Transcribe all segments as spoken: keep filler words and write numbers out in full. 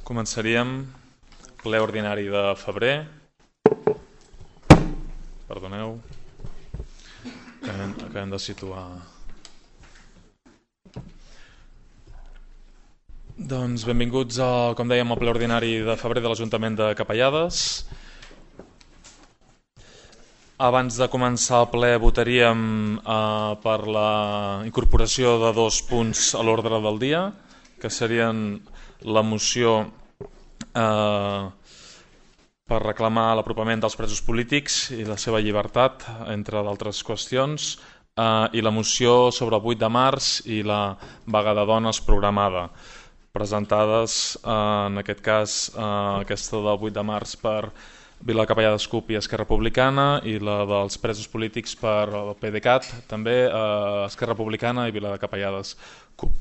Començaríem ple ordinari de febrer. Perdoneu, acabem, acabem de situar. Doncs benvinguts a, com dèiem, al ple ordinari de febrer de l'Ajuntament de Capellades. Abans de començar el ple votaríem eh, per la incorporació de dos punts a l'ordre del dia, que serien la moció eh, per reclamar l'apropament dels presos polítics i la seva llibertat, entre d'altres qüestions, eh, i la moció sobre el vuit de març i la vaga de dones programada, presentades eh, en aquest cas eh, aquesta del vuit de març per Vila de Capellades CUP i Esquerra Republicana, i la dels presos polítics per el PDeCAT, també eh, Esquerra Republicana i Vila de Capellades CUP.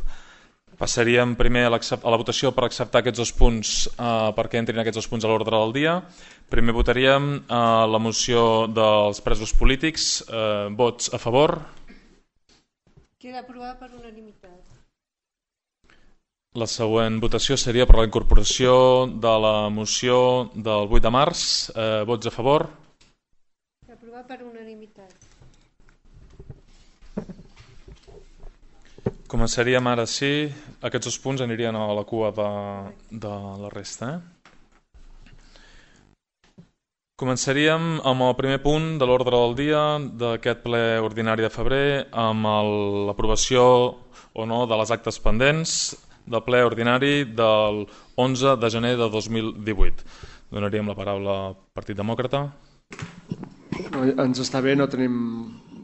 Passaríem primer a, a la votació per acceptar aquests dos punts, eh, perquè entrin aquests dos punts a l'ordre del dia. Primer votaríem eh, la moció dels presos polítics. Eh, vots a favor? Queda aprovada per unanimitat. La següent votació seria per la incorporació de la moció del vuit de març. Eh, vots a favor? Queda aprovada per unanimitat. Començaríem ara sí. Aquests dos punts anirien a la cua de, de la resta. Eh? Començaríem amb el primer punt de l'ordre del dia d'aquest ple ordinari de febrer, amb l'aprovació o no de les actes pendents del ple ordinari del onze de gener de dos mil divuit. Donaríem la paraula al Partit Demòcrata. No, ens està bé, no tenim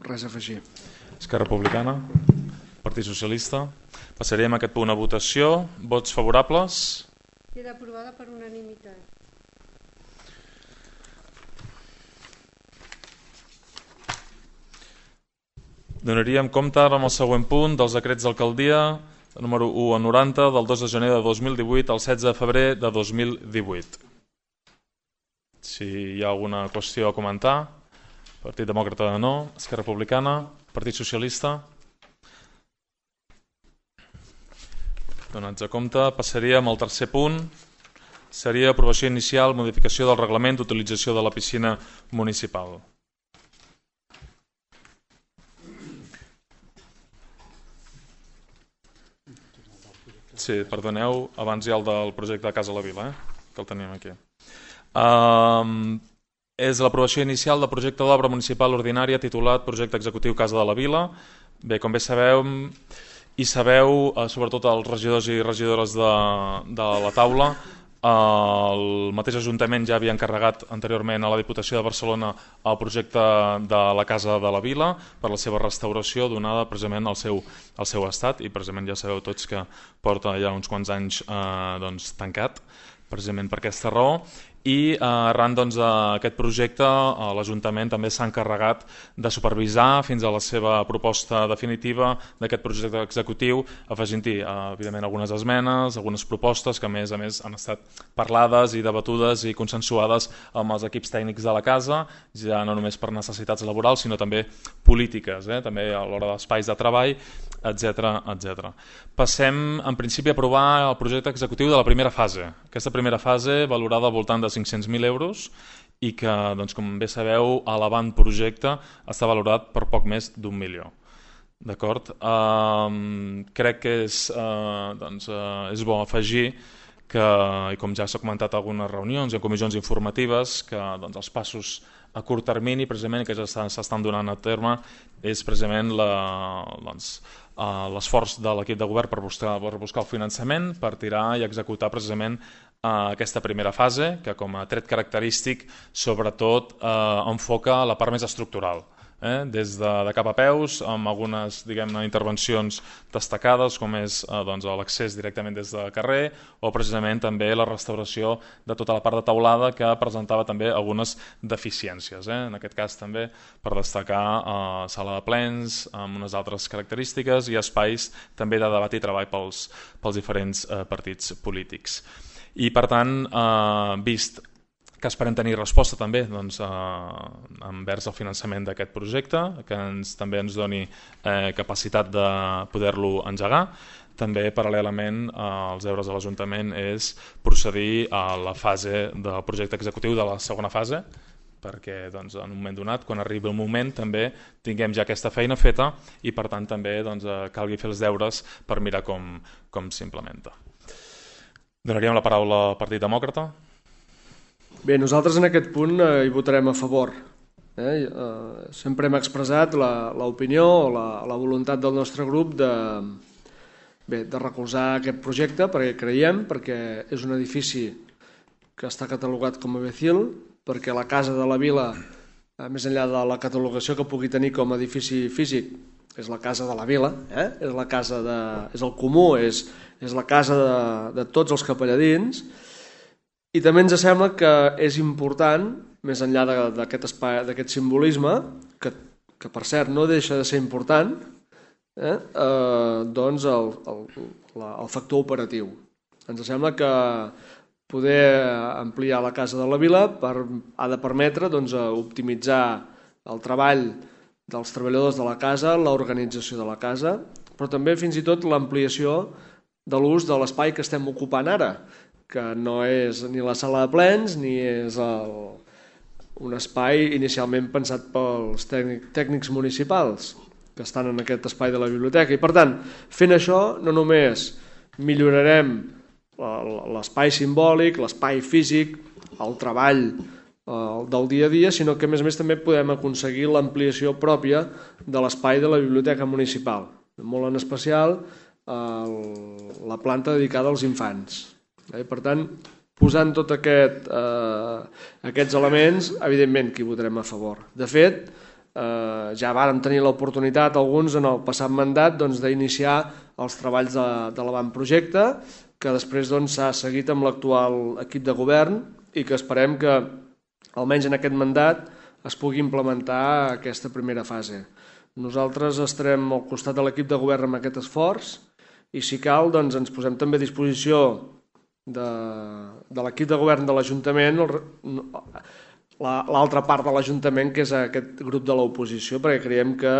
res a afegir. Esquerra Republicana. Partit Socialista. Passaríem aquest punt a votació. Vots favorables? Queda aprovada per unanimitat. Donaríem compte amb el següent punt dels decrets d'alcaldia número u a noranta del dos de gener de dos mil divuit al setze de febrer de dos mil divuit. Si hi ha alguna qüestió a comentar. Partit Demòcrata no. Esquerra Republicana. Partit Socialista. Donats a compte, passaríem al tercer punt. Seria aprovació inicial, modificació del reglament d'utilització de la piscina municipal. Sí, perdoneu, abans hi ha el del projecte de Casa a la Vila, eh? Que el tenim aquí. Um, és l'aprovació inicial del projecte d'obra municipal ordinària titulat Projecte Executiu Casa de la Vila. Bé, com bé sabeu, i sabeu, eh, sobretot els regidors i regidores de, de la taula, eh, el mateix Ajuntament ja havia encarregat anteriorment a la Diputació de Barcelona el projecte de la Casa de la Vila per la seva restauració donada precisament al seu, al seu estat, i precisament ja sabeu tots que porta ja uns quants anys eh, doncs, tancat, precisament per aquesta raó. I eh, arran doncs, d'aquest projecte eh, l'Ajuntament també s'ha encarregat de supervisar fins a la seva proposta definitiva d'aquest projecte executiu, afegint-hi eh, evidentment algunes esmenes, algunes propostes que a més a més han estat parlades i debatudes i consensuades amb els equips tècnics de la casa, ja no només per necessitats laborals sinó també polítiques, eh? També a l'hora d'espais de treball, etcètera, etcètera. Passem en principi a aprovar el projecte executiu de la primera fase. Aquesta primera fase valorada al voltant de cinc-cents mil euros i que, doncs, com bé sabeu, a l'avantprojecte està valorat per poc més d'un milió. D'acord? Um, crec que és, uh, doncs, uh, és bo afegir que, i com ja s'ha comentat a algunes reunions i en comissions informatives, que doncs, els passos a curt termini precisament que ja s'estan donant a terme és precisament la, doncs, uh, l'esforç de l'equip de govern per buscar, per buscar el finançament, per tirar i executar precisament uh, aquesta primera fase, que com a tret característic sobretot uh, enfoca la part més estructural. Eh, des de, de cap a peus, amb algunes diguem-ne intervencions destacades com és eh, doncs, l'accés directament des de carrer o precisament també la restauració de tota la part de teulada que presentava també algunes deficiències. Eh? En aquest cas també per destacar eh, sala de plens amb unes altres característiques i espais també de debat i treball pels, pels diferents eh, partits polítics. I per tant, eh, vist que esperem tenir resposta també doncs, eh, envers el finançament d'aquest projecte, que ens, també ens doni eh, capacitat de poder-lo engegar. també paral·lelament als deures de l'Ajuntament és procedir a la fase del projecte executiu de la segona fase, perquè doncs, en un moment donat, quan arribi el moment, també tinguem ja aquesta feina feta i per tant també doncs, calgui fer els deures per mirar com, com s'implementa. Donaríem la paraula al Partit Demòcrata. Bé, nosaltres en aquest punt eh, hi votarem a favor. Eh? Eh, sempre hem expressat l'opinió o la, la voluntat del nostre grup de, bé, de recolzar aquest projecte perquè creiem, perquè és un edifici que està catalogat com a Becil, perquè la Casa de la Vila, més enllà de la catalogació que pugui tenir com a edifici físic, és la Casa de la Vila, eh? és, la casa de, és el comú, és, és la casa de, de tots els capelladins, i també ens sembla que és important, més enllà d'aquest espai, d'aquest simbolisme, que, que per cert no deixa de ser important, eh? Eh, doncs el, el, la, el factor operatiu. Ens sembla que poder ampliar la Casa de la Vila per, ha de permetre doncs, optimitzar el treball dels treballadors de la casa, l'organització de la casa, però també fins i tot l'ampliació de l'ús de l'espai que estem ocupant ara, que no és ni la sala de plens ni és el, un espai inicialment pensat pels tècnic, tècnics municipals que estan en aquest espai de la biblioteca. I per tant, fent això no només millorarem l'espai simbòlic, l'espai físic, el treball del dia a dia, sinó que a més a més també podem aconseguir l'ampliació pròpia de l'espai de la biblioteca municipal, molt en especial la planta dedicada als infants. Per tant, posant tots aquest, aquests elements, evidentment que hi votarem a favor. De fet, ja vàrem tenir l'oportunitat alguns en el passat mandat d'iniciar els treballs de, de l'avantprojecte, que després s'ha seguit amb l'actual equip de govern i que esperem que almenys en aquest mandat es pugui implementar aquesta primera fase. Nosaltres estarem al costat de l'equip de govern amb aquest esforç i si cal doncs, ens posem també a disposició de, de l'equip de govern de l'Ajuntament, l'altra part de l'Ajuntament, que és aquest grup de l'oposició, perquè creiem que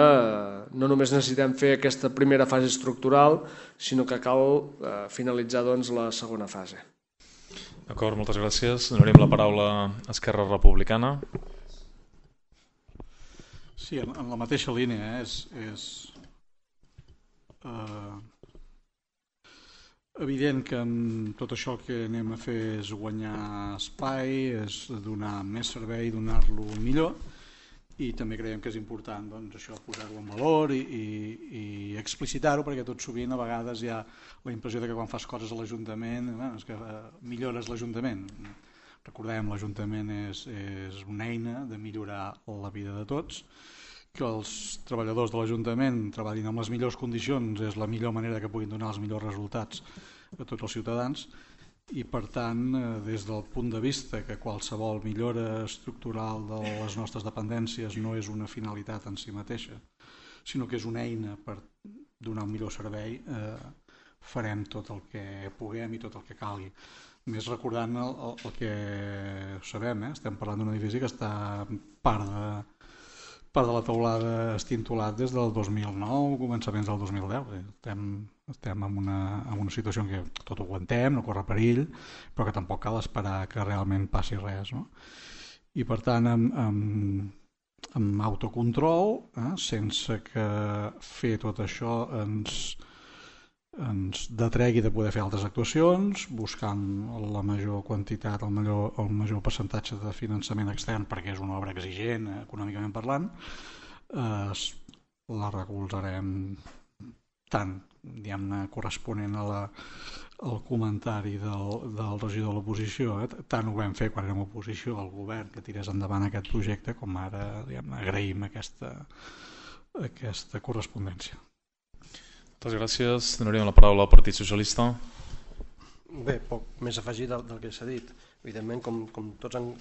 no només necessitem fer aquesta primera fase estructural, sinó que cal finalitzar doncs, la segona fase. D'acord, moltes gràcies. Donaríem la paraula a Esquerra Republicana. Sí, en, en la mateixa línia. Eh? És, és eh, evident que en tot això el que anem a fer és guanyar espai, és donar més servei, donar-lo millor, i també creiem que és important doncs, això posar-ho en valor i, i, i explicitar-ho, perquè tot sovint a vegades hi ha la impressió de que quan fas coses a l'Ajuntament bueno, és que eh, millores l'Ajuntament. Recordem, l'Ajuntament és, és una eina de millorar la vida de tots, que els treballadors de l'Ajuntament treballin en les millors condicions és la millor manera que puguin donar els millors resultats a tots els ciutadans, i per tant, des del punt de vista que qualsevol millora estructural de les nostres dependències no és una finalitat en si mateixa, sinó que és una eina per donar un millor servei, eh, farem tot el que puguem i tot el que calgui. Més recordant el, el, el que sabem, eh? Estem parlant d'un edifici que està part de, part de la teulada estintolat des del dos mil nou, començaments del dos mil deu. Estem, estem en, una, en una situació en què tot ho aguantem, no corre perill, però que tampoc cal esperar que realment passi res. No? I per tant, amb, amb, amb autocontrol, eh, sense que fer tot això ens, ens detregui de poder fer altres actuacions, buscant la major quantitat, el major, el major percentatge de finançament extern, perquè és una obra exigent, eh, econòmicament parlant, eh, la recolzarem tant, diguem-ne, corresponent a la, al comentari del, del regidor de l'oposició, eh? Tant ho vam fer quan érem oposició al govern que tirés endavant aquest projecte, com ara diguem-ne, agraïm aquesta, aquesta correspondència. Moltes gràcies. Donaríem la paraula al Partit Socialista. Bé, poc més afegit del, del que s'ha dit. Evidentment, com, com tots han,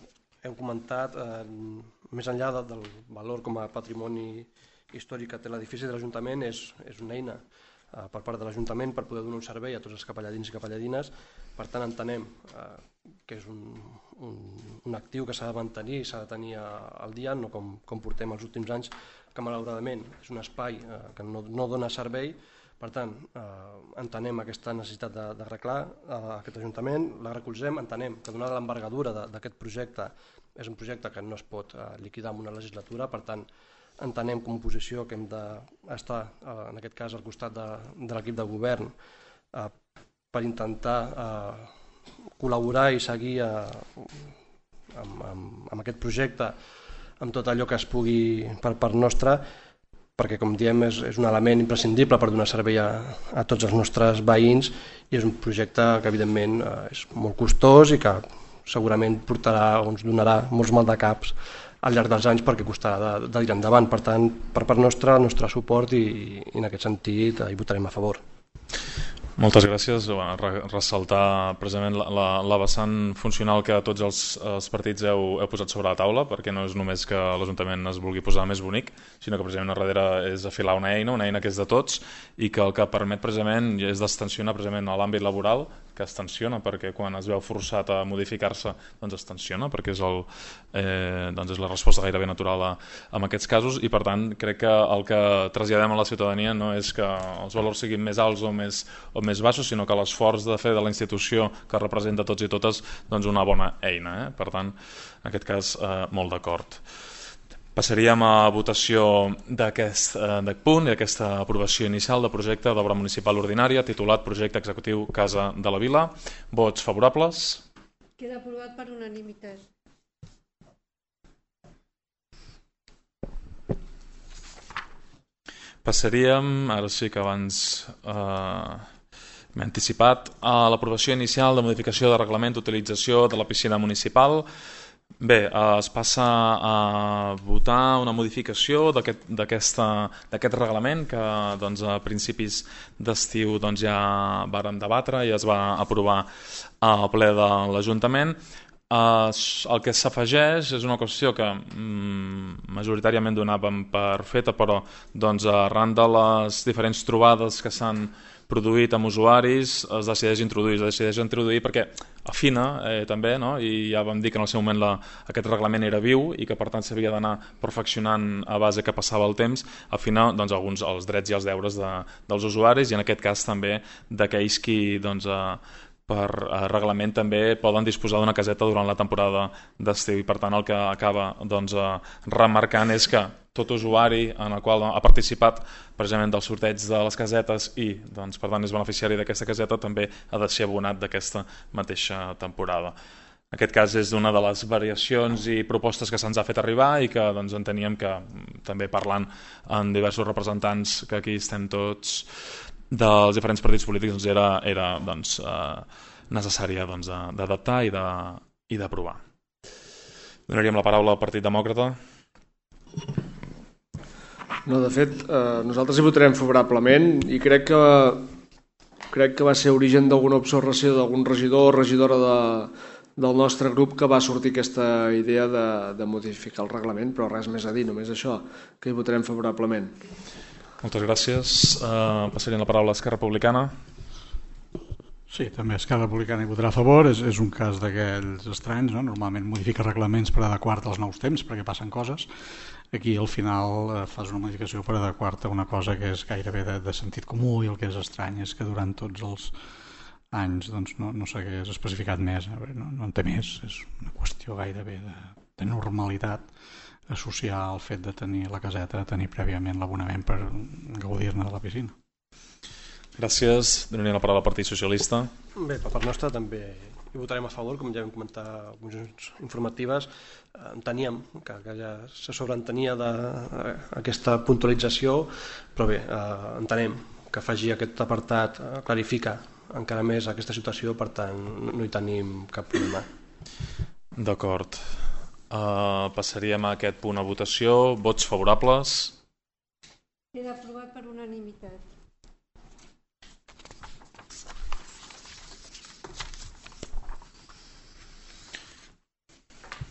heu comentat, eh, més enllà de, del valor com a patrimoni històric que té l'edifici de l'Ajuntament, és, és una eina eh, per part de l'Ajuntament per poder donar un servei a tots els capelladins i capelladines. Per tant, entenem eh, que és un, un, un actiu que s'ha de mantenir i s'ha de tenir al dia, no com, com portem els últims anys, que malauradament és un espai eh, que no, no dona servei, Per tant, eh, entenem aquesta necessitat d'arreglar eh, aquest Ajuntament, la recolzem, entenem que donada l'envergadura d'aquest projecte és un projecte que no es pot eh, liquidar en una legislatura, per tant, entenem com a oposició que hem d'estar, eh, en aquest cas, al costat de, de l'equip de govern eh, per intentar eh, col·laborar i seguir eh, amb, amb, amb aquest projecte, amb tot allò que es pugui per part nostra, perquè, com diem, és, és un element imprescindible per donar servei a, a tots els nostres veïns i és un projecte que, evidentment, eh, és molt costós i que segurament portarà o ens donarà molts maldecaps al llarg dels anys perquè costarà de, de dir endavant. Per tant, per part nostra, el nostre suport i, i en aquest sentit eh, hi votarem a favor. Moltes gràcies. Ressaltar precisament la, la, la vessant funcional que tots els, els partits heu, heu posat sobre la taula, perquè no és només que l'Ajuntament es vulgui posar més bonic, sinó que precisament a darrere és afilar una eina, una eina que és de tots i que el que permet precisament és d'extensionar precisament a l'àmbit laboral, que es tensiona perquè quan es veu forçat a modificar-se doncs es tensiona perquè és, el, eh, doncs és la resposta gairebé natural a, a aquests casos i per tant crec que el que traslladem a la ciutadania no és que els valors siguin més alts o més, o més baixos, sinó que l'esforç de fer de la institució que representa tots i totes doncs una bona eina. Eh? Per tant, en aquest cas, eh, molt d'acord. Passaríem a votació d'aquest eh, punt i aquesta aprovació inicial de projecte d'obra municipal ordinària titulat Projecte Executiu Casa de la Vila. Vots favorables? Queda aprovat per unanimitat. Passaríem, ara sí que abans eh, m'he anticipat, a l'aprovació inicial de modificació de reglament d'utilització de la piscina municipal. Bé, es passa a votar una modificació d'aquest reglament que doncs, a principis d'estiu doncs, ja vàrem debatre i es va aprovar al ple de l'Ajuntament. El que s'afegeix és una qüestió que mm, majoritàriament donàvem per feta, però doncs, arran de les diferents trobades que s'han produït amb usuaris es decideix introduir, es decideix introduir perquè afina eh, també, no? I ja vam dir que en el seu moment la, aquest reglament era viu i que per tant s'havia d'anar perfeccionant a base que passava el temps, afina doncs, alguns els drets i els deures de, dels usuaris i en aquest cas també d'aquells qui doncs, eh, per reglament també poden disposar d'una caseta durant la temporada d'estiu i per tant el que acaba doncs, remarcant és que tot usuari en el qual ha participat precisament del sorteig de les casetes i doncs, per tant és beneficiari d'aquesta caseta també ha de ser abonat d'aquesta mateixa temporada. En aquest cas és una de les variacions i propostes que se'ns ha fet arribar i que doncs, enteníem que també parlant amb diversos representants que aquí estem tots dels diferents partits polítics doncs era, era doncs, eh, necessària doncs, d'adaptar i d'aprovar. Donaríem la paraula al Partit Demòcrata. No, de fet, eh, nosaltres hi votarem favorablement i crec que, crec que va ser origen d'alguna observació d'algun regidor o regidora de, del nostre grup que va sortir aquesta idea de, de modificar el reglament, però res més a dir, només això, que hi votarem favorablement. Moltes gràcies. Uh, passaríem la paraula a Esquerra Republicana. Sí, també Esquerra Republicana hi votarà a favor. És, és un cas d'aquells estranys, no? Normalment modifica reglaments per adequar-te als nous temps perquè passen coses. Aquí al final eh, fas una modificació per adequar-te a una cosa que és gairebé de, de sentit comú i el que és estrany és que durant tots els anys doncs, no, no s'hagués especificat més. No, no en té més, és una qüestió gairebé de, de normalitat associar el fet de tenir la caseta, de tenir prèviament l'abonament per gaudir-ne de la piscina. Gràcies. Donaria la paraula al Partit Socialista. Bé, per part nostra també hi votarem a favor, com ja vam comentar en comissions informatives. Enteníem que, que ja se sobreentenia d'aquesta puntualització, però bé, eh, entenem que afegir aquest apartat eh, clarifica encara més aquesta situació, per tant no hi tenim cap problema. D'acord. Uh, passaríem a aquest punt a votació. Vots favorables? Queda aprovat per unanimitat.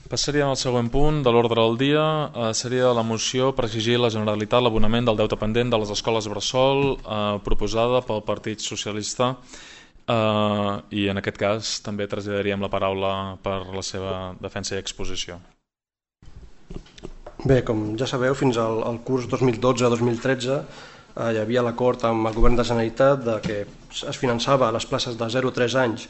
Passaríem al següent punt de l'ordre del dia. Uh, seria la moció per exigir a la Generalitat l'abonament del deute pendent de les escoles bressol uh, proposada pel Partit Socialista. Uh, i en aquest cas també traslladaríem la paraula per la seva defensa i exposició. Bé, com ja sabeu, fins al, al curs dos mil dotze dos mil tretze eh, hi havia l'acord amb el govern de la Generalitat de que es finançava les places de zero a tres anys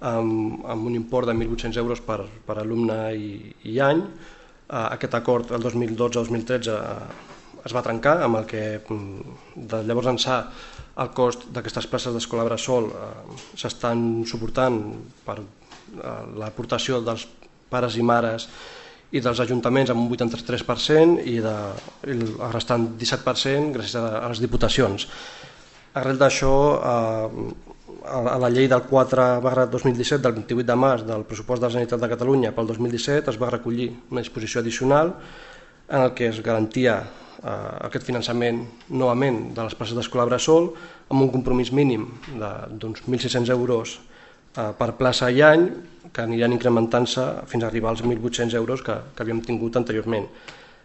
amb, amb un import de mil vuit-cents euros per, per alumne i, i any. Eh, aquest acord el dos mil dotze dos mil tretze eh, es va trencar, amb el que de llavors ençà el cost d'aquestes places d'escola bressol eh, s'estan suportant per eh, l'aportació dels pares i mares i dels ajuntaments amb un vuitanta-tres per cent i, de, i el restant disset per cent gràcies a, a les diputacions. Arrel d'això, eh, a la llei del quatre barra dos mil disset del vint-i-vuit de març del pressupost de la Generalitat de Catalunya pel dos mil disset es va recollir una disposició addicional en el que es garantia eh, aquest finançament novament de les places d'escola bressol amb un compromís mínim d'uns mil sis-cents euros eh, per plaça i any, que aniran incrementant-se fins a arribar als mil vuit-cents euros que, que havíem tingut anteriorment.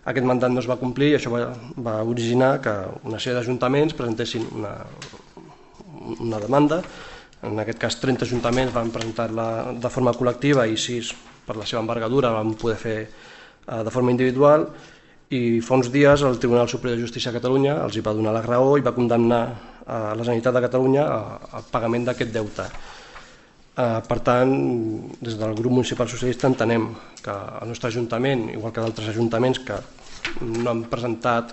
Aquest mandat no es va complir i això va, va originar que una sèrie d'ajuntaments presentessin una, una demanda. En aquest cas, trenta ajuntaments van presentar-la de forma col·lectiva i sis, per la seva envergadura, van poder fer eh, de forma individual. I fa uns dies el Tribunal Superior de Justícia de Catalunya els hi va donar la raó i va condemnar a la Generalitat de Catalunya al pagament d'aquest deute. Per tant, des del grup municipal socialista entenem que el nostre ajuntament, igual que d'altres ajuntaments que no han presentat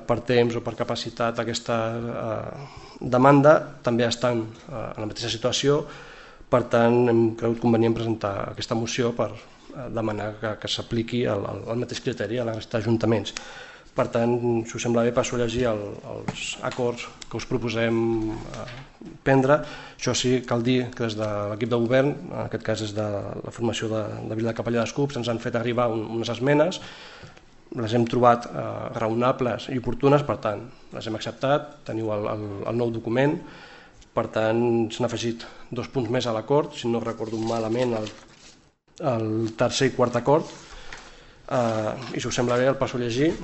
per temps o per capacitat aquesta demanda, també estan en la mateixa situació. Per tant, hem cregut convenient presentar aquesta moció per demanar que, que s'apliqui el, el mateix criteri a la resta d'ajuntaments. Per tant, si us sembla bé, passo a llegir el, els acords que us proposem eh, prendre. Això sí, cal dir que des de l'equip de govern, en aquest cas des de la formació de, de Vila de Capellà d'Escups, ens han fet arribar un, unes esmenes, les hem trobat eh, raonables i oportunes, per tant, les hem acceptat, teniu el, el, el nou document, per tant, s'han afegit dos punts més a l'acord, si no recordo malament, el, el tercer i quart acord, eh, i si us sembla bé, el passo a llegir.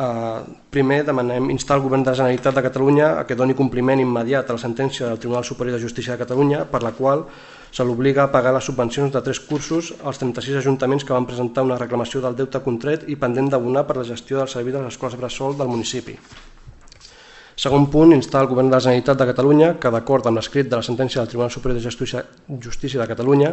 Uh, primer demanem instar el Govern de la Generalitat de Catalunya a que doni compliment immediat a la sentència del Tribunal Superior de Justícia de Catalunya per la qual se l'obliga a pagar les subvencions de tres cursos als trenta-sis ajuntaments que van presentar una reclamació del deute contret i pendent d'abonar per la gestió del servei de les escoles bressol del municipi. Segon punt, instar el Govern de la Generalitat de Catalunya que, d'acord amb l'escrit de la sentència del Tribunal Superior de Justícia, Justícia de Catalunya,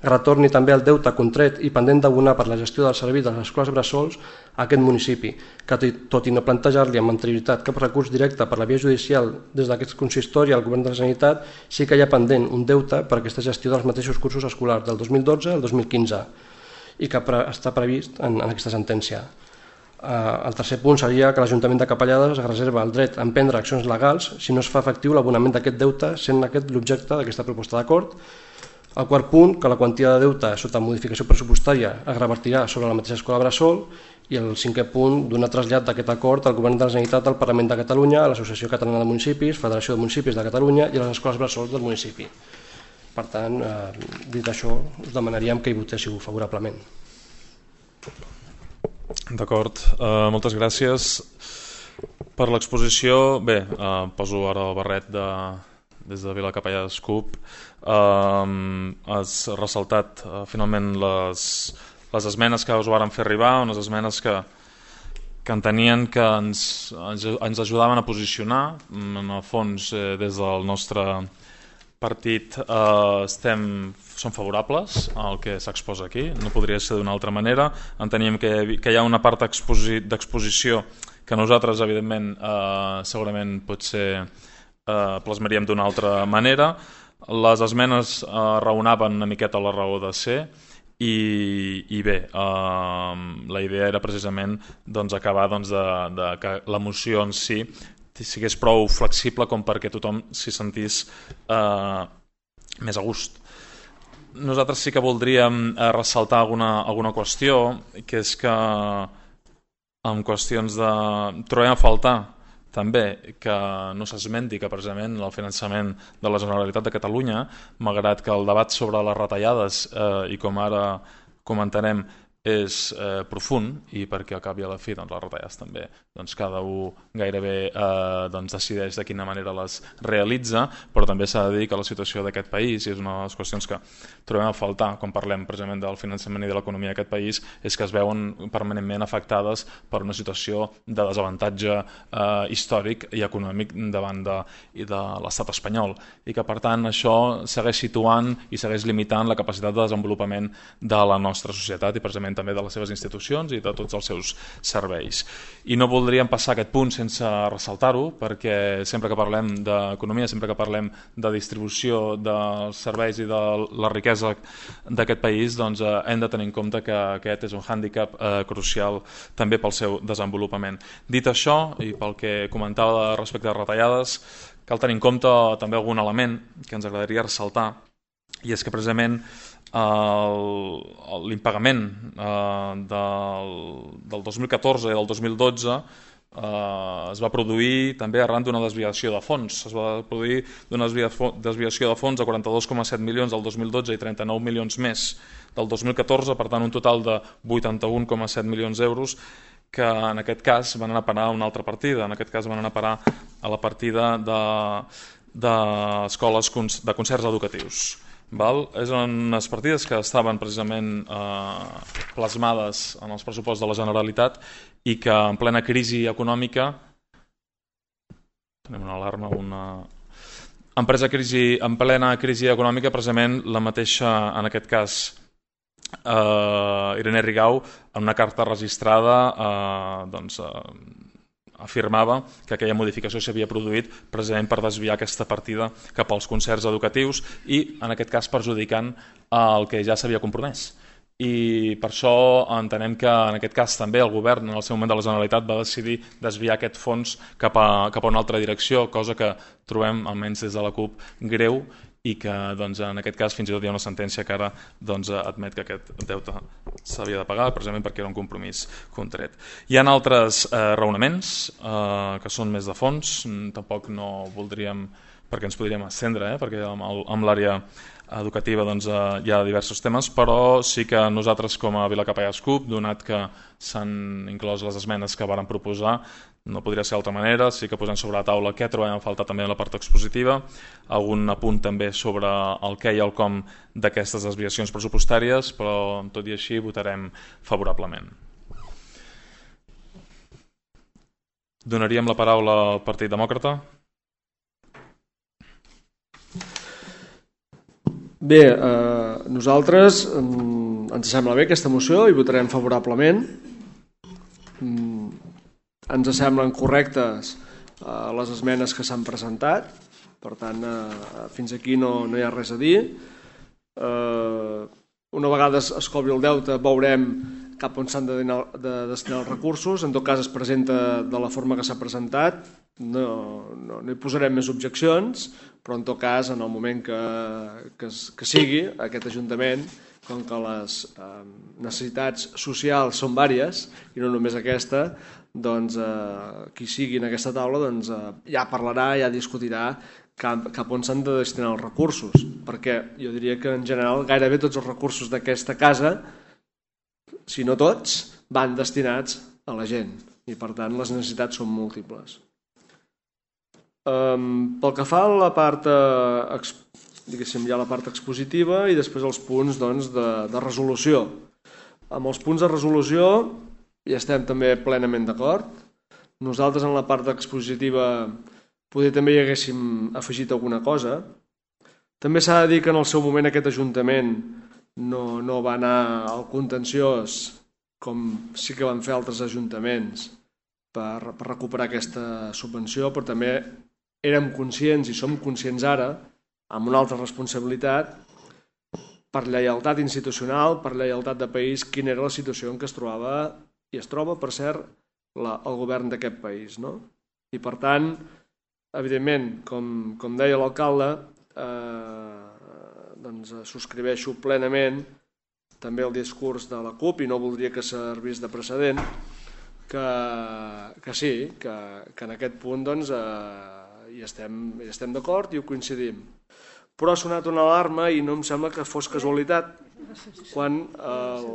retorni també el deute contret i pendent d'abonar per la gestió del servei de les escoles bressols a aquest municipi, que tot i no plantejar-li amb anterioritat cap recurs directe per la via judicial des d'aquest consistori al Govern de la Generalitat, sí que hi ha pendent un deute per aquesta gestió dels mateixos cursos escolars del dos mil dotze al dos mil quinze i que està previst en, en aquesta sentència. El tercer punt seria que l'Ajuntament de Capellades es reserva el dret a emprendre accions legals si no es fa efectiu l'abonament d'aquest deute, sent aquest l'objecte d'aquesta proposta d'acord. El quart punt, que la quantia de deute sota modificació pressupostària es revertirà sobre la mateixa escola bressol. I el cinquè punt, donar trasllat d'aquest acord al Govern de la Generalitat, al Parlament de Catalunya, a l'Associació Catalana de Municipis, Federació de Municipis de Catalunya i a les escoles bressols del municipi. Per tant, eh, dit això, us demanaríem que hi votéssiu favorablement. D'acord, uh, moltes gràcies per l'exposició. Bé, uh, poso ara el barret de, des de Vila Capellà d'Escup. Uh, has ressaltat uh, finalment les, les esmenes que us varen fer arribar, unes esmenes que, que entenien que ens, ens, ens ajudaven a posicionar. En el fons, eh, des del nostre partit eh, estem, som favorables al que s'exposa aquí, no podria ser d'una altra manera. Enteníem que, que hi ha una part d'exposició que nosaltres, evidentment, eh, segurament potser eh, plasmaríem d'una altra manera. Les esmenes eh, raonaven una miqueta la raó de ser i, i bé, eh, la idea era precisament doncs, acabar doncs, de, de que la moció en si sigués prou flexible com perquè tothom s'hi sentís eh, més a gust. Nosaltres sí que voldríem eh, ressaltar alguna, alguna qüestió, que és que en qüestions de... trobem a faltar també que no s'esmenti que precisament el finançament de la Generalitat de Catalunya, malgrat que el debat sobre les retallades eh, i com ara comentarem és eh, profund i perquè al cap i a la fi doncs, les retallades també doncs, cada un gairebé eh, doncs, decideix de quina manera les realitza, però també s'ha de dir que la situació d'aquest país, i és una de les qüestions que trobem a faltar quan parlem precisament del finançament i de l'economia d'aquest país, és que es veuen permanentment afectades per una situació de desavantatge eh, històric i econòmic davant de, de l'estat espanyol, i que per tant això segueix situant i segueix limitant la capacitat de desenvolupament de la nostra societat i precisament també de les seves institucions i de tots els seus serveis. I no voldríem passar aquest punt sense ressaltar-ho, perquè sempre que parlem d'economia, sempre que parlem de distribució dels serveis i de la riquesa d'aquest país, doncs eh, hem de tenir en compte que aquest és un hàndicap eh, crucial també pel seu desenvolupament. Dit això, i pel que comentava respecte a retallades, cal tenir en compte també algun element que ens agradaria ressaltar, i és que precisament l'impagament eh, del, del dos mil catorze i del dos mil dotze eh, es va produir també arran d'una desviació de fons. Es va produir d'una desviació de fons de quaranta-dos coma set milions del dos mil dotze i trenta-nou milions més del dos mil catorze, per tant un total de vuitanta-un coma set milions d'euros que en aquest cas van anar a parar a una altra partida, en aquest cas van anar a parar a la partida d'escoles de, de concerts educatius. Val? És unes partides que estaven precisament eh, plasmades en els pressupostos de la Generalitat i que en plena crisi econòmica, tenim una alarma, una... En, crisi, en plena crisi econòmica, precisament la mateixa, en aquest cas, eh, Irene Rigau, en una carta registrada, eh, doncs, eh, afirmava que aquella modificació s'havia produït precisament per desviar aquesta partida cap als concerts educatius i, en aquest cas, perjudicant el que ja s'havia compromès. I per això entenem que, en aquest cas, també el govern, en el seu moment de la Generalitat, va decidir desviar aquest fons cap a, cap a una altra direcció, cosa que trobem, almenys des de la CUP, greu, i que doncs, en aquest cas fins i tot hi ha una sentència que ara doncs, admet que aquest deute s'havia de pagar precisament perquè era un compromís contret. Hi ha altres eh, raonaments eh, que són més de fons, tampoc no voldríem, perquè ens podríem estendre, eh, perquè amb, el, amb l'àrea educativa doncs, eh, hi ha diversos temes, però sí que nosaltres com a Vilacapellars CUP, donat que s'han inclòs les esmenes que varen proposar, no podria ser d'altra manera, sí que posem sobre la taula què trobem a faltar també en la part expositiva, algun apunt també sobre el què i el com d'aquestes desviacions pressupostàries, però tot i així votarem favorablement. Donaríem la paraula al Partit Demòcrata. Bé, eh, nosaltres eh, ens sembla bé aquesta moció i votarem favorablement. Mm, ens semblen correctes eh, les esmenes que s'han presentat, per tant, eh, fins aquí no, no hi ha res a dir. Eh, una vegada es cobri el deute veurem cap on s'han de, de destinar els recursos, en tot cas es presenta de la forma que s'ha presentat, no, no, no hi posarem més objeccions, però en tot cas en el moment que, que, que sigui aquest Ajuntament, com que les eh, necessitats socials són vàries i no només aquesta, doncs eh, qui sigui en aquesta taula doncs, eh, ja parlarà, ja discutirà cap, cap on s'han de destinar els recursos, perquè jo diria que en general gairebé tots els recursos d'aquesta casa, si no tots, van destinats a la gent i per tant les necessitats són múltiples. Um, pel que fa a la part, eh, diguéssim, hi ha la part expositiva i després els punts doncs, de, de resolució. Amb els punts de resolució hi estem també plenament d'acord. Nosaltres en la part expositiva poder també hi haguéssim afegit alguna cosa. També s'ha de dir que en el seu moment aquest Ajuntament no, no va anar al contenciós com sí que van fer altres ajuntaments per, per recuperar aquesta subvenció, però també érem conscients i som conscients ara, amb una altra responsabilitat, per lleialtat institucional, per lleialtat de país, quina era la situació en què es trobava, i es troba, per cert, la, el govern d'aquest país. No? I per tant, evidentment, com, com deia l'alcalde, eh, doncs subscriveixo plenament també el discurs de la CUP i no voldria que servís de precedent, que, que sí, que, que en aquest punt doncs, eh, hi estem, hi estem d'acord i ho coincidim. però ha sonat una alarma i no em sembla que fos casualitat quan el,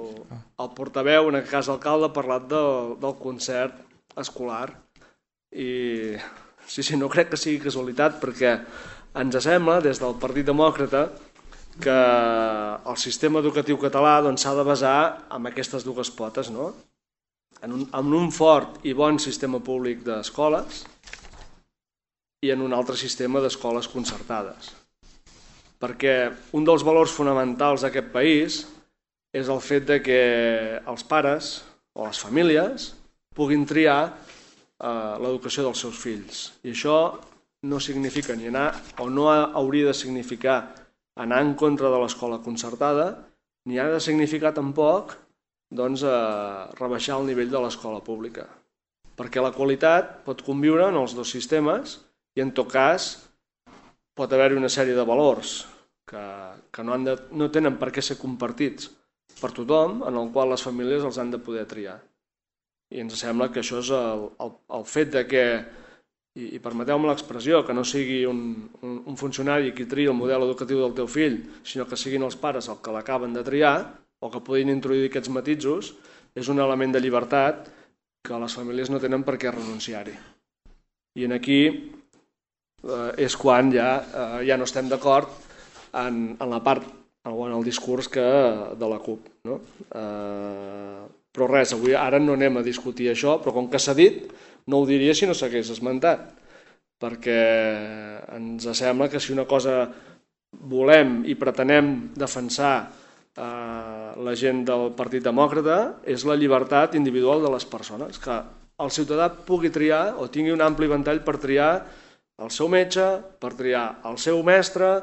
el portaveu, en aquest cas alcalde, ha parlat del, del concert escolar. I sí, sí, no crec que sigui casualitat, perquè ens sembla, des del Partit Demòcrata, que el sistema educatiu català s'ha de basar en aquestes dues potes, no? En un, en un fort i bon sistema públic d'escoles i en un altre sistema d'escoles concertades. Perquè un dels valors fonamentals d'aquest país és el fet de que els pares o les famílies puguin triar eh, l'educació dels seus fills. I això no significa ni anar, o no hauria de significar anar en contra de l'escola concertada, ni ha de significar tampoc doncs, eh, rebaixar el nivell de l'escola pública. Perquè la qualitat pot conviure en els dos sistemes i en tot cas pot haver-hi una sèrie de valors que, que no, han de, no tenen per què ser compartits per tothom, en el qual les famílies els han de poder triar. I ens sembla que això és el, el, el fet de que, i, i permeteu-me l'expressió, que no sigui un, un, un funcionari qui tria el model educatiu del teu fill, sinó que siguin els pares els que l'acaben de triar, o que puguin introduir aquests matisos, és un element de llibertat que les famílies no tenen per què renunciar-hi. I en aquí eh, és quan ja, eh, ja no estem d'acord en, en la part, o en el discurs que, de la CUP. No? Eh, però res, avui ara no anem a discutir això, però com que s'ha dit, no ho diria si no s'hagués esmentat, perquè ens sembla que si una cosa volem i pretenem defensar eh, la gent del Partit Demòcrata és la llibertat individual de les persones, que el ciutadà pugui triar o tingui un ampli ventall per triar el seu metge, per triar el seu mestre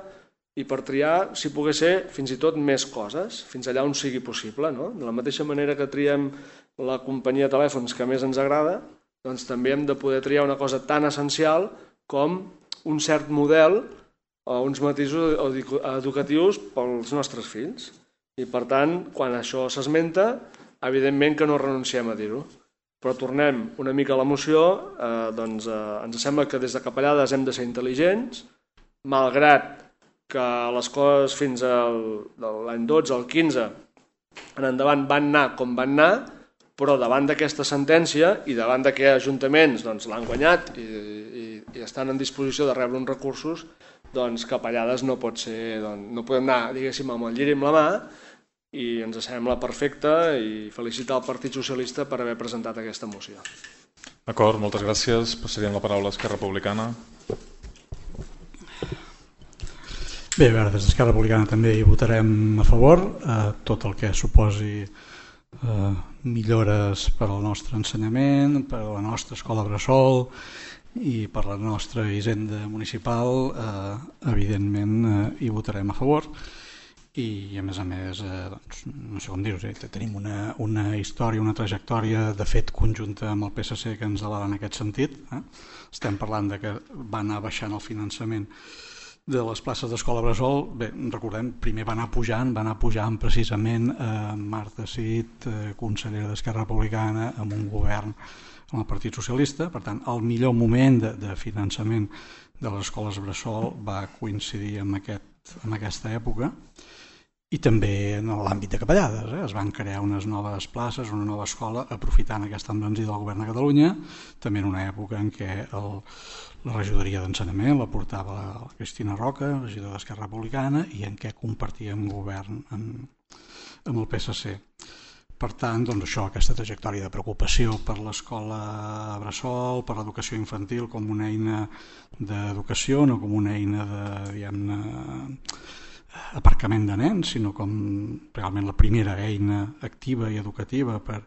i per triar, si pogués ser, fins i tot més coses, fins allà on sigui possible. No? De la mateixa manera que triem la companyia de telèfons que més ens agrada, doncs també hem de poder triar una cosa tan essencial com un cert model o uns matisos educatius pels nostres fills. I per tant, quan això s'esmenta, evidentment que no renunciem a dir-ho. Però tornem una mica a la moció, eh, doncs eh, ens sembla que des de Capellades hem de ser intel·ligents, malgrat que les coses fins al l'any dotze, al quinze, en endavant van anar com van anar, però davant d'aquesta sentència i davant de que ajuntaments doncs, l'han guanyat i, i, i estan en disposició de rebre uns recursos, doncs Capellades no pot ser, doncs, no podem anar, diguéssim, amb el lliri amb la mà, i ens sembla perfecte i felicitar el Partit Socialista per haver presentat aquesta moció. D'acord, moltes gràcies. Passaríem la paraula a Esquerra Republicana. Bé, a veure, des d'Esquerra Republicana també hi votarem a favor a tot el que suposi eh, millores per al nostre ensenyament, per a la nostra escola bressol i per la nostra hisenda municipal, eh, evidentment eh, hi votarem a favor. I a més a més, eh, doncs, no sé com dir-ho, eh, tenim una, una història, una trajectòria de fet conjunta amb el P S C que ens avala en aquest sentit. Eh? Estem parlant de que va anar baixant el finançament de les places d'escola bressol. Bé, recordem, primer va anar pujant, va anar pujant precisament eh, Marta Cid, eh, consellera d'Esquerra Republicana, amb un govern amb el Partit Socialista. Per tant, el millor moment de, de finançament de les escoles bressol va coincidir amb, aquest, amb aquesta època. I també en l'àmbit de Capellades, eh? Es van crear unes noves places, una nova escola, aprofitant aquesta embranzida del govern de Catalunya, també en una època en què el, la regidoria d'ensenyament la portava la Cristina Roca, regidora d'Esquerra Republicana, i en què compartíem govern amb, amb el P S C. Per tant, doncs això, aquesta trajectòria de preocupació per l'escola bressol, per l'educació infantil com una eina d'educació, no com una eina de, diguem-ne, aparcament de nens, sinó com realment la primera eina activa i educativa per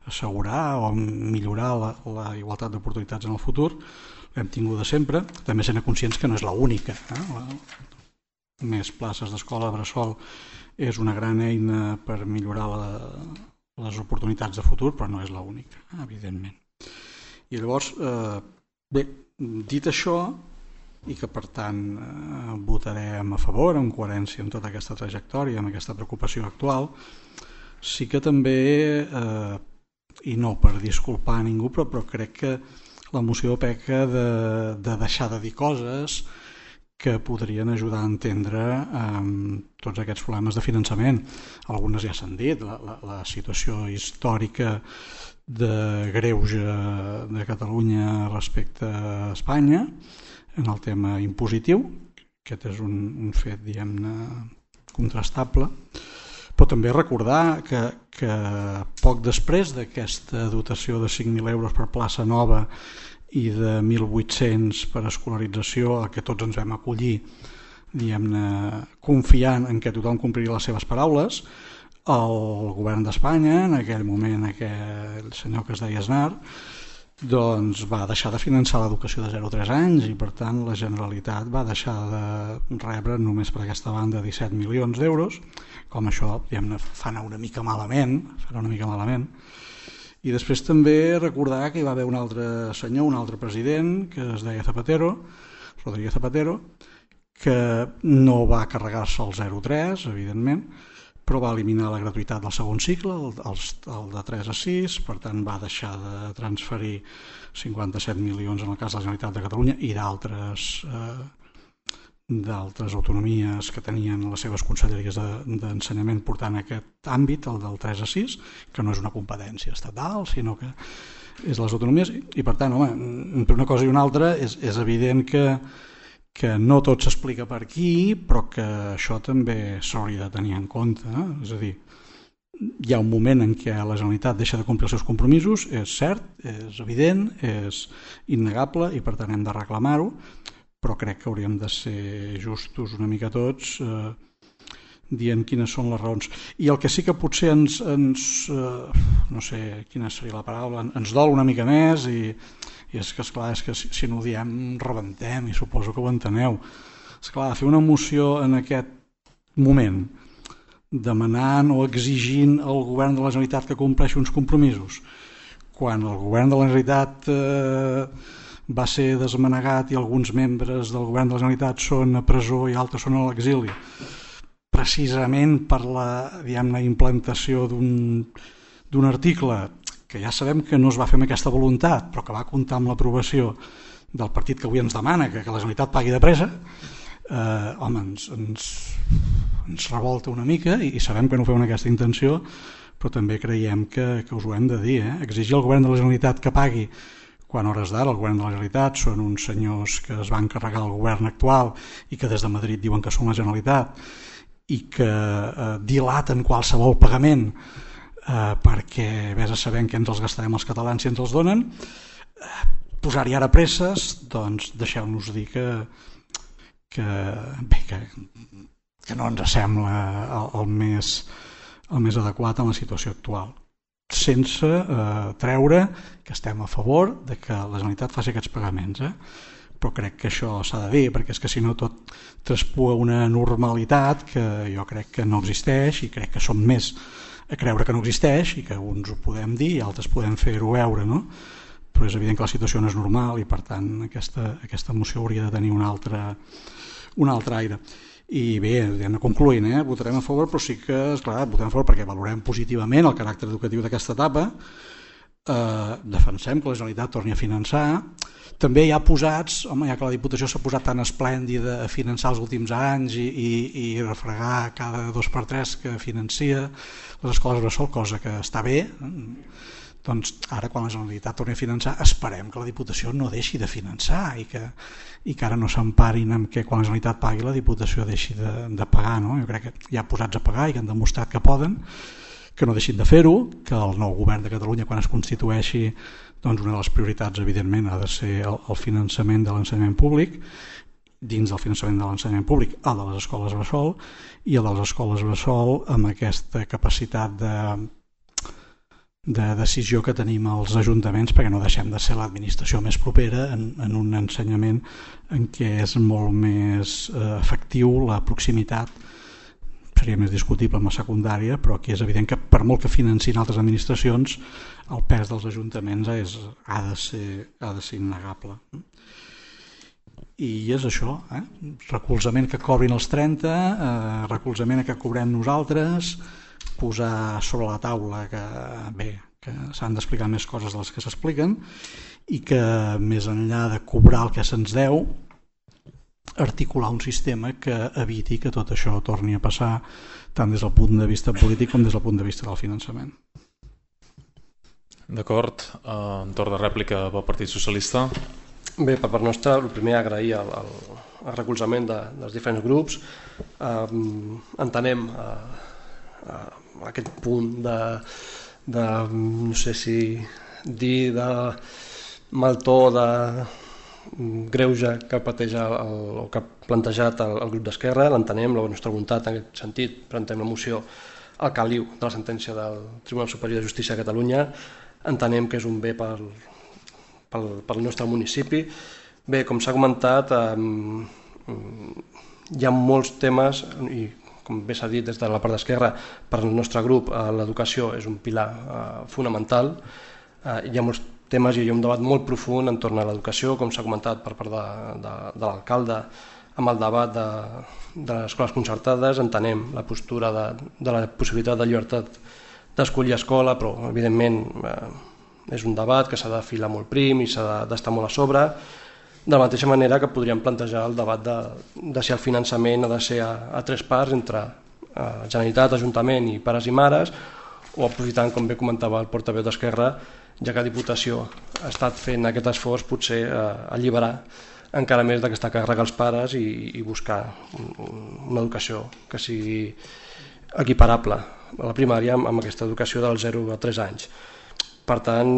assegurar o millorar la, la igualtat d'oportunitats en el futur, l'hem tinguda sempre, també sent conscients que no és l'única. Eh? La, més places d'escola bressol és una gran eina per millorar la, les oportunitats de futur, però no és l'única, eh? Evidentment. I llavors, eh, bé, dit això, i que per tant eh, votarem a favor en coherència amb tota aquesta trajectòria, amb aquesta preocupació actual, sí que també, eh, i no per disculpar a ningú, però, però crec que la moció peca de, de deixar de dir coses que podrien ajudar a entendre eh, tots aquests problemes de finançament. Algunes ja s'han dit, la, la, la situació històrica de greuge de Catalunya respecte a Espanya en el tema impositiu. Aquest és un, un fet, diguem-ne, contrastable. Però també recordar que, que poc després d'aquesta dotació de cinc mil euros per plaça nova i de mil vuit-cents per escolarització a què tots ens vam acollir, diguem-ne, confiant en que tothom compliria les seves paraules, el govern d'Espanya, en aquell moment aquell senyor que es deia Aznar, doncs va deixar de finançar l'educació de zero a tres anys i per tant la Generalitat va deixar de rebre només per aquesta banda disset milions d'euros, com això diguem-ne fa anar una mica malament, fa una mica malament. I després també recordar que hi va haver un altre senyor, un altre president, que es deia Zapatero, Rodríguez Zapatero, que no va carregar-se el zero a tres, evidentment, però va eliminar la gratuïtat del segon cicle, el, el, el de tres a sis, per tant va deixar de transferir cinquanta-set milions en el cas de la Generalitat de Catalunya i d'altres eh, d'altres autonomies que tenien les seves conselleries d'ensenyament portant aquest àmbit, el del tres a sis, que no és una competència estatal, sinó que és les autonomies, i per tant, home, entre una cosa i una altra és, és evident que, que no tot s'explica per aquí, però que això també s'hauria de tenir en compte, eh? És a dir, hi ha un moment en què la Generalitat deixa de complir els seus compromisos, és cert, és evident, és innegable i per tant hem de reclamar-ho, però crec que hauríem de ser justos una mica tots eh, dient quines són les raons. I el que sí que potser ens, ens eh, no sé quina seria la paraula, ens dol una mica més i, i és que esclar, és que si, si no ho diem rebentem i suposo que ho enteneu. Esclar, fer una moció en aquest moment demanant o exigint al govern de la Generalitat que compleixi uns compromisos quan el govern de la Generalitat eh, va ser desmanegat i alguns membres del govern de la Generalitat són a presó i altres són a l'exili, precisament per la, diguem-ne, implantació d'un d'un article que ja sabem que no es va fer amb aquesta voluntat, però que va comptar amb l'aprovació del partit que avui ens demana que, que la Generalitat pagui de pressa, eh, home, ens, ens, ens revolta una mica i, i sabem que no ho feu amb aquesta intenció, però també creiem que, que us ho hem de dir. Eh? Exigir al govern de la Generalitat que pagui quan hores d'ara el govern de la Generalitat són uns senyors que es van carregar el govern actual i que des de Madrid diuen que són la Generalitat i que eh, dilaten qualsevol pagament eh, perquè vés a saber que ens els gastarem els catalans si ens els donen, eh, posar-hi ara presses, doncs deixeu-nos dir que, que, bé, que, que no ens sembla el, el, més, el més adequat en la situació actual, sense eh, treure que estem a favor de que la Generalitat faci aquests pagaments, eh? Però crec que això s'ha de dir, perquè és que si no tot traspua una normalitat que jo crec que no existeix i crec que som més a creure que no existeix i que uns ho podem dir i altres podem fer-ho veure, no? Però és evident que la situació no és normal i per tant aquesta, aquesta moció hauria de tenir un altre, un altre aire. I bé, anem concloent, eh? Votarem a favor, però sí que, esclar, votarem a favor perquè valorem positivament el caràcter educatiu d'aquesta etapa, eh, defensem que la Generalitat torni a finançar, també hi ha posats, home, ja que la Diputació s'ha posat tan esplèndida a finançar els últims anys i, i, i refregar cada dos per tres que financia les escoles bressol, cosa que està bé, doncs ara quan la Generalitat torni a finançar esperem que la Diputació no deixi de finançar i que, i que ara no s'emparin amb que quan la Generalitat pagui la Diputació deixi de, de pagar, no? Jo crec que ja posats a pagar i que han demostrat que poden, que no deixin de fer-ho, que el nou govern de Catalunya quan es constitueixi, doncs una de les prioritats evidentment ha de ser el, el finançament de l'ensenyament públic, dins del finançament de l'ensenyament públic el de les escoles bressol i el de les escoles bressol amb aquesta capacitat de de decisió que tenim als ajuntaments perquè no deixem de ser l'administració més propera en, en un ensenyament en què és molt més eh, efectiu la proximitat, seria més discutible amb la secundària, però aquí és evident que per molt que financin altres administracions el pes dels ajuntaments és, ha, de ser, ha de ser innegable. I és això, eh? Recolzament que cobrin els trenta, eh, recolzament a que cobrem nosaltres, posar sobre la taula que bé, que s'han d'explicar més coses de les que s'expliquen i que més enllà de cobrar el que se'ns deu articular un sistema que eviti que tot això torni a passar tant des del punt de vista polític com des del punt de vista del finançament. D'acord. En torn de rèplica pel Partit Socialista. Bé, per part nostra, el primer agrair el, el, el recolzament de, dels diferents grups. Eh, entenem eh, eh, aquest punt de, de, no sé si dir, de mal to, de greuge que pateix el, o que ha plantejat el, el grup d'Esquerra. L'entenem, la nostra voluntat en aquest sentit, presentem la moció al caliu de la sentència del Tribunal Superior de Justícia de Catalunya. Entenem que és un bé pel, pel, pel nostre municipi. Bé, com s'ha comentat, eh, hi ha molts temes i, com bé s'ha dit des de la part d'Esquerra, per al nostre grup eh, l'educació és un pilar eh, fonamental. Eh, hi ha molts temes i hi ha un debat molt profund entorn a l'educació, com s'ha comentat per part de, de, de l'alcalde, amb el debat de, de les escoles concertades. Entenem la postura de, de la possibilitat de llibertat d'escollir escola, però evidentment eh, és un debat que s'ha de filar molt prim i s'ha d'estar molt a sobre. De la mateixa manera que podríem plantejar el debat de, de si el finançament ha de ser a, a tres parts entre eh, Generalitat, Ajuntament i pares i mares, o aprofitant, com bé comentava el portaveu d'Esquerra, ja que la Diputació ha estat fent aquest esforç, potser eh, alliberar encara més d'aquesta càrrega als pares i, i buscar una educació que sigui equiparable a la primària amb, amb aquesta educació dels zero a tres anys. Per tant,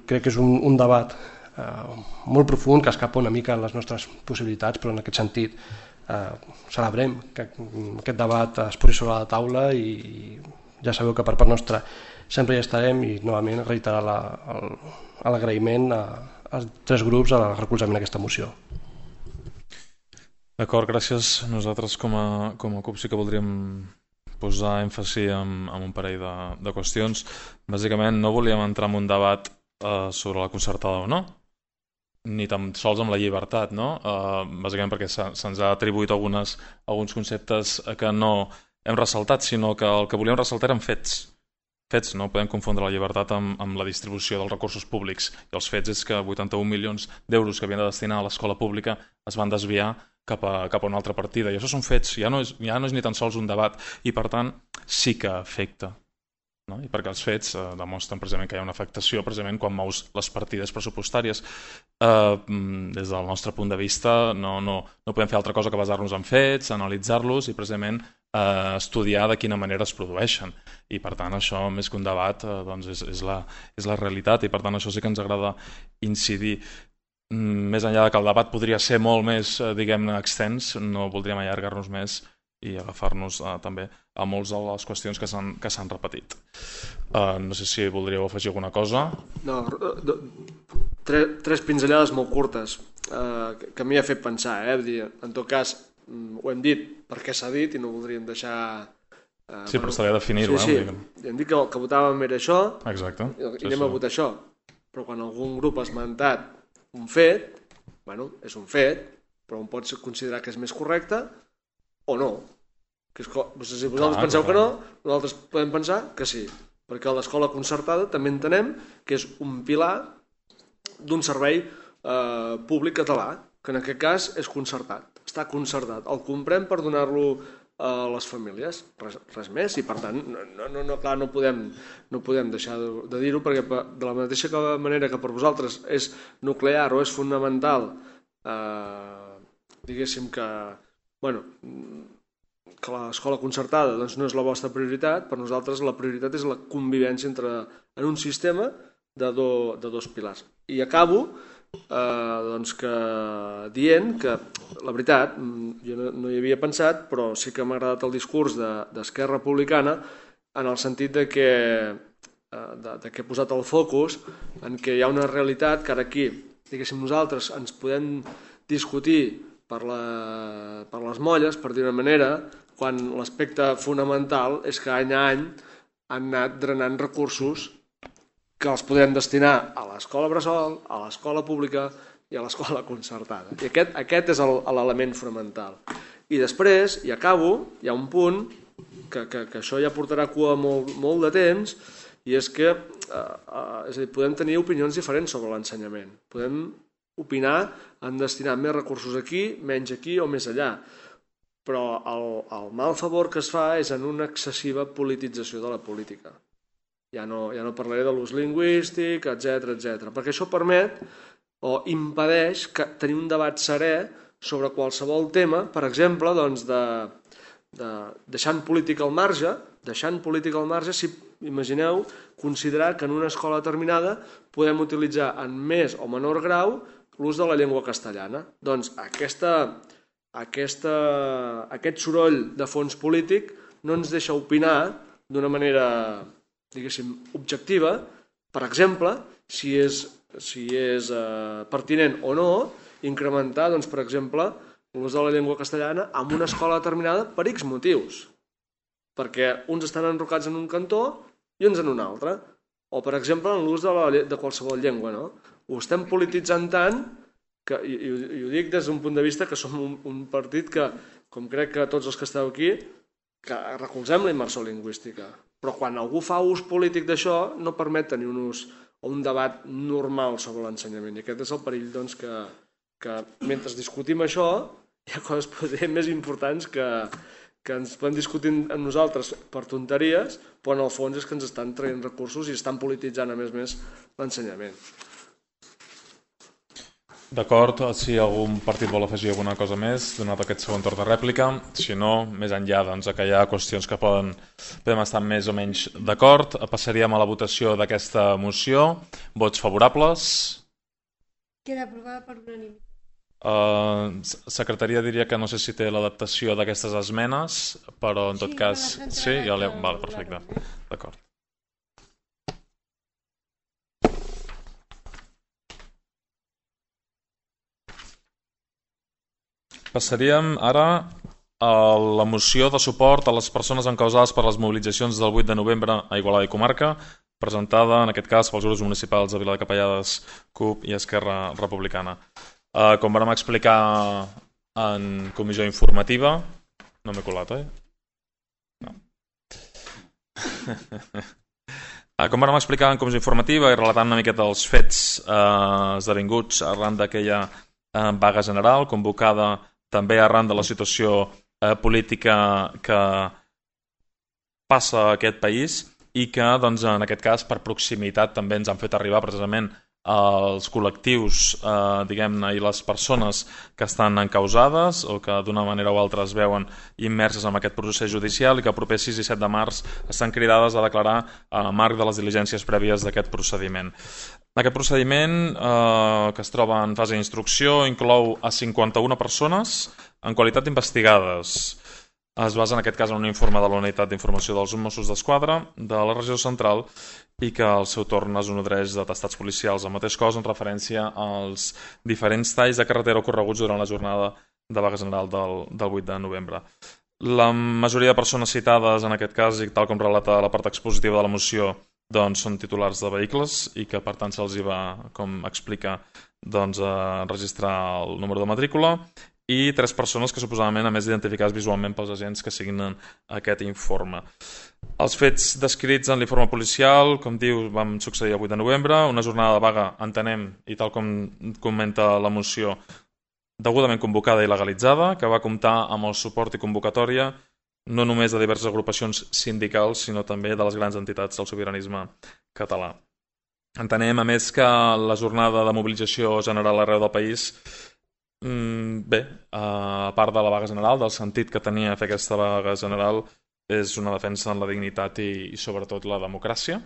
crec que és un, un debat eh, molt profund que escapa una mica a les nostres possibilitats, però en aquest sentit eh, celebrem que aquest debat es posi sobre la taula i, i ja sabeu que per part nostra sempre hi estarem i novament reiterar l'agraïment als tres grups al recolzament d'aquesta moció. D'acord, gràcies. Nosaltres com a, com a CUP sí que voldríem posar èmfasi en, en un parell de, de qüestions. Bàsicament no volíem entrar en un debat eh, sobre la concertada o no, ni tan sols amb la llibertat, no? Eh, bàsicament perquè se'ns ha atribuït algunes, alguns conceptes que no hem ressaltat, sinó que el que volíem ressaltar eren fets. Fets, no podem confondre la llibertat amb, amb la distribució dels recursos públics. I els fets és que vuitanta-un milions d'euros que havien de destinar a l'escola pública es van desviar cap a, cap a una altra partida. I això són fets, ja no, és, ja no és ni tan sols un debat. I per tant sí que afecta. No? I perquè els fets eh, demostren precisament que hi ha una afectació precisament quan mous les partides pressupostàries. Eh, des del nostre punt de vista no, no, no podem fer altra cosa que basar-nos en fets, analitzar-los i precisament eh, estudiar de quina manera es produeixen. I per tant això, més que un debat, eh, doncs és, és, la, és la realitat i per tant això sí que ens agrada incidir. Més enllà que el debat podria ser molt més, eh, diguem-ne, extens, no voldríem allargar-nos més i agafar-nos eh, també a moltes de les qüestions que s'han que s'han repetit. Uh, no sé si voldríeu afegir alguna cosa. No, tres, tres pinzellades molt curtes uh, que, que m'hi ha fet pensar. Eh? Dir, en tot cas, ho hem dit perquè s'ha dit i no voldríem deixar... Uh, sí, però estaria definir-ho. Sí, eh? sí. Hem dit que el que votàvem era això. Exacte. I, sí, i anem sí. a votar això. Però quan algun grup ha esmentat un fet, bueno, és un fet, però un pot considerar que és més correcte o no. Que és, si vosaltres clar, penseu clar. que no, nosaltres podem pensar que sí, perquè l'escola concertada també entenem que és un pilar d'un servei eh, públic català, que en aquest cas és concertat, està concertat. El comprem per donar-lo a les famílies, res, res més, i per tant, no, no, no, clar, no podem, no podem deixar de, de dir-ho, perquè de la mateixa manera que per vosaltres és nuclear o és fonamental, eh, diguéssim que, bueno, que l'escola concertada doncs, no és la vostra prioritat, per nosaltres la prioritat és la convivència entre, en un sistema de, do, de dos pilars. I acabo eh, doncs que, dient que, la veritat, jo no, no hi havia pensat, però sí que m'ha agradat el discurs d'Esquerra Republicana en el sentit de que, eh, de, de que he posat el focus en que hi ha una realitat que ara aquí, diguéssim, nosaltres ens podem discutir per, la, per les molles, per dir una manera, quan l'aspecte fonamental és que any a any han anat drenant recursos que els podem destinar a l'escola bressol, a l'escola pública i a l'escola concertada. I aquest, aquest és l'element fonamental. I després, i acabo, hi ha un punt que, que, que això ja portarà cua molt, molt de temps, i és que eh, eh, és a dir, podem tenir opinions diferents sobre l'ensenyament. Podem opinar en destinar més recursos aquí, menys aquí o més allà. Però el, el mal favor que es fa és en una excessiva politització de la política. Ja no, ja no parlaré de l'ús lingüístic, etcètera, etcètera, perquè això permet o impedeix que tenir un debat serè sobre qualsevol tema, per exemple, doncs de, de, deixant política al marge, deixant política al marge, si imagineu considerar que en una escola determinada podem utilitzar en més o menor grau l'ús de la llengua castellana. Doncs aquesta, aquesta, aquest soroll de fons polític no ens deixa opinar d'una manera, diguéssim, objectiva, per exemple, si és, si és eh, pertinent o no incrementar, doncs, per exemple, l'ús de la llengua castellana en una escola determinada per X motius. Perquè uns estan enrocats en un cantó i uns en un altre. O, per exemple, en l'ús de, la, de qualsevol llengua. No? Ho estem polititzant tant, que, i, i ho dic des d'un punt de vista que som un, un partit que, com crec que tots els que esteu aquí, que recolzem la immersió lingüística. Però quan algú fa ús polític d'això, no permet tenir un ús o un debat normal sobre l'ensenyament. I aquest és el perill, doncs, que, que mentre discutim això, hi ha coses potser més importants que, que ens podem discutir amb nosaltres per tonteries, però en el fons és que ens estan traient recursos i estan polititzant, a més a més, l'ensenyament. D'acord, si algun partit vol afegir alguna cosa més, donat aquest segon torn de rèplica. Si no, més enllà doncs, que hi ha qüestions que poden, podem estar més o menys d'acord, passaríem a la votació d'aquesta moció. Vots favorables? Queda aprovada per unanimitat. Uh, secretaria diria que no sé si té l'adaptació d'aquestes esmenes, però en tot sí, cas... Sí, ja l'he... Val, la perfecte. D'acord. Passaríem ara a la moció de suport a les persones encausades per les mobilitzacions del vuit de novembre a Igualada i Comarca, presentada en aquest cas pels grups municipals de Vila de Capellades, C U P i Esquerra Republicana. Uh, com vam explicar en comissió informativa... No m'he colat, oi? No. uh, com vam explicar en comissió informativa i relatant una miqueta els fets uh, esdevinguts arran d'aquella uh, vaga general convocada també arran de la situació eh, política que passa a aquest país i que, doncs, en aquest cas, per proximitat també ens han fet arribar precisament els col·lectius, eh, diguem-ne, i les persones que estan encausades o que d'una manera o altra es veuen immerses en aquest procés judicial i que el proper sis i set de març estan cridades a declarar a marc de les diligències prèvies d'aquest procediment. Aquest procediment, eh, que es troba en fase d'instrucció, inclou a cinquanta-una persones en qualitat d'investigades. Es basa en aquest cas en un informe de la Unitat d'Informació dels Mossos d'Esquadra de la regió central i que al seu torn es nodreix d'atestats policials. El mateix cos en referència als diferents talls de carretera ocorreguts durant la jornada de vaga general del, del vuit de novembre. La majoria de persones citades en aquest cas, i tal com relata la part expositiva de la moció, doncs són titulars de vehicles i que per tant se'ls va, com explica, doncs, a registrar el número de matrícula, i tres persones que suposadament a més identificades visualment pels agents que signen aquest informe. Els fets descrits en l'informe policial, com diu, van succeir el vuit de novembre, una jornada de vaga, entenem, i tal com comenta la moció, degudament convocada i legalitzada, que va comptar amb el suport i convocatòria no només de diverses agrupacions sindicals, sinó també de les grans entitats del sobiranisme català. Entenem, a més, que la jornada de mobilització general arreu del país, bé, a part de la vaga general, del sentit que tenia fer aquesta vaga general, és una defensa en la dignitat i, i sobretot la democràcia,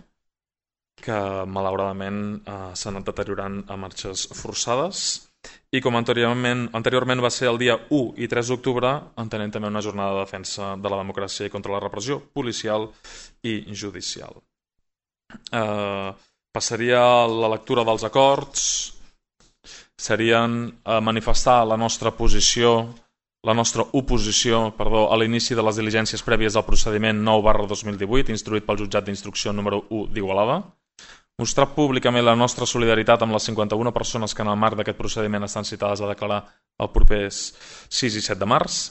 que malauradament s'ha anat deteriorant a marxes forçades. I com anteriorment, anteriorment va ser el dia u i tres d'octubre, entenem també una jornada de defensa de la democràcia i contra la repressió policial i judicial. Eh, passaria a la lectura dels acords. Serien eh, manifestar la nostra posició, la nostra oposició, perdó, a l'inici de les diligències prèvies al procediment nou barra dos mil divuit, instruït pel jutjat d'instrucció número u d'Igualada. Mostrar públicament la nostra solidaritat amb les cinquanta-una persones que en el marc d'aquest procediment estan citades a declarar el proper sis i set de març.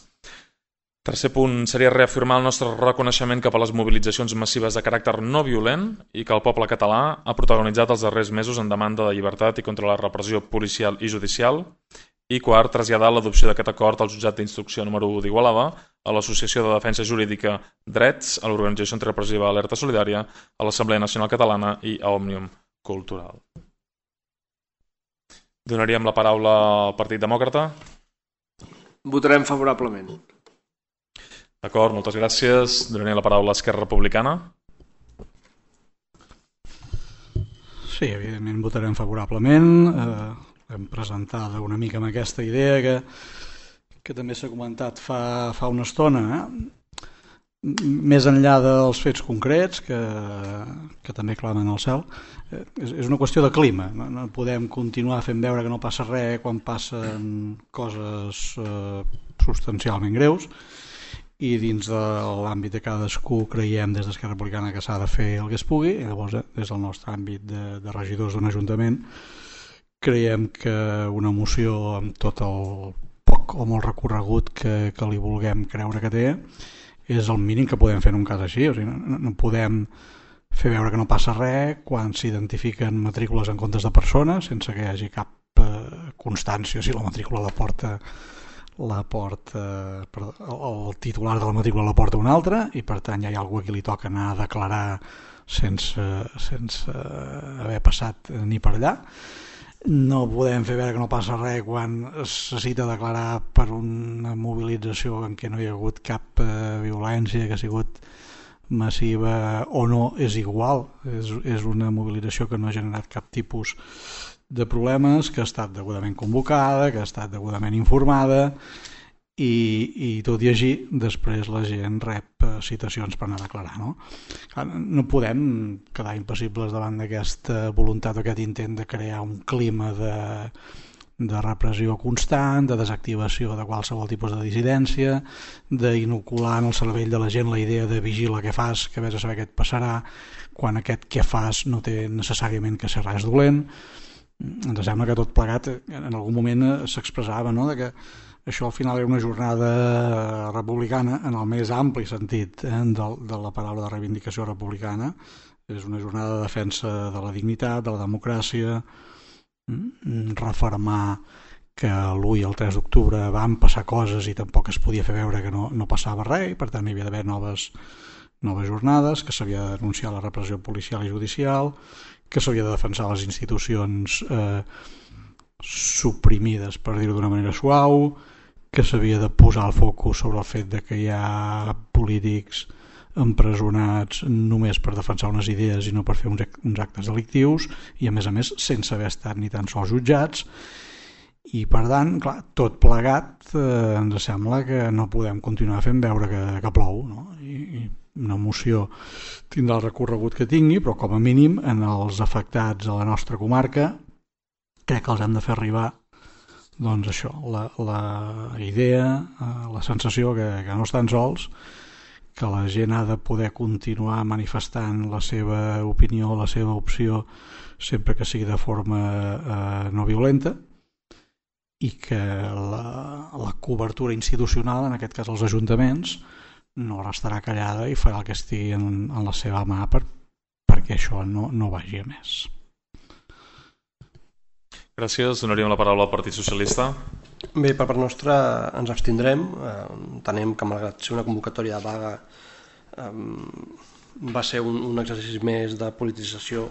Tercer punt seria reafirmar el nostre reconeixement cap a les mobilitzacions massives de caràcter no violent i que el poble català ha protagonitzat els darrers mesos en demanda de llibertat i contra la repressió policial i judicial. I quart, traslladar l'adopció d'aquest acord al jutjat d'instrucció número u d'Igualada, a l'Associació de Defensa Jurídica Drets, a l'Organització Antirepressiva Alerta Solidària, a l'Assemblea Nacional Catalana i a Òmnium Cultural. Donaríem la paraula al Partit Demòcrata. Votarem favorablement. D'acord, moltes gràcies. Donaré la paraula a Esquerra Republicana. Sí, evidentment votarem favorablement. Eh, hem presentat una mica amb aquesta idea que, que també s'ha comentat fa, fa una estona. Eh? Més enllà dels fets concrets, que, que també clamen al cel, eh, és, és una qüestió de clima. No, no podem continuar fent veure que no passa res quan passen coses eh, substancialment greus, i dins de l'àmbit de cadascú creiem des d'Esquerra Republicana que s'ha de fer el que es pugui, i llavors des del nostre àmbit de, de regidors d'un ajuntament creiem que una moció amb tot el poc o molt recorregut que, que li vulguem creure que té és el mínim que podem fer en un cas així. O sigui, no, no podem fer veure que no passa res quan s'identifiquen matrícules en comptes de persones sense que hi hagi cap eh, constància si la matrícula la porta la porta, el titular de la matrícula la porta un altre, i per tant ja hi ha algú a qui li toca anar a declarar sense, sense haver passat ni per allà. No podem fer veure que no passa res quan es necessita declarar per una mobilització en què no hi ha hagut cap eh, violència, que ha sigut massiva o no, és igual, és, és una mobilització que no ha generat cap tipus de problemes, que ha estat degudament convocada, que ha estat degudament informada, i, i tot i així després la gent rep citacions per anar a declarar. No, no podem quedar impassibles davant d'aquesta voluntat o aquest intent de crear un clima de, de repressió constant, de desactivació de qualsevol tipus de dissidència, d'inocular en el cervell de la gent la idea de vigila què fas, que vés a saber què et passarà, quan aquest què fas no té necessàriament que ser res dolent. Ens sembla que tot plegat en algun moment s'expressava, no?, de que això al final era una jornada republicana en el més ampli sentit eh, de, de la paraula de reivindicació republicana. És una jornada de defensa de la dignitat, de la democràcia, refermar que l'u i el tres d'octubre van passar coses i tampoc es podia fer veure que no, no passava res, i per tant hi havia d'haver noves, noves jornades, que s'havia de denunciar la repressió policial i judicial, que s'havia de defensar les institucions eh, suprimides, per dir-ho d'una manera suau, que s'havia de posar el focus sobre el fet de que hi ha polítics empresonats només per defensar unes idees i no per fer uns, uns actes delictius, i a més a més sense haver estat ni tan sols jutjats. I per tant, clar, tot plegat eh, ens sembla que no podem continuar fent veure que, que plou, no? I, i una moció tindrà el recorregut que tingui, però com a mínim en els afectats a la nostra comarca crec que els hem de fer arribar doncs això, la, la idea, la sensació que, que no estan sols, que la gent ha de poder continuar manifestant la seva opinió, la seva opció, sempre que sigui de forma eh, no violenta, i que la, la cobertura institucional, en aquest cas els ajuntaments, no restarà callada i farà el que estigui en, en la seva mà per, perquè això no, no vagi a més. Gràcies. Donaríem la paraula al Partit Socialista. Bé, per part nostra ens abstindrem. Eh, entenem que malgrat ser una convocatòria de vaga eh, va ser un, un exercici més de politització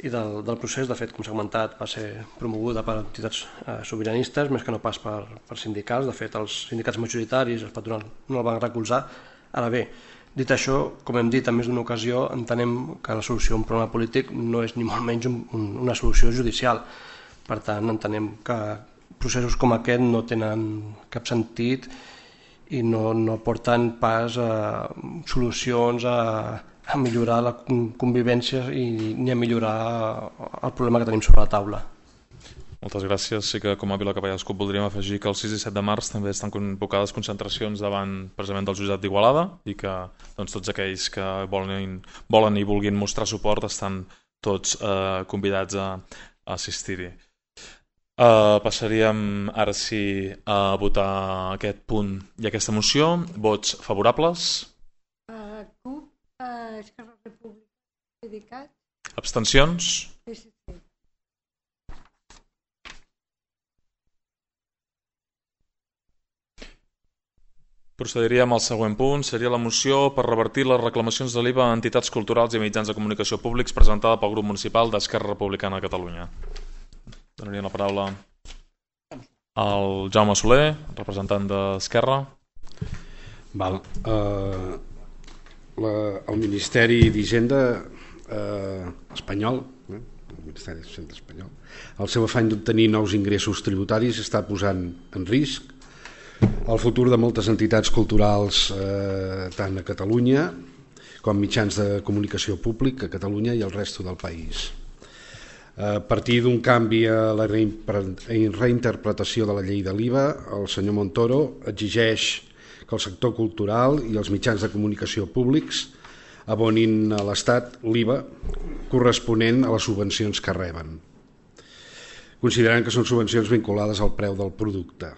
i del, del procés. De fet, com s'ha comentat, va ser promoguda per entitats eh, sobiranistes més que no pas per, per sindicals. De fet, els sindicats majoritaris, els patronals, no el van recolzar. Ara bé, dit això, com hem dit en més d'una ocasió, entenem que la solució a un problema polític no és ni molt menys un, un, una solució judicial. Per tant, entenem que processos com aquest no tenen cap sentit i no, no porten pas a solucions a, a millorar la convivència i ni a millorar el problema que tenim sobre la taula. Moltes gràcies. Sí que com a Vila Capellà Escup voldríem afegir que el sis i set de març també estan convocades concentracions davant precisament del jutjat d'Igualada i que doncs, tots aquells que volen, volen i vulguin mostrar suport estan tots eh, convidats a, a assistir-hi. Uh, passaríem ara sí a votar aquest punt i aquesta moció. Vots favorables? Uh, CUP, uh, Esquerra República, PDeCAT, Abstencions? P S C. Procediríem al següent punt. Seria la moció per revertir les reclamacions de l'I V A a entitats culturals i mitjans de comunicació públics presentada pel grup municipal d'Esquerra Republicana de Catalunya. Donaria la paraula al Jaume Soler, representant d'Esquerra. Val. Uh, la, el Ministeri d'Hisenda uh, espanyol, eh? el Ministeri d'Hisenda espanyol, el seu afany d'obtenir nous ingressos tributaris està posant en risc el futur de moltes entitats culturals eh, tant a Catalunya com mitjans de comunicació públic a Catalunya i al resto del país. A partir d'un canvi a la reinterpretació de la llei de l'I V A, el senyor Montoro exigeix que el sector cultural i els mitjans de comunicació públics abonin a l'Estat l'I V A corresponent a les subvencions que reben, considerant que són subvencions vinculades al preu del producte.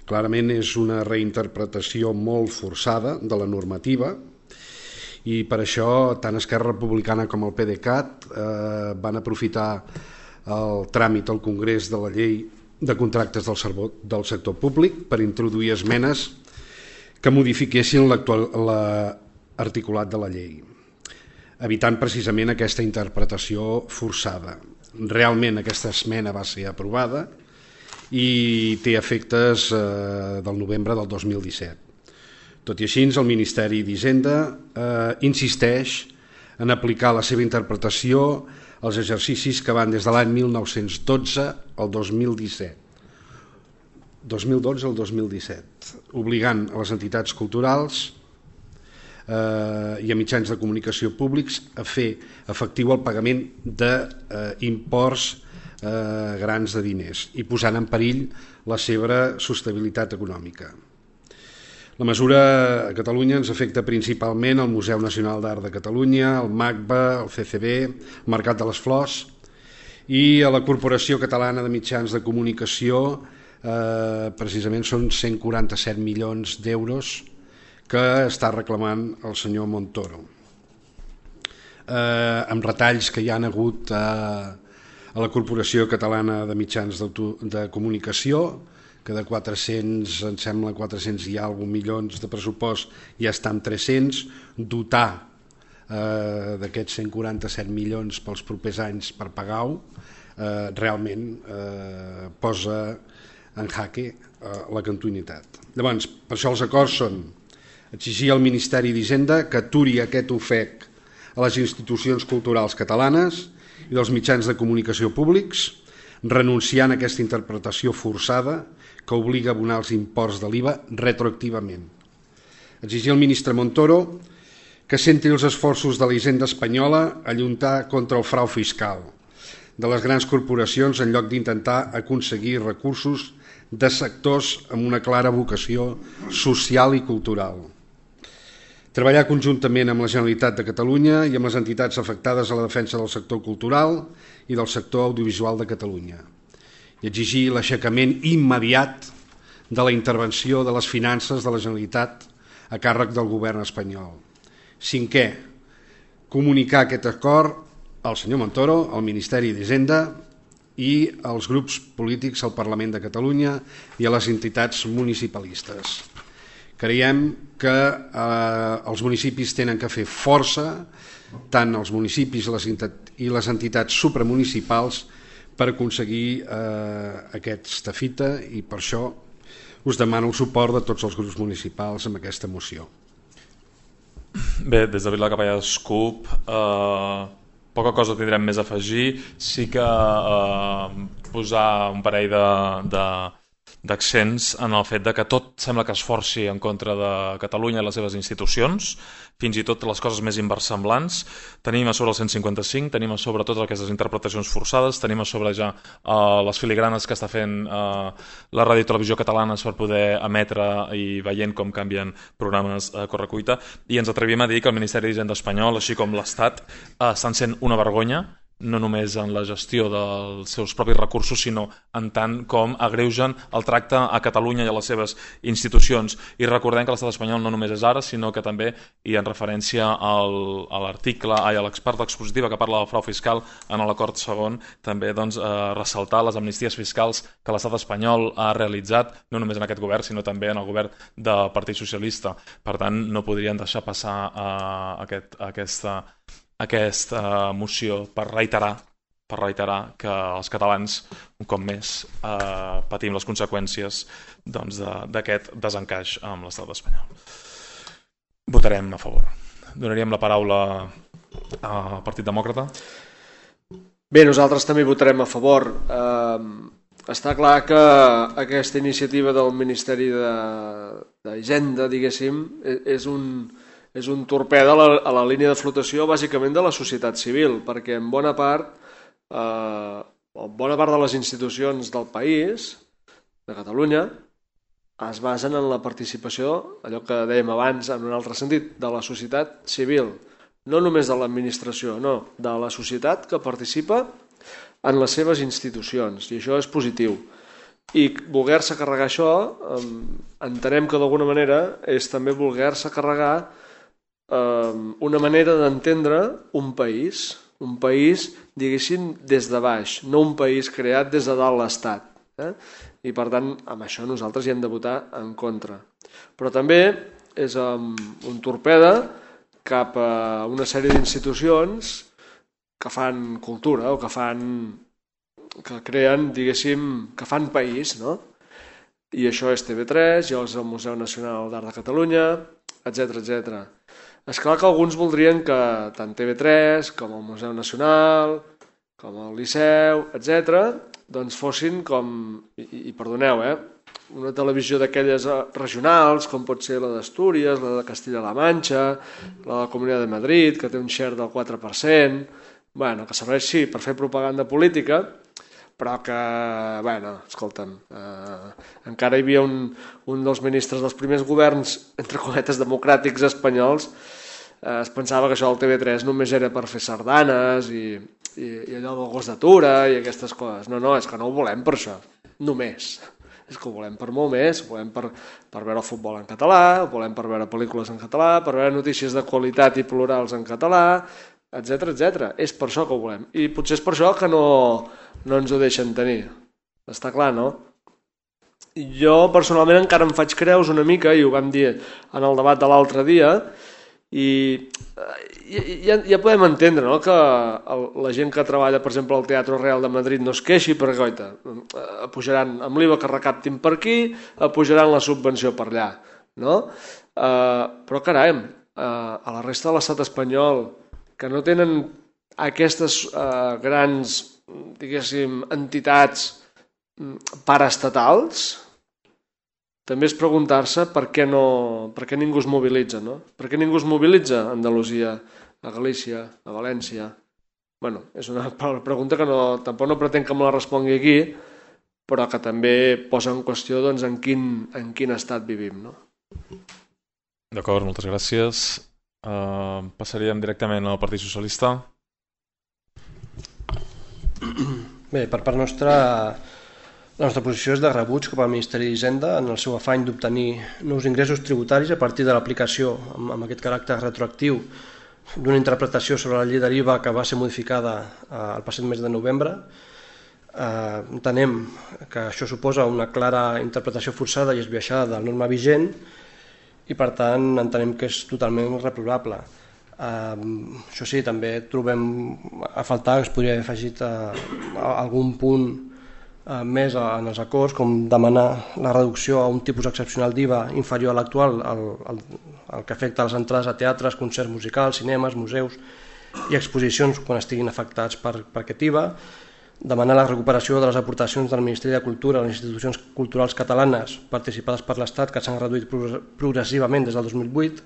Clarament és una reinterpretació molt forçada de la normativa i per això tant Esquerra Republicana com el PDeCAT eh, van aprofitar el tràmit al Congrés de la llei de contractes del, servot, del sector públic per introduir esmenes que modifiquessin l'articulat de la llei, evitant precisament aquesta interpretació forçada. Realment aquesta esmena va ser aprovada i té efectes eh, del novembre del dos mil disset. Tot i així, el Ministeri d'Hisenda eh, insisteix en aplicar la seva interpretació als exercicis que van des de l'any mil nou-cents dotze al dos mil disset. dos mil dotze al dos mil disset, obligant a les entitats culturals eh, i a mitjans de comunicació públics a fer efectiu el pagament d'imports eh, grans de diners i posant en perill la seva sostenibilitat econòmica. La mesura a Catalunya ens afecta principalment el Museu Nacional d'Art de Catalunya, el MACBA, el C C B, el Mercat de les Flors i a la Corporació Catalana de Mitjans de Comunicació, eh, precisament són cent quaranta-set milions d'euros que està reclamant el senyor Montoro. Eh, amb retalls que hi han hagut a, a la Corporació Catalana de Mitjans de Comunicació, que de quatre-cents, em sembla quatre-cents i alguna milions de pressupost ja està en tres-cents, dotar eh, d'aquests cent quaranta-set milions pels propers anys per pagar-ho, eh, realment eh, posa en jaque eh, la continuïtat. Llavors, per això els acords són exigir al Ministeri d'Hisenda que aturi aquest ofec a les institucions culturals catalanes i dels mitjans de comunicació públics, renunciant a aquesta interpretació forçada que obliga a abonar els imports de l'I V A retroactivament. Exigir al ministre Montoro que centri els esforços de la Hisenda espanyola a lluitar contra el frau fiscal de les grans corporacions en lloc d'intentar aconseguir recursos de sectors amb una clara vocació social i cultural. Treballar conjuntament amb la Generalitat de Catalunya i amb les entitats afectades a la defensa del sector cultural i del sector audiovisual de Catalunya i exigir l'aixecament immediat de la intervenció de les finances de la Generalitat a càrrec del govern espanyol. Cinquè, comunicar aquest acord al senyor Montoro, al Ministeri d'Hisenda i als grups polítics al Parlament de Catalunya i a les entitats municipalistes. Creiem que eh, els municipis tenen que fer força, tant els municipis i les entitats supramunicipals, per aconseguir eh, aquesta fita i per això us demano el suport de tots els grups municipals amb aquesta moció. Bé, des de Vila Capellades CUP eh, poca cosa tindrem més a afegir. Sí que eh, posar un parell de, de, d'accents en el fet de que tot sembla que es forci en contra de Catalunya i les seves institucions, fins i tot les coses més inversemblants. Tenim a sobre el cent cinquanta-cinc, tenim a sobre totes aquestes interpretacions forçades, tenim a sobre ja uh, les filigranes que està fent uh, la ràdio i televisió catalanes per poder emetre i veient com canvien programes a correcuita, i ens atrevim a dir que el Ministeri d'Hisenda espanyol, així com l'Estat, uh, estan sent una vergonya no només en la gestió dels seus propis recursos, sinó en tant com agreugen el tracte a Catalunya i a les seves institucions. I recordem que l'estat espanyol no només és ara, sinó que també, i en referència al, a l'article, ai, a l'expert expositiva que parla del frau fiscal en l'acord segon, també doncs, eh, ressaltar les amnisties fiscals que l'estat espanyol ha realitzat, no només en aquest govern, sinó també en el govern del Partit Socialista. Per tant, no podrien deixar passar eh, aquest, aquesta aquesta moció per reiterar per reiterar que els catalans un cop més eh, patim les conseqüències doncs, d'aquest de, desencaix amb l'estat espanyol. Votarem a favor. Donaríem la paraula al Partit Demòcrata. Bé, nosaltres també votarem a favor. Eh, està clar que aquesta iniciativa del Ministeri d'Hisenda, diguéssim, és un és un torpede a la, a la línia de flotació bàsicament de la societat civil, perquè en bona part, eh, en bona part de les institucions del país, de Catalunya, es basen en la participació, allò que dèiem abans en un altre sentit, de la societat civil, no només de l'administració, no, de la societat que participa en les seves institucions, i això és positiu. I voler-se carregar això, eh, entenem que d'alguna manera és també voler-se carregar una manera d'entendre un país, un país, diguéssim, des de baix, no un país creat des de dalt l'Estat. Eh? I per tant, amb això nosaltres hi hem de votar en contra. Però també és um, un torpede cap a una sèrie d'institucions que fan cultura o que fan, que creen, diguéssim, que fan país, no? I això és T V tres, i és el Museu Nacional d'Art de Catalunya, etcètera, etcètera. És clar que alguns voldrien que tant T V tres com el Museu Nacional, com el Liceu, etcètera, doncs fossin com, i, i perdoneu, eh, una televisió d'aquelles regionals, com pot ser la d'Astúries, la de Castilla-La Manxa, la de la Comunitat de Madrid, que té un share del quatre per cent, bueno, que serveix, sí, per fer propaganda política, però que, bueno, escolta'm, eh, encara hi havia un, un dels ministres dels primers governs, entre cometes, democràtics espanyols, eh, es pensava que això del T V tres només era per fer sardanes i, i, i allò del gos d'atura i aquestes coses. No, no, és que no ho volem per això, només. És que ho volem per molt més, ho volem per, per veure el futbol en català, ho volem per veure pel·lícules en català, per veure notícies de qualitat i plurals en català, etcètera, etcètera. És per això que ho volem. I potser és per això que no... no ens ho deixen tenir. Està clar, no? Jo personalment encara em faig creus una mica, i ho vam dir en el debat de l'altre dia, i ja, ja podem entendre, no?, que el, la gent que treballa, per exemple, al Teatre Real de Madrid no es queixi perquè, goita, pujaran amb l'I V A que recaptin per aquí, pujaran la subvenció per allà, no? Uh, però carai, uh, a la resta de l'estat espanyol, que no tenen aquestes uh, grans, diguéssim, entitats paraestatals, també és preguntar-se per què, no, per què ningú es mobilitza, no? Per què ningú es mobilitza a Andalusia, a Galícia, a València? Bueno, és una pregunta que no, tampoc no pretenc que me la respongui aquí, però que també posa en qüestió doncs, en, quin, en quin estat vivim, no? D'acord, moltes gràcies. Uh, passaríem directament al Partit Socialista. Bé, per part nostra, la nostra posició és de rebuig cap al Ministeri d'Hisenda en el seu afany d'obtenir nous ingressos tributaris a partir de l'aplicació, amb, amb aquest caràcter retroactiu, d'una interpretació sobre la llei de l'I V A que va ser modificada eh, el passat mes de novembre. Eh, entenem que això suposa una clara interpretació forçada i esbiaixada de la norma vigent i, per tant, entenem que és totalment reprobable. Uh, això sí, també trobem a faltar que es podria haver afegit uh, algun punt uh, més en els acords, com demanar la reducció a un tipus excepcional d'I V A inferior a l'actual, el, el, el que afecta les entrades a teatres, concerts musicals, cinemes, museus i exposicions quan estiguin afectats per, per aquest I V A, demanar la recuperació de les aportacions del Ministeri de Cultura a les institucions culturals catalanes participades per l'Estat, que s'han reduït progressivament des del dos mil vuit,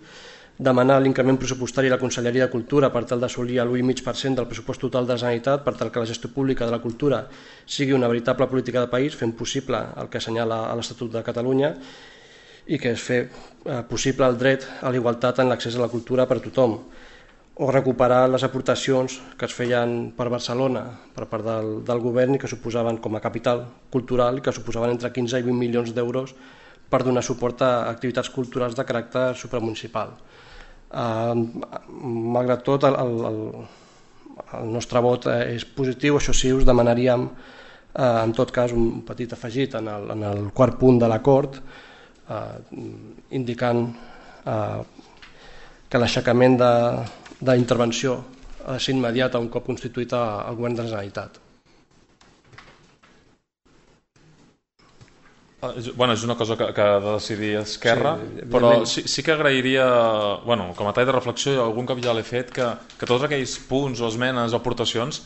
demanar l'increment pressupostari a la Conselleria de Cultura per tal d'assolir l'u coma cinc per cent del pressupost total de la Generalitat per tal que la gestió pública de la cultura sigui una veritable política de país, fent possible el que assenyala l'Estatut de Catalunya i que és fer possible el dret a la igualtat en l'accés a la cultura per a tothom. o recuperar les aportacions que es feien per Barcelona per part del, del govern i que suposaven com a capital cultural i que suposaven entre quinze i vint milions d'euros per donar suport a activitats culturals de caràcter supramunicipal. Eh, malgrat tot, el, el, el nostre vot és positiu. Això sí, us demanaríem eh, en tot cas un petit afegit en el, en el quart punt de l'acord, eh, indicant eh, que l'aixecament de d'intervenció ha de ser immediata un cop constituït el govern de la Generalitat. Bueno, és una cosa que, que ha de decidir Esquerra, sí, però sí, sí que agrairia, bueno, com a tall de reflexió, algun cop ja l'he fet, que, que tots aquells punts o esmenes o aportacions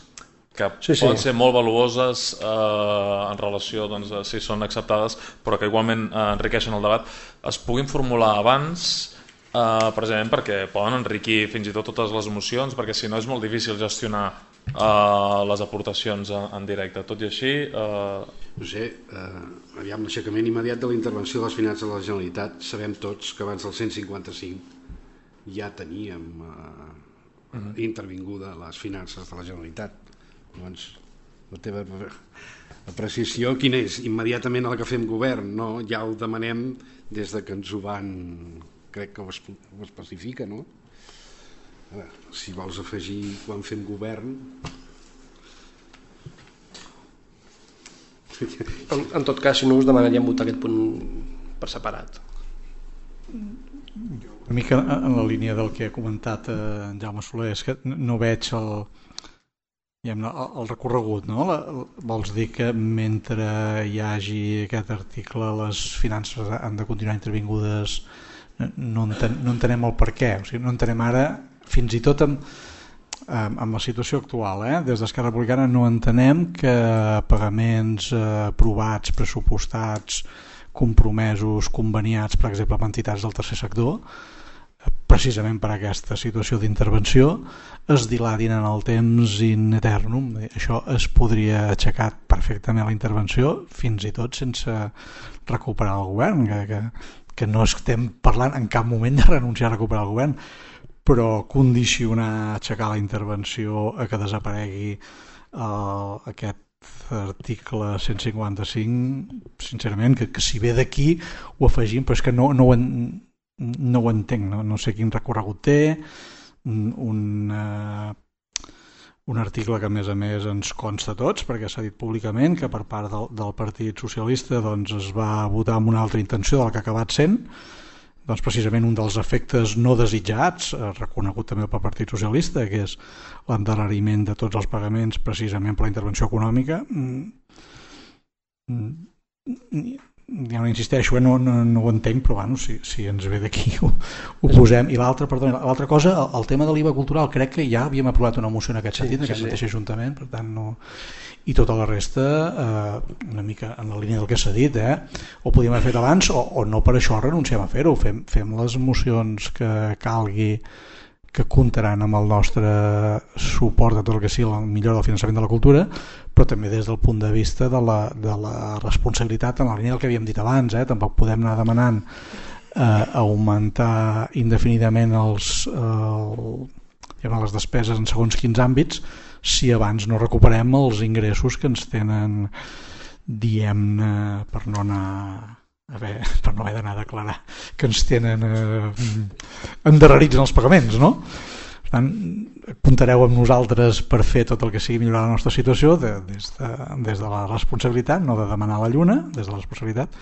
que sí, poden sí. ser molt valuoses eh, en relació, doncs, si són acceptades, però que igualment eh, enriqueixen el debat, es puguin formular abans, Uh, precisament perquè poden enriquir fins i tot totes les mocions, perquè si no és molt difícil gestionar uh, les aportacions en, en directe. Tot i així... Uh... No sé, uh, aviam, l'aixecament immediat de la intervenció de les finances de la Generalitat, sabem tots que abans del cent cinquanta-cinc ja teníem uh, uh-huh. intervinguda les finances de la Generalitat. Llavors, la teva apreciació quina és? Immediatament a la que fem govern, no? Ja ho demanem des de que ens ho van... crec que ho especifica, no? Veure, si vols afegir quan fem govern... En, en tot cas, si no, us demanaríem votar aquest punt per separat. Una mica en la línia del que ha comentat eh, en Jaume Soler, és que no veig el, el, el recorregut, no? La, vols dir que mentre hi hagi aquest article les finances han de continuar intervingudes, no, enten, no entenem el per què, o sigui, no entenem ara, fins i tot amb, amb la situació actual, eh? Des d'Esquerra Republicana no entenem que pagaments eh, aprovats, pressupostats, compromesos, conveniats, per exemple, amb entitats del tercer sector, precisament per aquesta situació d'intervenció, es dilatin en el temps in eternum. Això es podria aixecar perfectament la intervenció, fins i tot sense recuperar el govern, que, que que no estem parlant en cap moment de renunciar a recuperar el govern, però condicionar, aixecar la intervenció a que desaparegui uh, aquest article cent cinquanta-cinc, sincerament, que, que si ve d'aquí ho afegim, però és que no, no, ho, en, no ho entenc, no, no sé quin recorregut té, un, un, uh, un article que a més a més ens consta a tots, perquè s'ha dit públicament que per part del, del Partit Socialista doncs, es va votar amb una altra intenció del que ha acabat sent, doncs precisament un dels efectes no desitjats, reconegut també pel Partit Socialista, que és l'endarreriment de tots els pagaments precisament per la intervenció econòmica. Ja no insisteixo, eh? no, no, no ho entenc, però bueno, si, si ens ve d'aquí ho, ho posem. I l'altra l'altra cosa, el, el tema de l'I V A cultural, crec que ja havíem aprovat una moció en aquest sentit, sí, en aquest sí, mateix sí. Ajuntament, per tant no... I tota la resta, eh, una mica en la línia del que s'ha dit, eh? O podíem haver fet abans o, o no per això renunciem a fer-ho, fem, fem les mocions que calgui, que comptaran amb el nostre suport de tot el que sigui la millora del finançament de la cultura, però també des del punt de vista de la, de la responsabilitat en la línia del que havíem dit abans, eh? Tampoc podem anar demanant eh, augmentar indefinidament els, eh, les despeses en segons quins àmbits si abans no recuperem els ingressos que ens tenen, diem-ne, per no anar... A veure, per no haver d'anar a declarar que ens tenen eh, endarrerits en els pagaments, no? Per tant, comptareu amb nosaltres per fer tot el que sigui millorar la nostra situació de, des, de, des de la responsabilitat, no de demanar la lluna, des de la responsabilitat,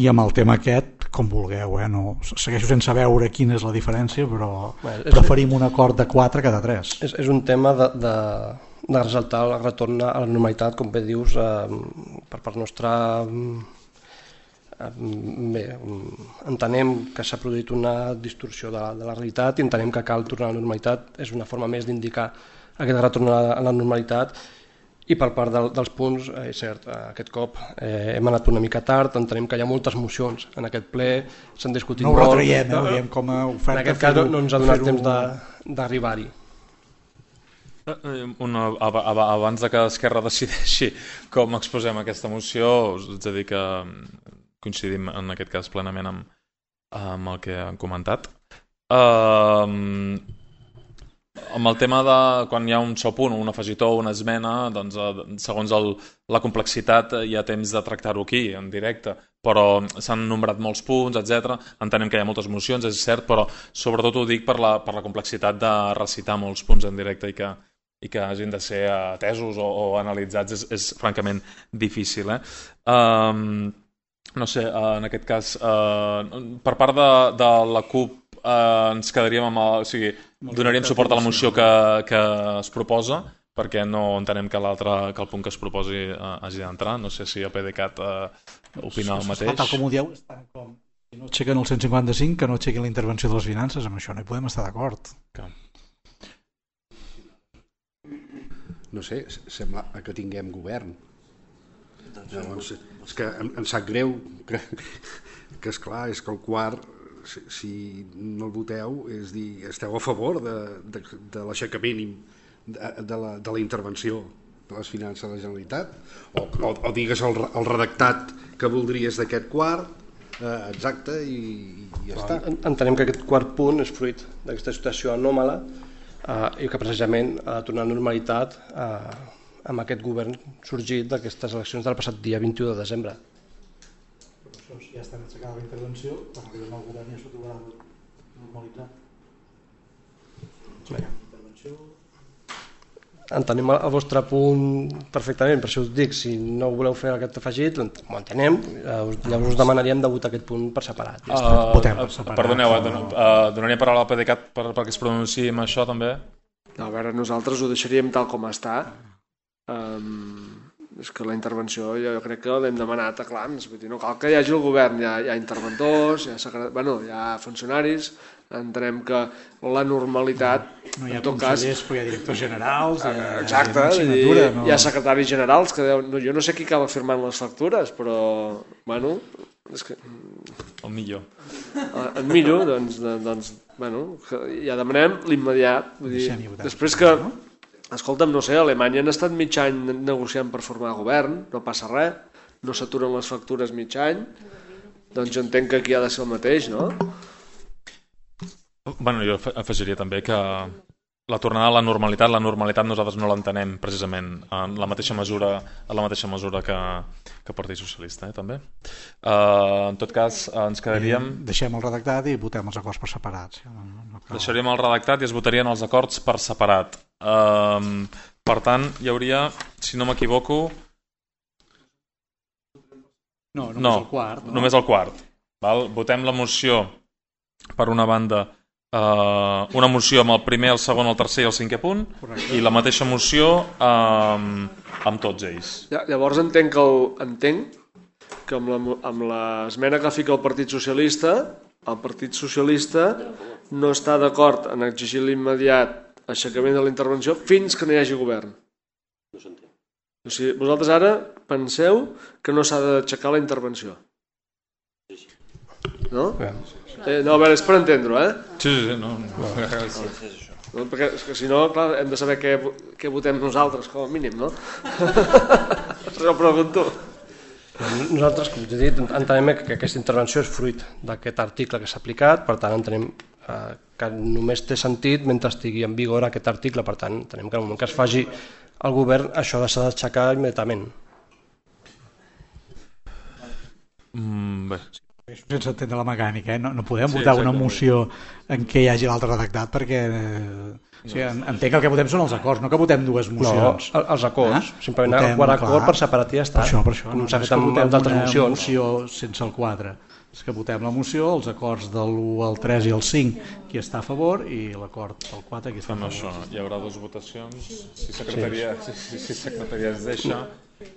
i amb el tema aquest, com vulgueu, eh? No, segueixo sense veure quina és la diferència, però bueno, és, preferim un acord de quatre que de tres. És, és un tema de, de, de resaltar el retorn a la normalitat, com bé dius, eh, per part nostra... Bé, entenem que s'ha produït una distorsió de la, de la realitat i entenem que cal tornar a la normalitat, és una forma més d'indicar aquest retorn a la, a la normalitat. I per part del, dels punts, eh, és cert, aquest cop eh, hem anat una mica tard, entenem que hi ha moltes mocions en aquest ple, s'han discutit no molt. No ho retraiem, eh, ho diem com a oferta. En aquest cas no, no ens ha donat temps d'arribar-hi. Una, abans de que Esquerra decideixi com exposem aquesta moció, us haig de dir que coincidim en aquest cas plenament amb, amb el que han comentat. Uh, amb el tema de quan hi ha un sol punt, un afegitó o una esmena, doncs, segons el, la complexitat hi ha temps de tractar-ho aquí, en directe, però s'han nombrat molts punts, etcètera. Entenem que hi ha moltes mocions, és cert, però sobretot ho dic per la, per la complexitat de recitar molts punts en directe i que, i que hagin de ser atesos o, o analitzats és, és francament difícil. Eh? Um, no sé, en aquest cas, uh, per part de, de la CUP uh, ens quedaríem amb el, o sigui, donaríem suport a la moció que, que es proposa, perquè no entenem que l'altre, que el punt que es proposi uh, hagi d'entrar. No sé si el PDeCAT uh, opina el mateix. Tal com ho dieu, estan com... Si no aixequen el cent cinquanta-cinc, que no aixequin la intervenció de les finances, amb això no hi podem estar d'acord. Que... No sé, sembla que tinguem govern. Llavors, és que em, em sap greu que, que esclar, és que el quart, si, si no el voteu, és dir, esteu a favor de, de, de l'aixecament de, de, la, de la intervenció de les finances de la Generalitat, o, o, o digues el, el redactat que voldries d'aquest quart, eh, exacte, i, i ja està. Entenem que aquest quart punt és fruit d'aquesta situació anòmala Uh, i que precisament ha de tornar a normalitat uh, amb aquest govern sorgit d'aquestes eleccions del passat dia vint-i-u de desembre. Però això ja estan aixecada la intervenció, quan arribem al govern ja s'ho trobarà normalitzat. Bé. Entenem el vostre punt perfectament, per això us dic, si no voleu fer aquest afegit, ho entenem, llavors us demanaríem de votar aquest punt per separat. Ja uh, Votem per separat. Perdoneu, uh, donaria paraula al PDeCAT per, perquè es pronunciï amb això també? A veure, nosaltres ho deixaríem tal com està. Um, és que la intervenció jo crec que l'hem demanat a clams, vull dir, no cal que hi hagi el govern, hi ha, hi ha interventors, hi ha, secret... bueno, hi ha funcionaris, entenem que la normalitat, no hi ha en tot consellers, cas, però hi ha directors generals, hi ha, exacte, hi ha, hi, no... hi ha secretaris generals que deuen, no, jo no sé qui acaba firmant les factures, però bueno, és que el millor el millor, doncs, doncs bueno, ja demanem l'immediat, vull dir, després que escolta'm, no sé, a Alemanya han estat mig any negociant per formar govern, no passa res, no s'aturen les factures mig any, doncs jo entenc que aquí ha de ser el mateix, no? Bueno, jo afegiria també que la tornada a la normalitat, la normalitat nosaltres no l'entenem precisament en la mateixa mesura, en la mateixa mesura que, que el Partit Socialista, eh, també. Uh, en tot cas, uh, ens quedaríem... Deixem el redactat i votem els acords per separat. No, no cal... Deixaríem el redactat i es votarien els acords per separat. Uh, per tant, hi hauria, si no m'equivoco... No, només no, el quart. No? Només el quart. Val? Votem la moció per una banda... Uh, una moció amb el primer, el segon, el tercer i el cinquè punt. Correcte. I la mateixa moció um, amb tots ells. Llavors entenc que, el, entenc que amb, la, amb l'esmena que fica el Partit Socialista, el Partit Socialista no està d'acord en exigir l'immediat aixecament de la intervenció fins que no hi hagi govern. No s'entén. O sigui, vosaltres ara penseu que no s'ha d'aixecar la intervenció. No? Eh, no, a veure, és per entendre-ho, eh? Sí, sí, sí. No, no. No, perquè és que si no, clar, hem de saber què, què votem nosaltres, com a mínim, no? Això ho pregunto. Nosaltres, com he dit, entenem que aquesta intervenció és fruit d'aquest article que s'ha aplicat, per tant entenem eh, que només té sentit mentre estigui en vigor aquest article, per tant entenem que en el moment que es faci el govern això s'ha d'aixecar immediatament. Mm, bé. Sense entendre la mecànica, eh? no, no podem sí, votar una exactament. moció en què hi hagi l'altre redactat perquè eh, o sigui, entenc que el que votem són els acords, no que votem dues mocions. No, els acords, eh? simplement el quart acord per separat i ja està. Per això, per això, com no, s'ha no fet amb d'altres mocions. Moció sense el quatre. És que votem la moció, els acords de l'u al tres i el cinc, qui està a favor, i l'acord del quatre, qui està a favor. Això, hi haurà dues votacions, si secretaria, sí. si, si secretaria es deixa,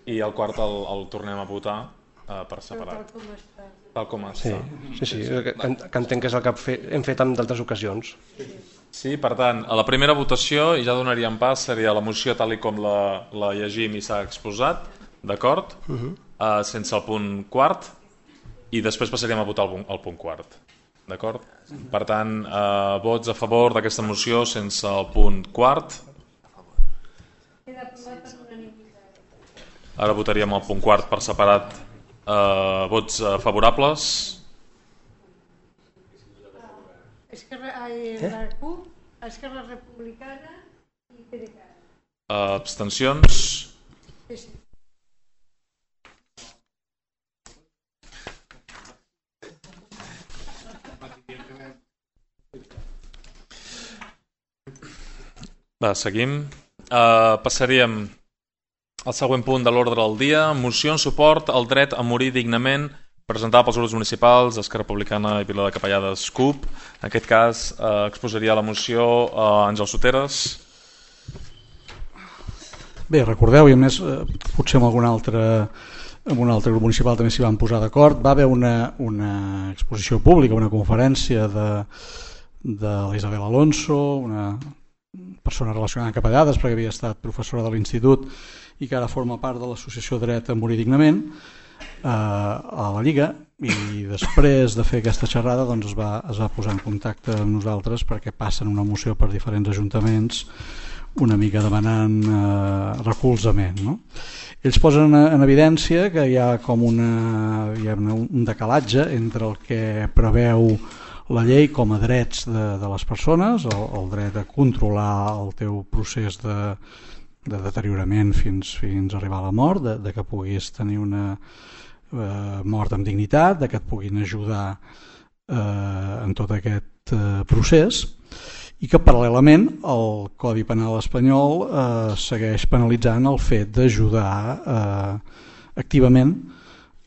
i el quart el, el tornem a votar uh, per separat. Tal com està. Sí, sí, sí, que, que entenc que és el que hem fet en d'altres ocasions. Sí, per tant, a la primera votació, i ja donaríem pas, seria la moció tal i com la, la llegim i s'ha exposat, d'acord? Uh -huh. uh, sense el punt quart, i després passaríem a votar el, el punt quart, d'acord? Per tant, uh, vots a favor d'aquesta moció sense el punt quart. Ara votaríem el punt quart per separat. Uh, vots uh, favorables? És que la CUP Esquerra Republicana i PDeCAT. Abstencions? Sí, sí. Va, seguim. Uh, passaríem al següent punt de l'ordre del dia. Moció en suport al dret a morir dignament, presentada pels grups municipals Esquerra Republicana i Vila de Capellades C U P. En aquest cas uh, exposaria la moció uh, Àngel Soteres. Bé, recordeu, i a més eh, potser amb algun altre, amb un altre grup municipal també s'hi van posar d'acord, va haver una, una exposició pública, una conferència de, de l'Isabel Alonso, una persona relacionada amb Capellades perquè havia estat professora de l'institut i que ara forma part de l'associació Dret a Morir Dignament eh, a la Lliga, i després de fer aquesta xerrada doncs es, va, es va posar en contacte amb nosaltres perquè passen una moció per diferents ajuntaments una mica demanant eh, recolzament, no? Ells posen en evidència que hi ha com una, hi ha un decalatge entre el que preveu la llei com a drets de, de les persones, el, el dret a controlar el teu procés de, de deteriorament fins, fins a arribar a la mort, de, de que puguis tenir una eh, mort amb dignitat, de que et puguin ajudar eh, en tot aquest eh, procés, i que paral·lelament el Codi Penal espanyol eh, segueix penalitzant el fet d'ajudar eh, activament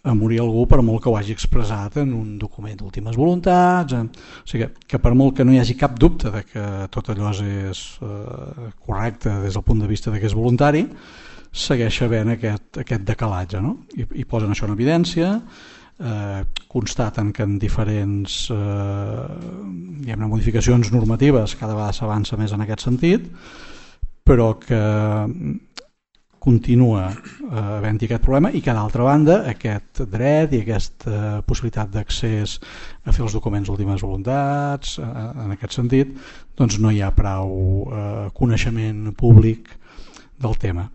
a morir algú per molt que ho hagi expressat en un document d'últimes voluntats. En... O sigui que, que per molt que no hi hagi cap dubte de que tot allò és eh, correcte des del punt de vista de que és voluntari, segueix havent aquest, aquest decalatge, no? I, i posen això en evidència, eh, constaten que en diferents eh, diguem-ne, modificacions normatives cada vegada s'avança més en aquest sentit, però que continua eh, havent-hi aquest problema i que d'altra banda aquest dret i aquesta possibilitat d'accés a fer els documents d'últimes voluntats eh, en aquest sentit doncs no hi ha prou eh, coneixement públic del tema.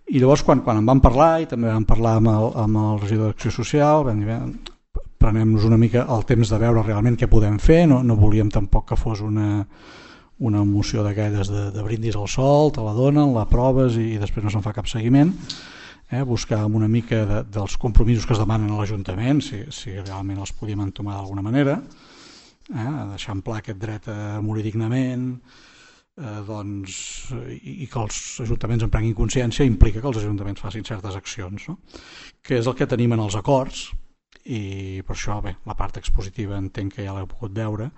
I llavors quan, quan en vam parlar i també vam parlar amb el, amb el regidor d'Acció Social vam dir, prenem-nos una mica el temps de veure realment què podem fer, no, no volíem tampoc que fos una una moció d'aquelles de, de brindis al sol, te la donen, la proves i, i després no se'n fa cap seguiment, eh? Buscar una mica de, dels compromisos que es demanen a l'Ajuntament, si, si realment els podíem entomar d'alguna manera, eh? Deixar en pla aquest dret a morir dignament, eh, doncs, i, i que els ajuntaments en prenguin consciència implica que els ajuntaments facin certes accions, no? Que és el que tenim en els acords, i per això bé, la part expositiva entenc que ja l'heu pogut veure,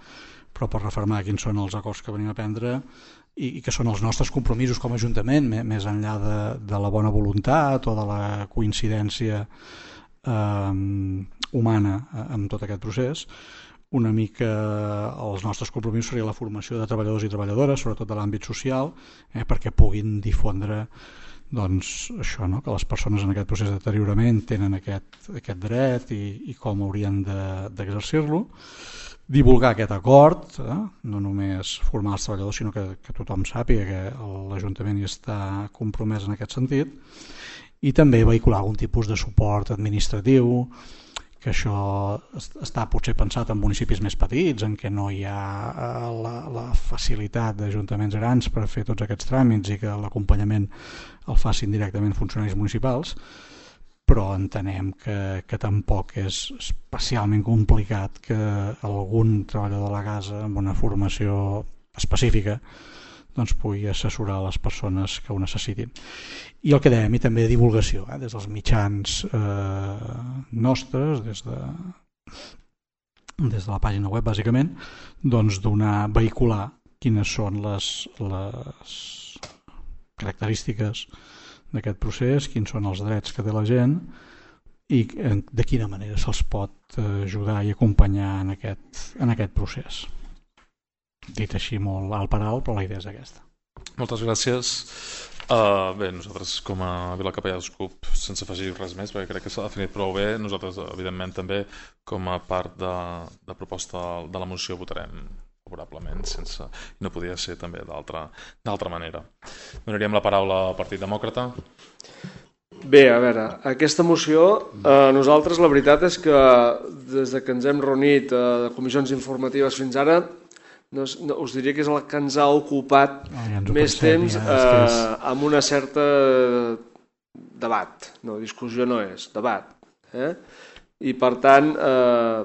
però per refermar quins són els acords que venim a prendre i, i que són els nostres compromisos com a Ajuntament, més enllà de, de la bona voluntat o de la coincidència eh, humana amb tot aquest procés. Una mica els nostres compromisos seria la formació de treballadors i treballadores, sobretot de l'àmbit social, eh, perquè puguin difondre doncs, això, no? Que les persones en aquest procés de deteriorament tenen aquest, aquest dret i, i com haurien d'exercir-lo. Divulgar aquest acord, eh? No només formar els treballadors, sinó que, que tothom sàpiga que l'Ajuntament hi està compromès en aquest sentit, i també vehicular algun tipus de suport administratiu, que això està potser pensat en municipis més petits, en què no hi ha la, la facilitat d'ajuntaments grans per fer tots aquests tràmits i que l'acompanyament el facin directament funcionaris municipals, però entenem que, que tampoc és especialment complicat que algun treballador de la casa amb una formació específica doncs pugui assessorar les persones que ho necessitin. I el que dèiem, i també divulgació, eh, des dels mitjans eh, nostres, des de, des de la pàgina web bàsicament, doncs donar, vehicular quines són les, les característiques d'aquest procés, quins són els drets que té la gent i de quina manera se'ls pot ajudar i acompanyar en aquest, en aquest procés. Dit així molt alt per alt, però la idea és aquesta. Moltes gràcies. Uh, bé, nosaltres com a Vila Capellades C U P, sense afegir res més, perquè crec que s'ha definit prou bé, nosaltres evidentment també com a part de, de proposta de la moció votarem favorablement, sense, no podia ser també d'altra manera. Donaríem la paraula al Partit Demòcrata. Bé, a veure, aquesta moció, eh, nosaltres la veritat és que des de que ens hem reunit a comissions informatives fins ara no, no, us diria que és el que ens ha ocupat oh, ja ens més pensem, temps ja, eh, és és... amb una certa debat, no, discussió no és, debat. Eh? I per tant, eh,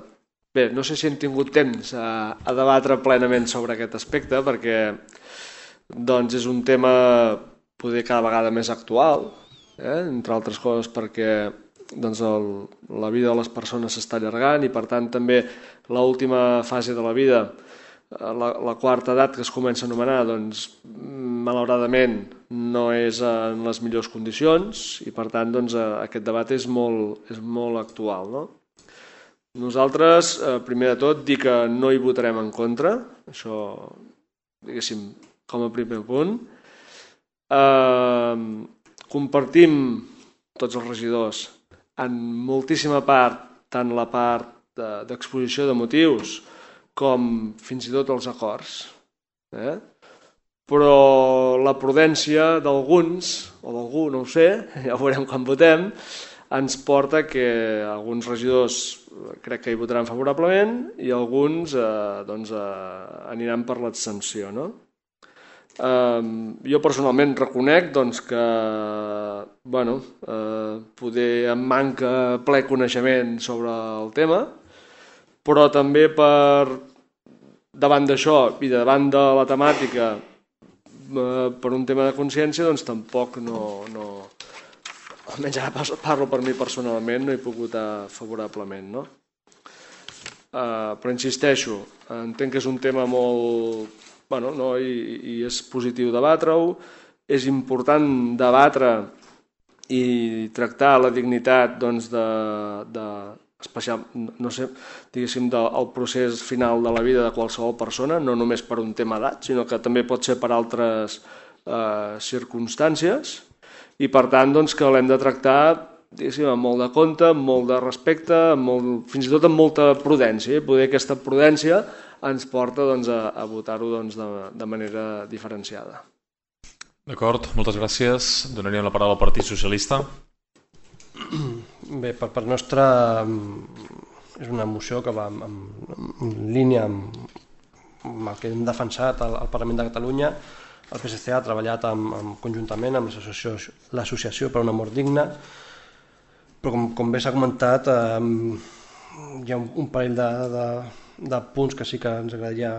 bé, no sé si hem tingut temps a, a debatre plenament sobre aquest aspecte perquè doncs, és un tema poder cada vegada més actual, eh? entre altres coses perquè doncs, el, la vida de les persones s'està allargant i per tant també l'última fase de la vida, la, la quarta edat que es comença a anomenar, doncs, malauradament no és en les millors condicions i per tant doncs, aquest debat és molt, és molt actual. No? Nosaltres, primer de tot, dir que no hi votarem en contra, això, diguéssim, com a primer punt. Eh, compartim tots els regidors en moltíssima part, tant la part d'exposició de motius com fins i tot els acords. Eh? Però la prudència d'alguns, o d'algú, no ho sé, ja ho veurem quan votem, ens porta que alguns regidors crec que hi votaran favorablement i alguns eh, doncs, eh, aniran per l'abstenció. No? Eh, jo personalment reconec doncs, que bueno, eh, poder em manca ple coneixement sobre el tema, però també per davant d'això i davant de la temàtica eh, per un tema de consciència doncs tampoc no, no almenys ara parlo per mi personalment, no he pogut votar favorablement. No? Eh, però insisteixo, entenc que és un tema molt bueno, no? I, i és positiu debatre-ho, és important debatre i tractar la dignitat doncs, de, de especial, no sé, diguéssim, del procés final de la vida de qualsevol persona, no només per un tema d'edat, sinó que també pot ser per altres eh, circumstàncies i per tant doncs, que l'hem de tractar diguéssim, amb molt de compte, amb molt de respecte, amb molt, fins i tot amb molta prudència. I poder aquesta prudència ens porta doncs, a, a votar-ho doncs, de, de manera diferenciada. D'acord, moltes gràcies. Donaríem la paraula al Partit Socialista. Bé, per part nostra és una moció que va en, en línia amb, amb el que hem defensat al, al Parlament de Catalunya. El P S C ha treballat amb, amb, conjuntament amb l'Associació per una mort digna, però com, com bé s'ha comentat eh, hi ha un, un parell de, de, de punts que sí que ens agradaria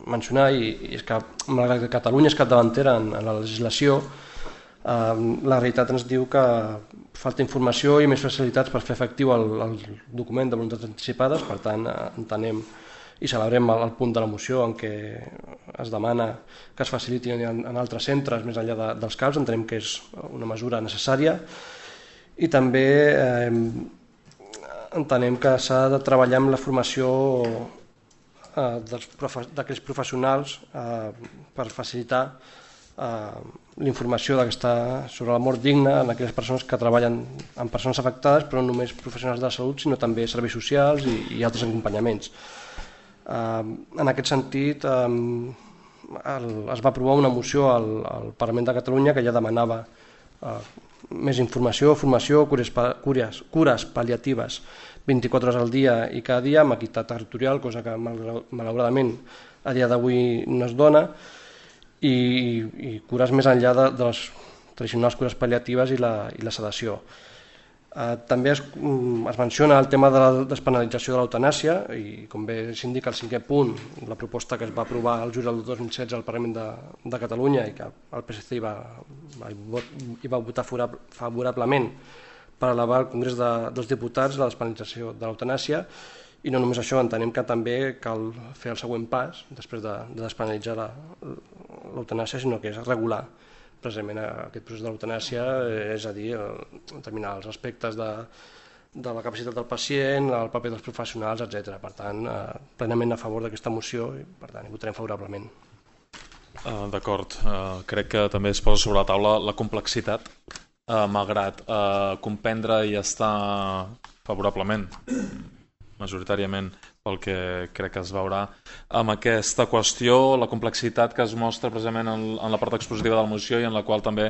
mencionar i, i és que malgrat que Catalunya és capdavantera en, en la legislació, eh, la realitat ens diu que falta informació i més facilitats per fer efectiu el, el document de voluntats anticipades. Per tant, eh, entenem i celebrem el, el punt de la moció en què es demana que es faciliti en, en altres centres més enllà de, dels C A Ps. Entenem que és una mesura necessària i també eh, entenem que s'ha de treballar amb la formació eh, d'aquells professionals eh, per facilitar eh, l'informació sobre la mort digna en aquelles persones que treballen amb persones afectades, però no només professionals de la salut, sinó també serveis socials i, i altres acompanyaments. Eh, en aquest sentit, eh, el, es va aprovar una moció al, al Parlament de Catalunya que ja demanava eh, més informació, formació, cures, cures, cures pal·liatives vint-i-quatre hores al dia i cada dia amb equitat territorial, cosa que malauradament a dia d'avui no es dona, i, i cures més enllà de, de les tradicionals cures pal·liatives i la, i la sedació. Eh, també es, es menciona el tema de la despenalització de l'eutanàsia i com bé s'indica el cinquè punt, la proposta que es va aprovar el juliol del dos mil setze al Parlament de, de Catalunya i que el P S C hi va, va, hi va votar favorablement per elevar al Congrés de, dels Diputats la despenalització de l'eutanàsia. I no només això, entenem que també cal fer el següent pas després de, de despenalitzar l'eutanàsia, sinó que és regular precisament aquest procés de l'eutanàsia, és a dir, determinar els aspectes de, de la capacitat del pacient, el paper dels professionals, etcètera. Per tant, eh, plenament a favor d'aquesta moció i per tant hi votarem favorablement. Uh, D'acord, uh, crec que també es posa sobre la taula la complexitat, uh, malgrat uh, comprendre i estar favorablement, majoritàriament, pel que crec que es veurà amb aquesta qüestió, la complexitat que es mostra precisament en, en la part expositiva de la moció i en la qual també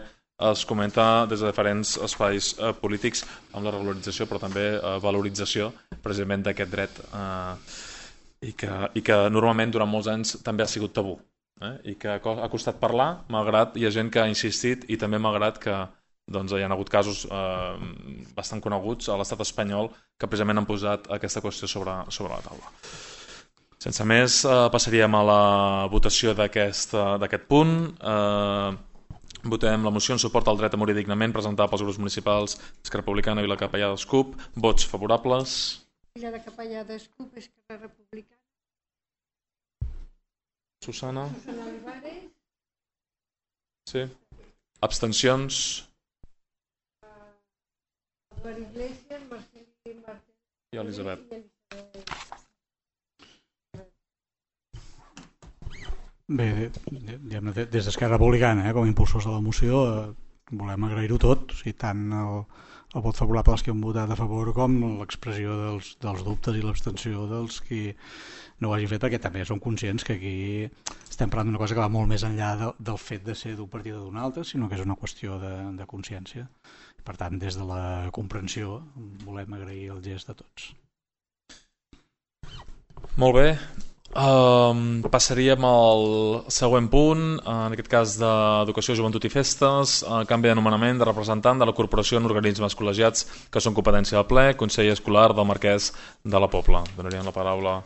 es comenta des de diferents espais eh, polítics amb la regularització però també eh, valorització precisament d'aquest dret eh, i que, i que normalment durant molts anys també ha sigut tabú, eh? I que ha costat parlar, malgrat hi ha gent que ha insistit, i també malgrat que doncs, hi ha hagut casos eh, bastant coneguts a l'estat espanyol que precisament han posat aquesta qüestió sobre, sobre la taula. Sense més, eh, passaríem a la votació d'aquest punt. Eh, votem la moció en suport al dret a morir dignament presentada pels grups municipals Esquerra Republicana, Vila Capellades, C U P. Vots favorables. Vila de Capellades, C U P, Esquerra Republicana. Susana. Susana Olivares. Sí. Abstencions. Eduard Iglesias, Marcel Martí I Elisabet. Bé, des d'Esquerra Republicana, eh, com a impulsors de la moció, eh, volem agrair-ho tot, o sigui, tant el, el vot favorable dels que han votat a favor com l'expressió dels, dels dubtes i l'abstenció dels que no ho hagin fet, perquè també som conscients que aquí estem parlant d'una cosa que va molt més enllà de, del fet de ser d'un partit o d'un altre, sinó que és una qüestió de, de consciència. Per tant, des de la comprensió volem agrair el gest de tots. Molt bé. Um, passaríem al següent punt, en aquest cas d'Educació, Joventut i Festes, uh, canvi d'anomenament de representant de la corporació en organismes col·legiats que són competència del ple, Consell Escolar del Marquès de la Pobla. Donaríem la paraula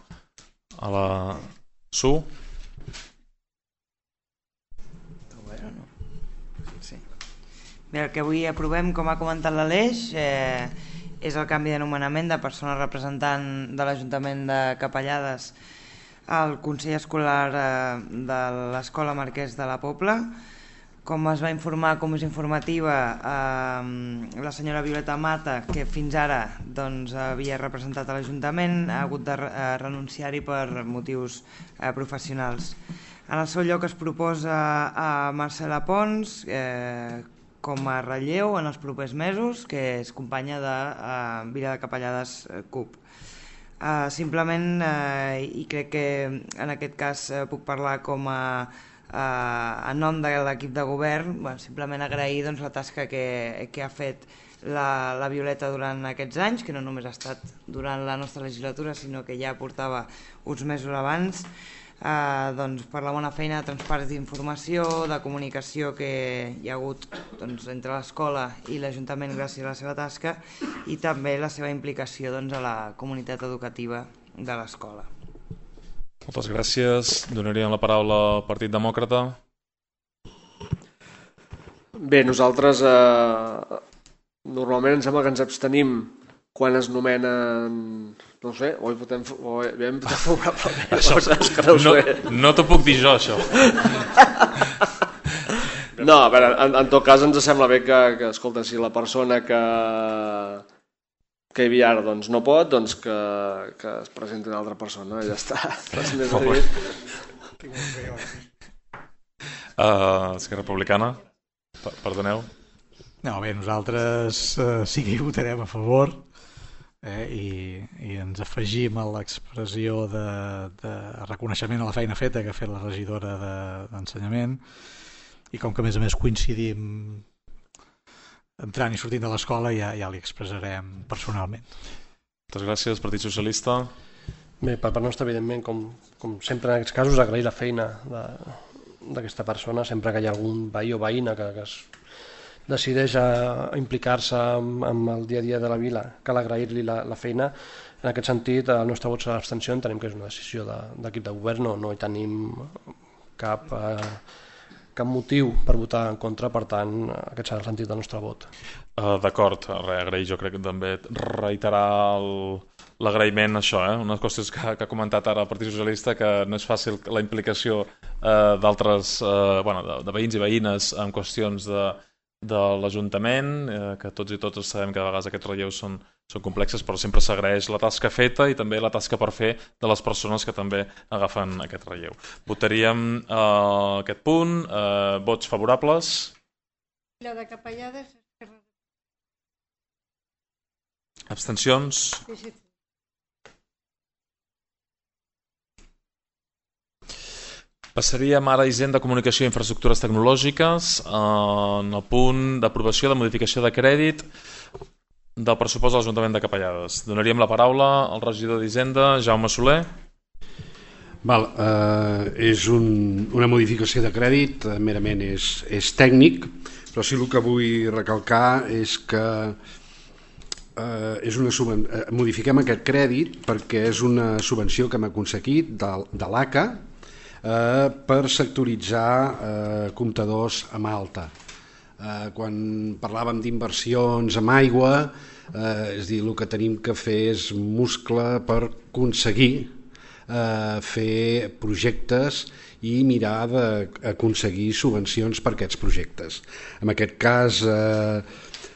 a la Su. Sí. Bé, el que avui aprovem, com ha comentat l'Aleix, eh, és el canvi d'anomenament de persona representant de l'Ajuntament de Capellades al Consell Escolar de l'Escola Marquès de la Pobla. Com es va informar, com és informativa, eh, la senyora Violeta Mata, que fins ara doncs, havia representat a l'Ajuntament, ha hagut de renunciar-hi per motius eh, professionals. En el seu lloc es proposa a Marcela Pons eh, com a relleu en els propers mesos, que és companya de eh, Vila de Capellades C U P. Uh, simplement, uh, i crec que en aquest cas uh, puc parlar com a, uh, en nom de l'equip de govern, bueno, simplement agrair doncs, la tasca que, que ha fet la, la Violeta durant aquests anys, que no només ha estat durant la nostra legislatura, sinó que ja portava uns mesos abans, Uh, doncs, per la bona feina de transparència d'informació, de comunicació que hi ha hagut doncs, entre l'escola i l'Ajuntament gràcies a la seva tasca, i també la seva implicació doncs, a la comunitat educativa de l'escola. Moltes gràcies. Donaríem la paraula al Partit Demòcrata. Bé, nosaltres eh, normalment em sembla que ens abstenim quan es nomenen, no ho sé, o hi votem, o hem votat favorablement. Això, no, no t'ho puc dir jo, això. No, a veure, en, en tot cas ens sembla bé que, que escolta, si la persona que, que hi havia ara doncs, no pot, doncs que, que es presenti una altra persona, ja està. Res més a dir. Uh, Esquerra Republicana, perdoneu. No, bé, nosaltres uh, sí que hi votarem a favor. Eh, i, i ens afegim a l'expressió de, de reconeixement a la feina feta que ha fet la regidora d'ensenyament, i com que a més a més coincidim entrant i sortint de l'escola, ja, ja li expressarem personalment. Moltes gràcies. Partit Socialista. Bé, per part nostra, evidentment, com, com sempre en aquests casos, agrair la feina d'aquesta persona, sempre que hi ha algun veí o veïna que, que es decideix a implicar-se amb, amb el dia a dia de la vila, cal agrair-li la, la feina. En aquest sentit, el nostre vot serà l'abstenció, entenem que és una decisió d'equip de, de govern, no, no hi tenim cap, eh, cap motiu per votar en contra, per tant, aquest serà el sentit del nostre vot. Uh, D'acord, agrair, jo crec que també reiterar l'agraïment a això, eh? Unes qüestions que, que ha comentat ara el Partit Socialista, que no és fàcil la implicació uh, d'altres, uh, bueno, de, de veïns i veïnes en qüestions de de l'Ajuntament, eh, que tots i totes sabem que a vegades aquests relleus són, són complexes, però sempre s'agraeix la tasca feta i també la tasca per fer de les persones que també agafen aquest relleu. Votaríem eh, aquest punt. Eh, vots favorables? Vila de Capellades, Esquerra. Abstencions? P S C. Passaríem ara a Hisenda, Comunicació i Infraestructures Tecnològiques, en el punt d'aprovació de modificació de crèdit del pressupost de l'Ajuntament de Capellades. Donaríem la paraula al regidor d'Hisenda, Jaume Soler. Val, eh, és un, una modificació de crèdit, eh, merament és, és tècnic, però sí el que vull recalcar és que eh, és una subven... eh, modifiquem aquest crèdit perquè és una subvenció que hem aconseguit de, de l'A C A eh, per sectoritzar eh, comptadors amb alta. Eh, quan parlàvem d'inversions amb aigua, eh, és a dir, el que tenim que fer és muscle per aconseguir eh, fer projectes i mirar d'aconseguir subvencions per aquests projectes. En aquest cas eh,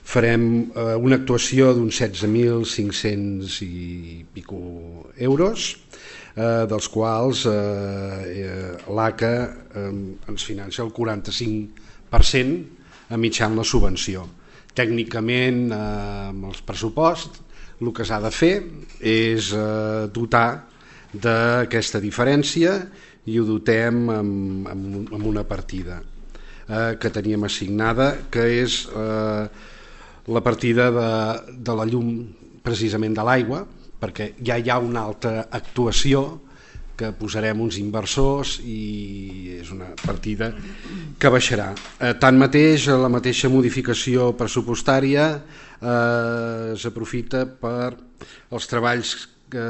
farem eh, una actuació d'uns setze mil cinc-cents i pico euros, eh, dels quals eh, l'A C A eh, ens financia el quaranta-cinc per cent a mitjan la subvenció. Tècnicament, eh, amb els pressupost, el que s'ha de fer és eh, dotar d'aquesta diferència i ho dotem amb, amb, amb una partida eh, que teníem assignada, que és eh, la partida de, de la llum, precisament de l'aigua, perquè ja hi ha una altra actuació que posarem uns inversors i és una partida que baixarà. Eh, tanmateix, la mateixa modificació pressupostària eh, s'aprofita per els treballs que,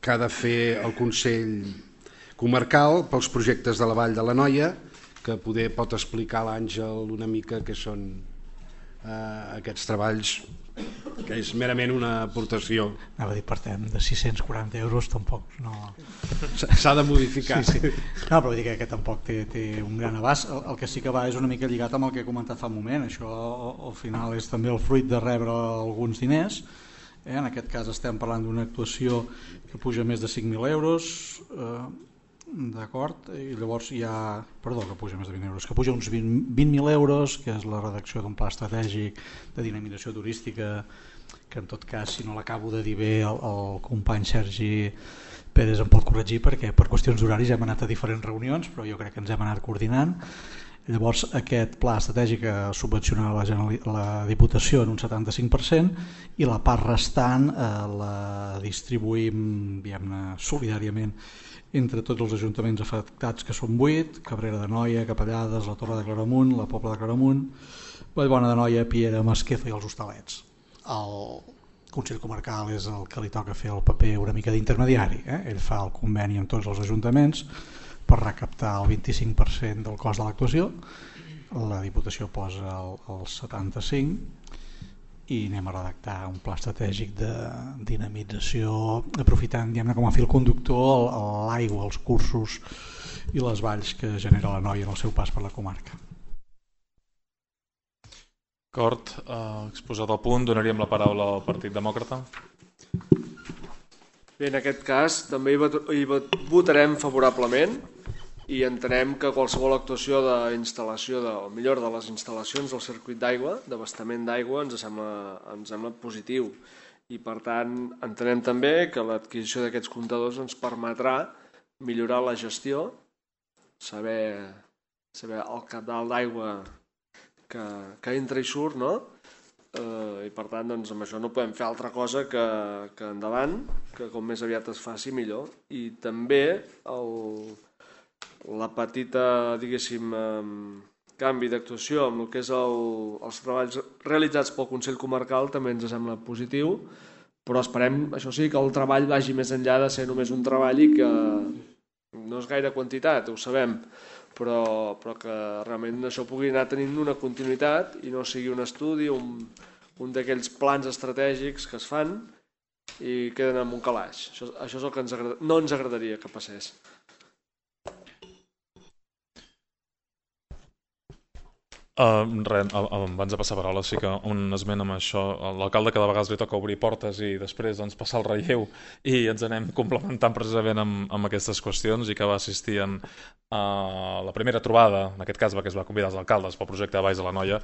que ha de fer el Consell Comarcal pels projectes de la Vall de l'Anoia, que poder pot explicar l'Àngel una mica què són eh, aquests treballs, que és merament una aportació. Anava a dir, partem de sis-cents quaranta euros, tampoc no... S'ha de modificar. Sí, sí. No, però vull dir que, que tampoc té, té un gran abast. El, el que sí que va és una mica lligat amb el que he comentat fa un moment. Això al final és també el fruit de rebre alguns diners. Eh? En aquest cas estem parlant d'una actuació que puja més de cinc mil euros, eh, d'acord, i llavors hi ha, perdó, que puja més de vint euros, que puja uns vint mil euros, que és la redacció d'un pla estratègic de dinamització turística, que en tot cas, si no l'acabo de dir bé, el, el company Sergi Pérez em pot corregir, perquè per qüestions d'horaris hem anat a diferents reunions, però jo crec que ens hem anat coordinant. Llavors aquest pla estratègic subvenciona la, la Diputació en un setanta-cinc per cent i la part restant eh, la distribuïm, diguem-ne, solidàriament entre tots els ajuntaments afectats, que són vuit: Cabrera d'Anoia, Capellades, la Torre de Claramunt, la Pobla de Claramunt, Vallbona d'Anoia, Piera, Masquefa i els Hostalets. El Consell Comarcal és el que li toca fer el paper una mica d'intermediari, eh? Ell fa el conveni amb tots els ajuntaments per recaptar el vint-i-cinc per cent del cost de l'actuació, la Diputació posa el, el setanta-cinc per cent i anem a redactar un pla estratègic de dinamització, aprofitant, diguem-ne, com a fil conductor l'aigua, els cursos i les valls que genera l'Anoia en el seu pas per la comarca. D'acord, eh, exposat el punt, donaríem la paraula al Partit Demòcrata. Bé, en aquest cas també hi votarem favorablement i entenem que qualsevol actuació d'instal·lació, de, o millor de les instal·lacions del circuit d'aigua, d'abastament d'aigua, ens sembla, ens sembla positiu. I per tant entenem també que l'adquisició d'aquests comptadors ens permetrà millorar la gestió, saber, saber el cabal d'aigua que, que entra i surt, no? Eh, i per tant doncs, amb això no podem fer altra cosa que, que endavant, que com més aviat es faci millor. I també el, la petita, diguéssim, eh, canvi d'actuació amb el que és el, els treballs realitzats pel Consell Comarcal també ens sembla positiu, però esperem, això sí, que el treball vagi més enllà de ser només un treball i que no és gaire quantitat, ho sabem, però, però que realment això pugui anar tenint una continuïtat i no sigui un estudi, un, un d'aquells plans estratègics que es fan i queden en un calaix. Això, això és el que ens agrada, no ens agradaria que passés. Uh, res, abans de passar paraula, sí que un esment amb això. L'alcalde cada vegada li toca obrir portes i després doncs, passar el relleu i ens anem complementant precisament amb, amb aquestes qüestions, i que va assistir en uh, la primera trobada, en aquest cas que es va convidar els alcaldes pel projecte de Valls de l'Anoia.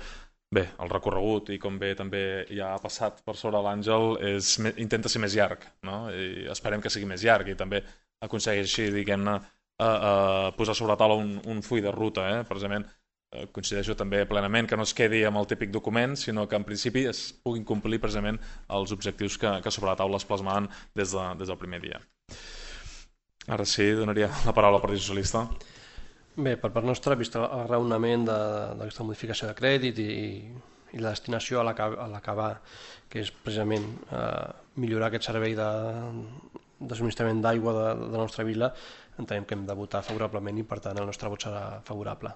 Bé, el recorregut, i com bé també ja ha passat per sobre l'Àngel, és, intenta ser més llarg, no? I esperem que sigui més llarg i també aconsegueixi, diguem-ne, uh, uh, posar sobre la taula un, un full de ruta, eh? Precisament coincideixo també plenament que no es quedi amb el típic document, sinó que en principi es puguin complir precisament els objectius que, que sobre la taula es plasmaven des, de, des del primer dia. Ara sí, donaria la paraula al Partit Socialista. Bé, per part nostra, vist el raonament d'aquesta modificació de crèdit i, i la destinació a l'acabar, que és precisament eh, millorar aquest servei de, de subministrament d'aigua de, de la nostra vila, entenem que hem de votar favorablement i per tant el nostre vot serà favorable.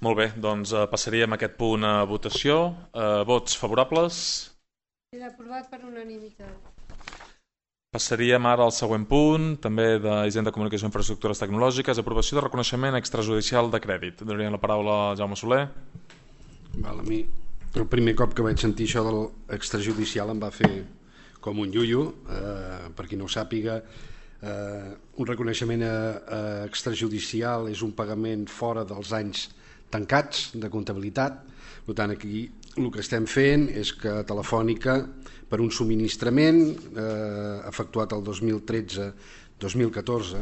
Molt bé, doncs eh, passaríem aquest punt a votació. Eh, vots favorables? Queda aprovat per unanimitat. Passaríem ara al següent punt, també d'Hisenda, Comunicació i Infraestructures Tecnològiques, aprovació de reconeixement extrajudicial de crèdit. Donaria la paraula a Jaume Soler. Val, a mi el primer cop que vaig sentir això de l'extrajudicial em va fer com un iuiu, eh, per qui no ho sàpiga. Eh, un reconeixement eh, extrajudicial és un pagament fora dels anys tancats de comptabilitat. Per tant, aquí el que estem fent és que Telefònica, per un subministrament eh, efectuat el dos mil tretze dos mil catorze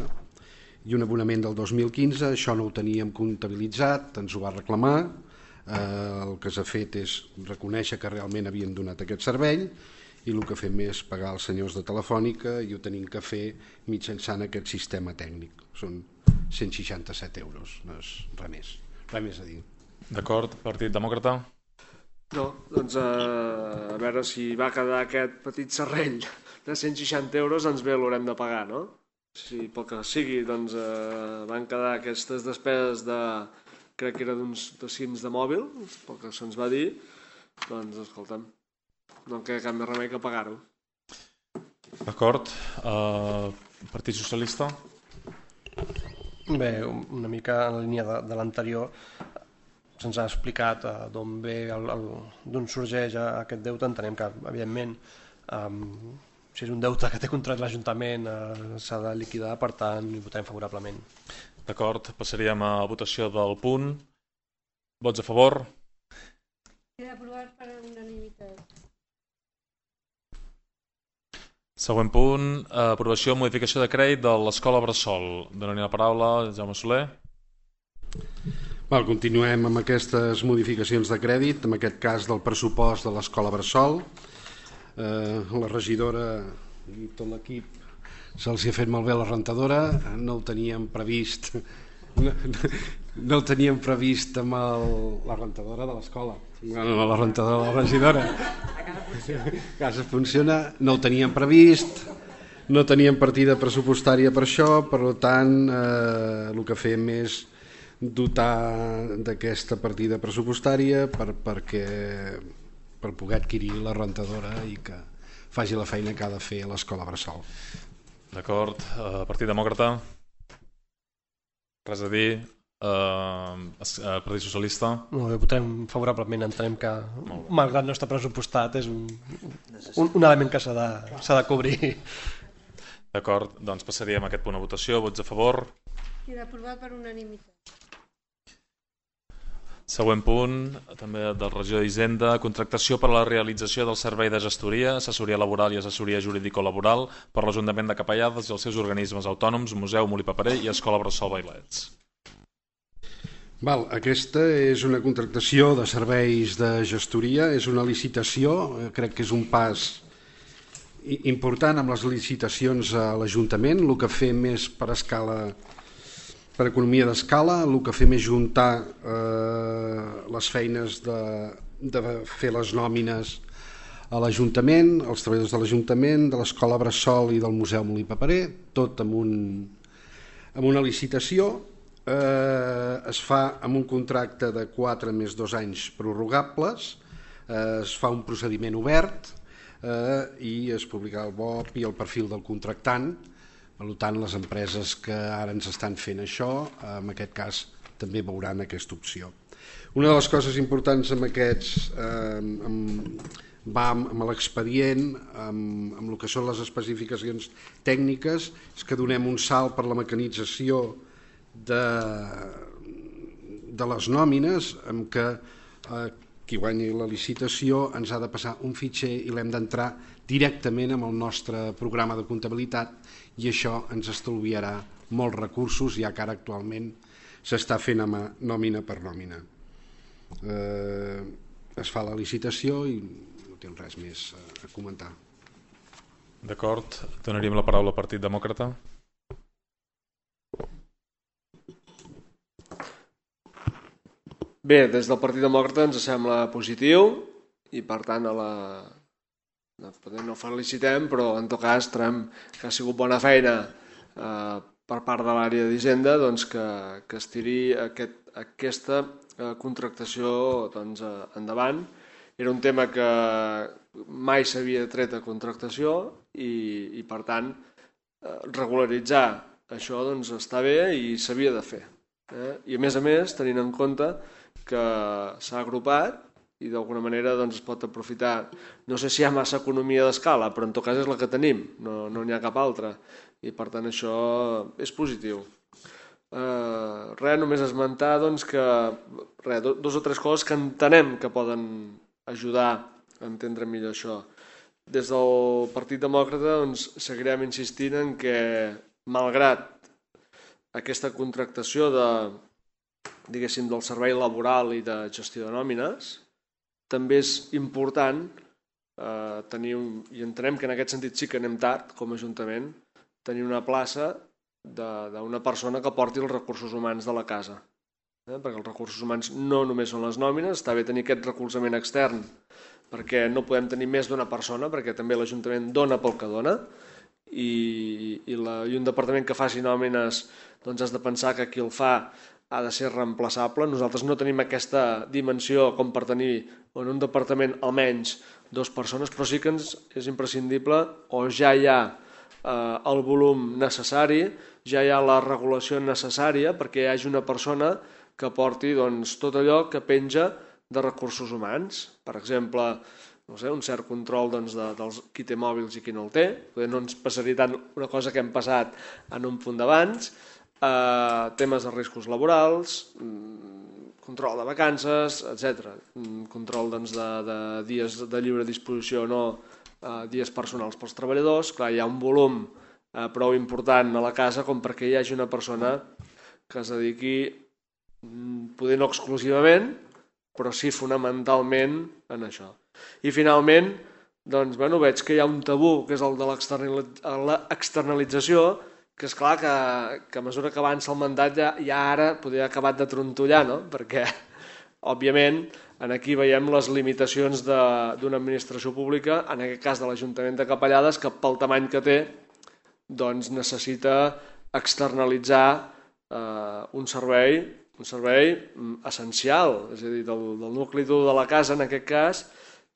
i un abonament del dos mil quinze, això no ho teníem comptabilitzat, ens ho va reclamar, eh, el que s'ha fet és reconèixer que realment havien donat aquest servei i el que fem és pagar als senyors de Telefònica i ho tenim que fer mitjançant aquest sistema tècnic. Són cent seixanta-set euros, no és res més, res més a dir. D'acord, Partit Demòcrata? No, doncs eh, a veure si va quedar aquest petit serrell de cent seixanta euros, ens bé l'haurem de pagar, no? Si pel que sigui, doncs eh, van quedar aquestes despeses de, crec que era d'uns dos cims de mòbil, pel que se'ns va dir, doncs escolta'm, no em queda cap més remei que pagar-ho. D'acord. Uh, Partit Socialista? Bé, una mica en la línia de, de l'anterior, se'ns ha explicat uh, d'on ve, d'on sorgeix aquest deute. Entenem que, evidentment, um, si és un deute que té contracte l'Ajuntament, uh, s'ha de liquidar, per tant, hi votarem favorablement. D'acord, passaríem a votació del punt. Vots a favor? Queda aprovat per unanimitat. Següent punt, aprovació o modificació de crèdit de l'Escola Bressol. Donaria la paraula a Jaume Soler. Val, continuem amb aquestes modificacions de crèdit, en aquest cas del pressupost de l'Escola Bressol. Eh, la regidora i tot l'equip se'ls ha fet malbé la rentadora, no ho teníem previst, no, no ho teníem previst amb el, la rentadora de l'escola, no, la rentadora de la regidora. A casa funciona, no ho teníem previst, no teníem partida pressupostària per això, per tant, eh, el que fem és dotar d'aquesta partida pressupostària per, perquè, per poder adquirir la rentadora i que faci la feina que ha de fer l'Escola Bressol. D'acord. Uh, Partit Demòcrata? Res a dir. Uh, uh, Partit Socialista? Molt bé, votarem favorablement. Entenem que, malgrat no està pressupostat, és un, un, un element que s'ha de, s'ha de cobrir. D'acord, doncs passaríem a aquest punt a votació. Vots a favor? Queda aprovat per unanimitat. Següent punt, també del regió d'Hisenda, contractació per a la realització del servei de gestoria, assessoria laboral i assessoria jurídico-laboral per l'Ajuntament de Capellades i els seus organismes autònoms, Museu Molí Paperer i Escola Bressol Vailets. Val, aquesta és una contractació de serveis de gestoria, és una licitació, crec que és un pas important amb les licitacions a l'Ajuntament. El que fem és per escala, per economia d'escala, el que fem és juntar eh, les feines de, de fer les nòmines a l'Ajuntament, els treballadors de l'Ajuntament, de l'Escola Bressol i del Museu Molí Paperer, tot amb, un, amb una licitació. Eh, es fa amb un contracte de quatre més dos anys prorrogables, eh, es fa un procediment obert eh, i es publicarà el B O P i el perfil del contractant. Per tant, les empreses que ara ens estan fent això, en aquest cas, també veuran aquesta opció. Una de les coses importants amb aquests eh, amb, va amb, amb l'expedient, amb, amb el que són les especificacions tècniques, és que donem un salt per la mecanització de, de les nòmines, amb què eh, qui guanyi la licitació ens ha de passar un fitxer i l'hem d'entrar directament amb el nostre programa de comptabilitat i això ens estalviarà molts recursos, ja que ara actualment s'està fent amb nòmina per nòmina. Eh, es fa la licitació i no tinc res més a comentar. D'acord, donaríem la paraula al Partit Demòcrata. Bé, des del Partit Demòcrata ens sembla positiu i per tant a la... potser no felicitem, però en tot cas trobem que ha sigut bona feina eh, per part de l'àrea d'Hisenda doncs, que, que es tiri aquest, aquesta eh, contractació doncs, eh, endavant. Era un tema que mai s'havia tret a contractació i, i per tant eh, regularitzar això doncs, està bé i s'havia de fer. Eh? I a més a més, tenint en compte que s'ha agrupat i d'alguna manera doncs, es pot aprofitar, no sé si hi ha massa economia d'escala, però en tot cas és la que tenim, no n'hi no ha cap altra, i per tant això és positiu. Eh, res, només esmentar doncs, que res, dos o tres coses que entenem que poden ajudar a entendre millor això. Des del Partit Demòcrata doncs, seguirem insistint en que, malgrat aquesta contractació de, diguéssim, del servei laboral i de gestió de nòmines, també és important eh, tenir, un, i entenem que en aquest sentit sí que anem tard com a Ajuntament, tenir una plaça d'una persona que porti els recursos humans de la casa. Eh? Perquè els recursos humans no només són les nòmines, està bé tenir aquest recolzament extern, perquè no podem tenir més d'una persona, perquè també l'Ajuntament dona pel que dona, i, i, la, i un departament que faci nòmines doncs has de pensar que qui el fa ha de ser reemplaçable. Nosaltres no tenim aquesta dimensió com per tenir en un departament almenys dues persones, però sí que ens és imprescindible o ja hi ha eh, el volum necessari, ja hi ha la regulació necessària perquè hi hagi una persona que porti doncs, tot allò que penja de recursos humans. Per exemple, no sé, un cert control doncs, de, dels qui té mòbils i qui no el té. No ens passaria tant una cosa que hem passat en un punt d'abans. Eh, temes de riscos laborals, control de vacances, etcètera. Control doncs, de, de dies de lliure disposició o no, eh, dies personals pels treballadors. Clar, hi ha un volum eh, prou important a la casa com perquè hi hagi una persona que es dediqui, poder no exclusivament, però sí fonamentalment en això. I finalment, doncs, bueno, veig que hi ha un tabú, que és el de l'externalització, que és clar que, que a mesura que avança el mandat ja, ja ara podria haver acabat de trontollar, no? Perquè, òbviament, aquí veiem les limitacions d'una administració pública, en aquest cas de l'Ajuntament de Capellades, que pel tamany que té doncs necessita externalitzar eh, un servei, un servei essencial, és a dir, del, del nucli dur de la casa, en aquest cas,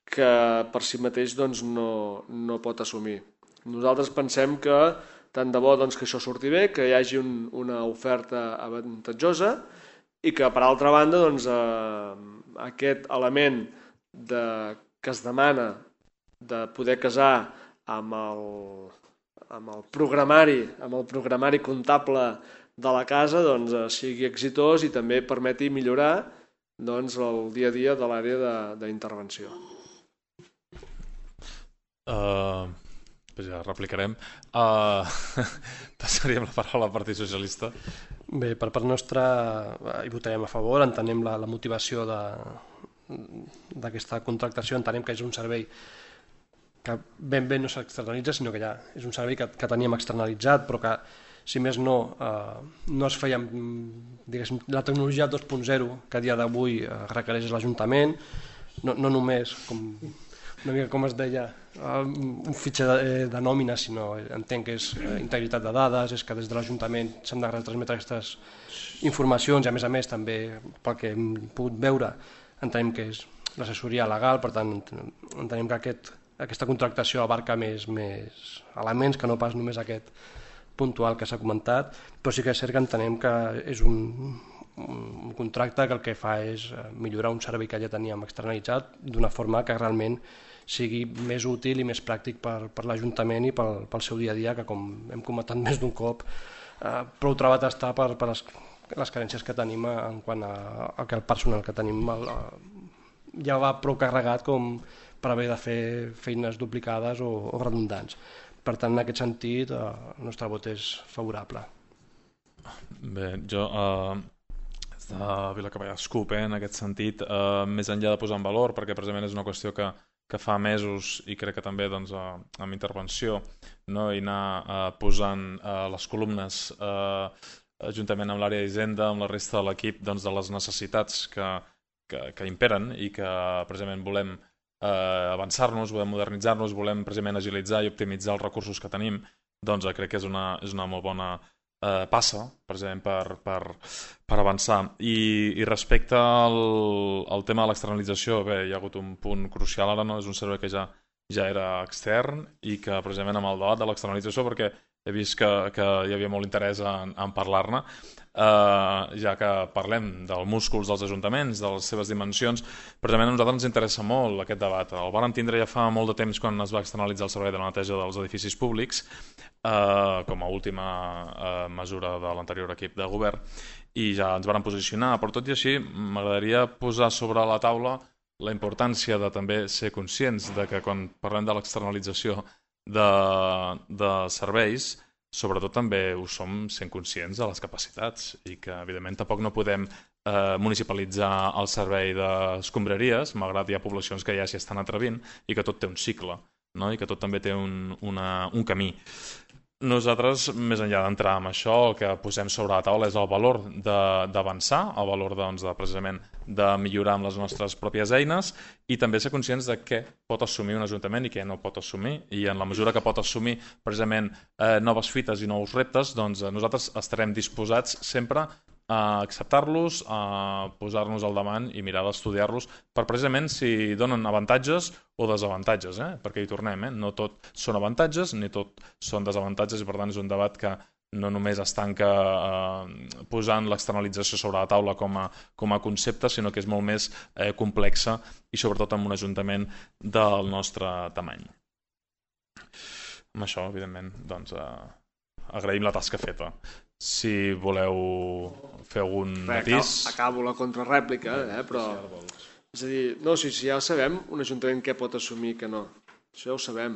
que per si mateix doncs, no, no pot assumir. Nosaltres pensem que tant de bo doncs, que això surti bé, que hi hagi un, una oferta avantatjosa i que, per altra banda, doncs, eh, aquest element de, que es demana de poder casar amb el, amb el programari, amb el programari comptable de la casa doncs, sigui exitós i també permeti millorar doncs, el dia a dia de l'àrea d'intervenció. Uh, ja replicarem. Uh, passaríem la paraula al Partit Socialista. Bé, per part nostra hi votarem a favor, entenem la, la motivació d'aquesta contractació, entenem que és un servei que ben bé no s'externalitza, sinó que ja és un servei que, que teníem externalitzat, però que si més no, eh, no es feia diguéssim, la tecnologia dos punt zero que a dia d'avui eh, requereix l'Ajuntament, no, no només, com, una mica com es deia, eh, un fitxer de, de nòmina, sinó entenc que és eh, integritat de dades, és que des de l'Ajuntament s'han de retransmetre aquestes informacions i a més a més també pel que hem pogut veure entenem que és l'assessoria legal, per tant entenem que aquest, aquesta contractació abarca més, més elements que no pas només aquest puntual que s'ha comentat, però sí que és cert que entenem que és un, un contracte que el que fa és millorar un servei que ja teníem externalitzat d'una forma que realment sigui més útil i més pràctic per, per l'Ajuntament i pel, pel seu dia a dia, que com hem comentat més d'un cop, eh, prou trebat està per, per les, les carències que tenim en quant a, a que el personal que tenim el, ja va prou carregat com per haver de fer feines duplicades o, o redundants. Per tant, en aquest sentit, el nostre vot és favorable. Bé, jo, eh, de Vilacapellades CUP, eh, en aquest sentit, eh, més enllà de posar en valor, perquè precisament és una qüestió que, que fa mesos i crec que també doncs, eh, amb intervenció, no, i anar eh, posant eh, les columnes eh, juntament amb l'àrea d'Hisenda, amb la resta de l'equip, doncs, de les necessitats que, que, que imperen i que precisament volem eh, avançar-nos, volem modernitzar-nos, volem precisament agilitzar i optimitzar els recursos que tenim, doncs crec que és una, és una molt bona eh, passa, precisament, per, per, per avançar. I, i respecte al, al tema de l'externalització, bé, hi ha hagut un punt crucial ara, no? És un servei que ja, ja era extern i que precisament amb el debat de l'externalització, perquè he vist que, que hi havia molt interès en, en parlar-ne, eh, ja que parlem dels músculs dels ajuntaments, de les seves dimensions, precisament a nosaltres ens interessa molt aquest debat. El vàrem tindre ja fa molt de temps quan es va externalitzar el servei de la neteja dels edificis públics, eh, com a última eh, mesura de l'anterior equip de govern, i ja ens vàrem posicionar, però tot i així m'agradaria posar sobre la taula la importància de també ser conscients de que quan parlem de l'externalització de, de serveis, sobretot també ho som sent conscients de les capacitats i que evidentment tampoc no podem eh, municipalitzar el servei d'escombraries, malgrat hi ha poblacions que ja s'hi estan atrevint i que tot té un cicle, no? I que tot també té un, una, un camí. Nosaltres, més enllà d'entrar en això, el que posem sobre la taula és el valor d'avançar, el valor doncs, de, precisament de millorar amb les nostres pròpies eines i també ser conscients de què pot assumir un ajuntament i què no pot assumir, i en la mesura que pot assumir precisament eh, noves fites i nous reptes, doncs nosaltres estarem disposats sempre a acceptar-los, a posar-nos al davant i mirar d'estudiar-los per precisament si donen avantatges o desavantatges, eh? Perquè hi tornem, eh? No tot són avantatges ni tot són desavantatges i per tant és un debat que no només es tanca eh, posant l'externalització sobre la taula com a, com a concepte, sinó que és molt més eh, complexa i sobretot en un ajuntament del nostre tamany. Amb això, evidentment, doncs, eh, agraïm la tasca feta. Si voleu fer algun matís... Acabo la contrarèplica, eh? Però... És a dir, no, si, si ja sabem un ajuntament què pot assumir i què no. Això ja ho sabem.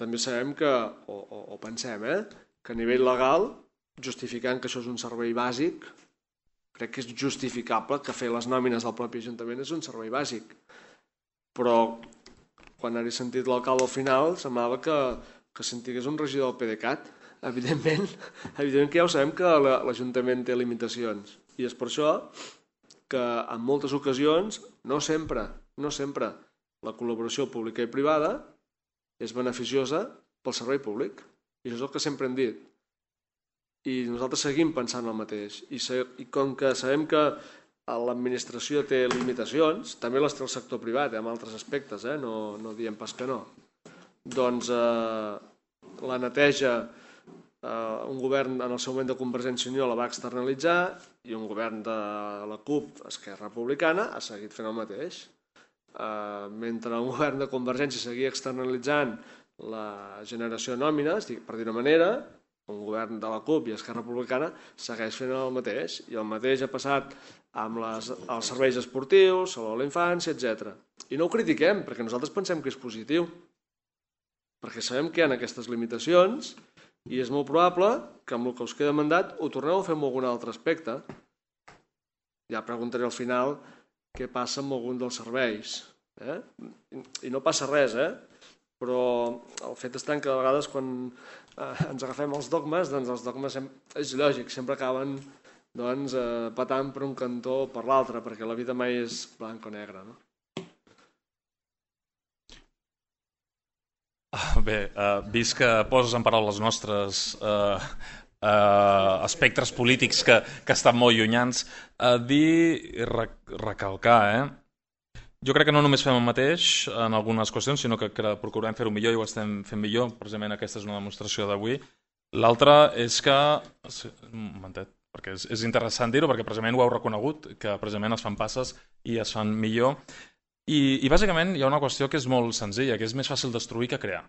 També sabem que, o, o, o pensem, eh? que a nivell legal, justificant que això és un servei bàsic, crec que és justificable que fer les nòmines del propi ajuntament és un servei bàsic. Però quan he sentit l'alcalde al final semblava que, que sentigués un regidor del P D Cat. Evidentment, evidentment que ja ho sabem que l'Ajuntament té limitacions i és per això que en moltes ocasions, no sempre, no sempre, la col·laboració pública i privada és beneficiosa pel servei públic i això és el que sempre hem dit i nosaltres seguim pensant el mateix i, se, i com que sabem que l'administració té limitacions, també les té el sector privat, eh, en altres aspectes, eh, no, no diem pas que no, doncs eh, la neteja Uh, un govern en el seu moment de Convergència i Unió la va externalitzar i un govern de la CUP, Esquerra Republicana, ha seguit fent el mateix. Uh, mentre un govern de Convergència seguia externalitzant la generació de nòmines, per dir una manera, un govern de la CUP i Esquerra Republicana segueix fent el mateix. I el mateix ha passat amb les, els serveis esportius, Saló de la Infància, etcètera. I no ho critiquem, perquè nosaltres pensem que és positiu. Perquè sabem que hi ha aquestes limitacions i és molt probable que amb el que us queda mandat ho torneu a fer amb algun altre aspecte. Ja preguntaré al final què passa amb algun dels serveis. Eh? I no passa res, eh? Però el fet està que a vegades quan eh, ens agafem els dogmes, doncs els dogmes és lògic, sempre acaben doncs, eh, patant per un cantó o per l'altre, perquè la vida mai és blanc o negre, no? Bé, uh, vist que poses en paraules nostres uh, uh, espectres polítics que, que estan molt llunyans, uh, dir i rec recalcar, eh? Jo crec que no només fem el mateix en algunes qüestions, sinó que, que procurem fer-ho millor i ho estem fent millor, precisament aquesta és una demostració d'avui. L'altra és que... Un momentet, perquè és, és interessant dir-ho, perquè precisament ho heu reconegut, que precisament es fan passes i es fan millor. I, I bàsicament hi ha una qüestió que és molt senzilla, que és més fàcil destruir que crear.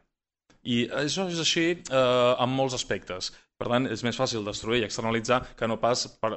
I això és així eh, en molts aspectes. Per tant, és més fàcil destruir i externalitzar que no pas per,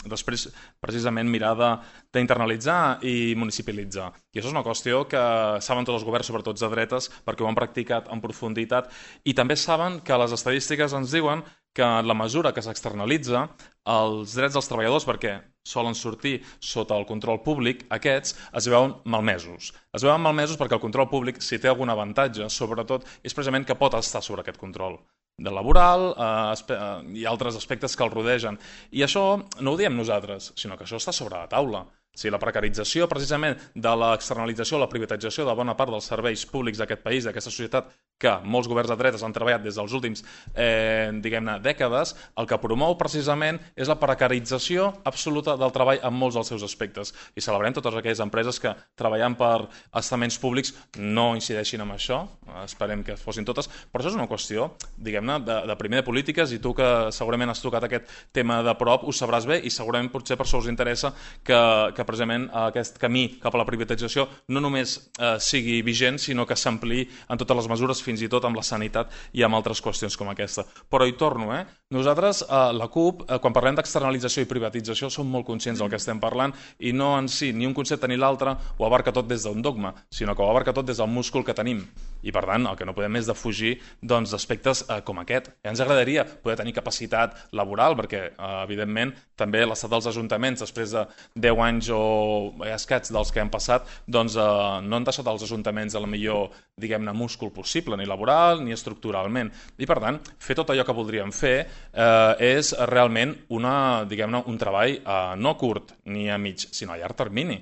després precisament mirar d'internalitzar i municipalitzar. I això és una qüestió que saben tots els governs, sobretot de dretes, perquè ho han practicat en profunditat i també saben que les estadístiques ens diuen que en la mesura que s'externalitza els drets dels treballadors, perquè solen sortir sota el control públic, aquests es veuen malmesos. Es veuen malmesos perquè el control públic, si té algun avantatge, sobretot, és precisament que pot estar sobre aquest control de laboral eh, i altres aspectes que el rodegen. I això no ho diem nosaltres, sinó que això està sobre la taula. O sigui, la precarització precisament de l'externalització, la privatització de bona part dels serveis públics d'aquest país, d'aquesta societat, que molts governs de dretes han treballat des dels últims eh, diguem-ne dècades, el que promou precisament és la precarització absoluta del treball en molts dels seus aspectes. I celebrem totes aquelles empreses que treballant per estaments públics no incideixin en això, esperem que fossin totes, però això és una qüestió, diguem-ne, de, de primer de polítiques, i tu que segurament has tocat aquest tema de prop ho sabràs bé, i segurament potser per això us interessa que, que precisament aquest camí cap a la privatització no només eh, sigui vigent, sinó que s'ampliï en totes les mesures, fins i tot amb la sanitat i amb altres qüestions com aquesta. Però hi torno, eh? Nosaltres, eh, la CUP, eh, quan parlem d'externalització i privatització, som molt conscients del que estem parlant, i no en si, ni un concepte ni l'altre, ho abarca tot des d'un dogma, sinó que ho abarca tot des del múscul que tenim. I per tant, el que no podem és defugir doncs, aspectes eh, com aquest. I ens agradaria poder tenir capacitat laboral, perquè, eh, evidentment, també l'estat dels ajuntaments, després de deu anys o escats dels que hem passat, doncs eh, no han deixat els ajuntaments el millor, diguem-ne, múscul possible, ni laboral ni estructuralment. I per tant, fer tot allò que voldríem fer eh, és realment una, diguem-ne, un treball eh, no curt ni a mig, sinó a llarg termini.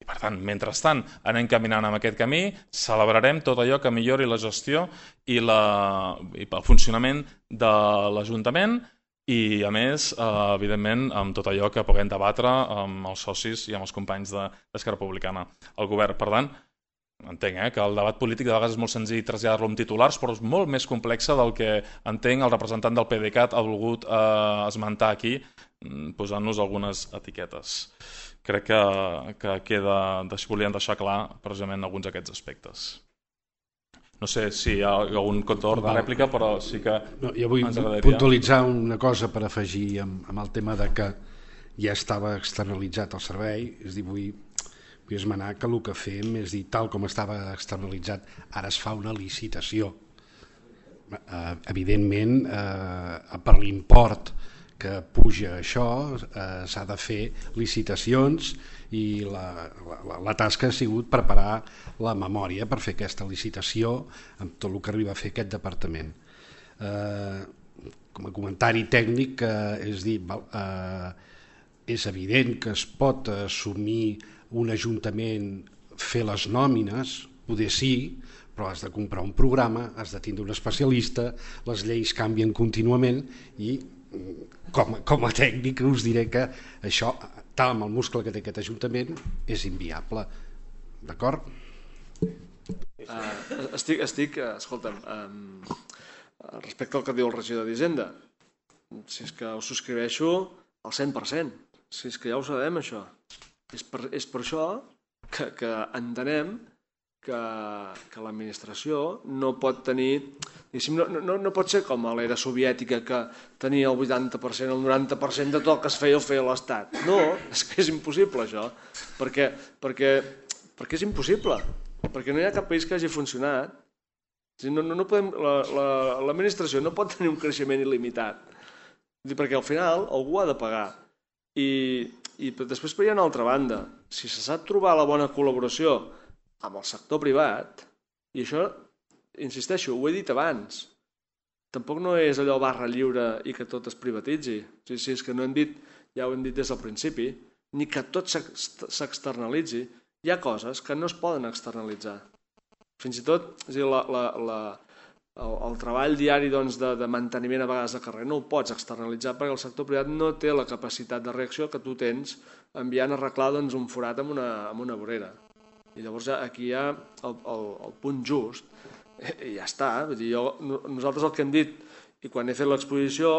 I per tant, mentrestant anem caminant en aquest camí, celebrarem tot allò que millori la gestió i, la, i el funcionament de l'Ajuntament i, a més, eh, evidentment, amb tot allò que puguem debatre amb els socis i amb els companys d'Esquerra Republicana al govern. Per tant, entenc eh, que el debat polític de vegades és molt senzill traslladar-lo amb titulars, però és molt més complexa del que entenc el representant del PDeCAT ha volgut eh, esmentar aquí, posant-nos algunes etiquetes. Crec que, que queda, volien deixar clar precisament alguns d'aquests aspectes. No sé si hi ha algun torn de rèplica, però sí que no, jo vull ens agradaria puntualitzar una cosa per afegir amb, amb el tema de que ja estava externalitzat el servei, és dir, vull vull esmenar que el que fem és dir, tal com estava externalitzat, ara es fa una licitació. Eh, evidentment, eh, per l'import que puja això, eh, s'ha de fer licitacions i la, la, la tasca ha sigut preparar la memòria per fer aquesta licitació amb tot el que arriba a fer aquest departament. Eh, com a comentari tècnic, eh, és dir, eh, és evident que es pot assumir un ajuntament fer les nòmines, poder sí, però has de comprar un programa, has de tindre un especialista, les lleis canvien contínuament i com, com a tècnic us diré que això, tal amb el muscle que té aquest ajuntament, és inviable. D'acord? Uh, estic, estic, escolta'm, um, respecte al que diu el regidor d'Hisenda, si és que ho subscriveixo al cent per cent, si és que ja ho sabem això. És per, és per això que, que entenem que, que l'administració no pot tenir, no, no, no pot ser com a l'era soviètica que tenia el vuitanta per cent, el noranta per cent de tot el que es feia el feia l'Estat. No, és que és impossible això, perquè, perquè, perquè és impossible, perquè no hi ha cap país que hagi funcionat. No, no, no podem, l'administració la, la, no pot tenir un creixement il·limitat, perquè al final algú ha de pagar. I I després per hi ha una altra banda, si se sap trobar la bona col·laboració amb el sector privat, i això, insisteixo, ho he dit abans, tampoc no és allò barra lliure i que tot es privatitzi, si, si és que no hem dit, ja ho hem dit des del principi, ni que tot s'externalitzi, hi ha coses que no es poden externalitzar. Fins i tot, és a dir, la, la, la, el, el treball diari doncs, de, de manteniment a vegades de carrer no ho pots externalitzar perquè el sector privat no té la capacitat de reacció que tu tens enviant a arreglar doncs, un forat amb una, amb una vorera. I llavors aquí hi ha el, el, el punt just i ja està. Vull dir, jo, nosaltres el que hem dit, i quan he fet l'exposició,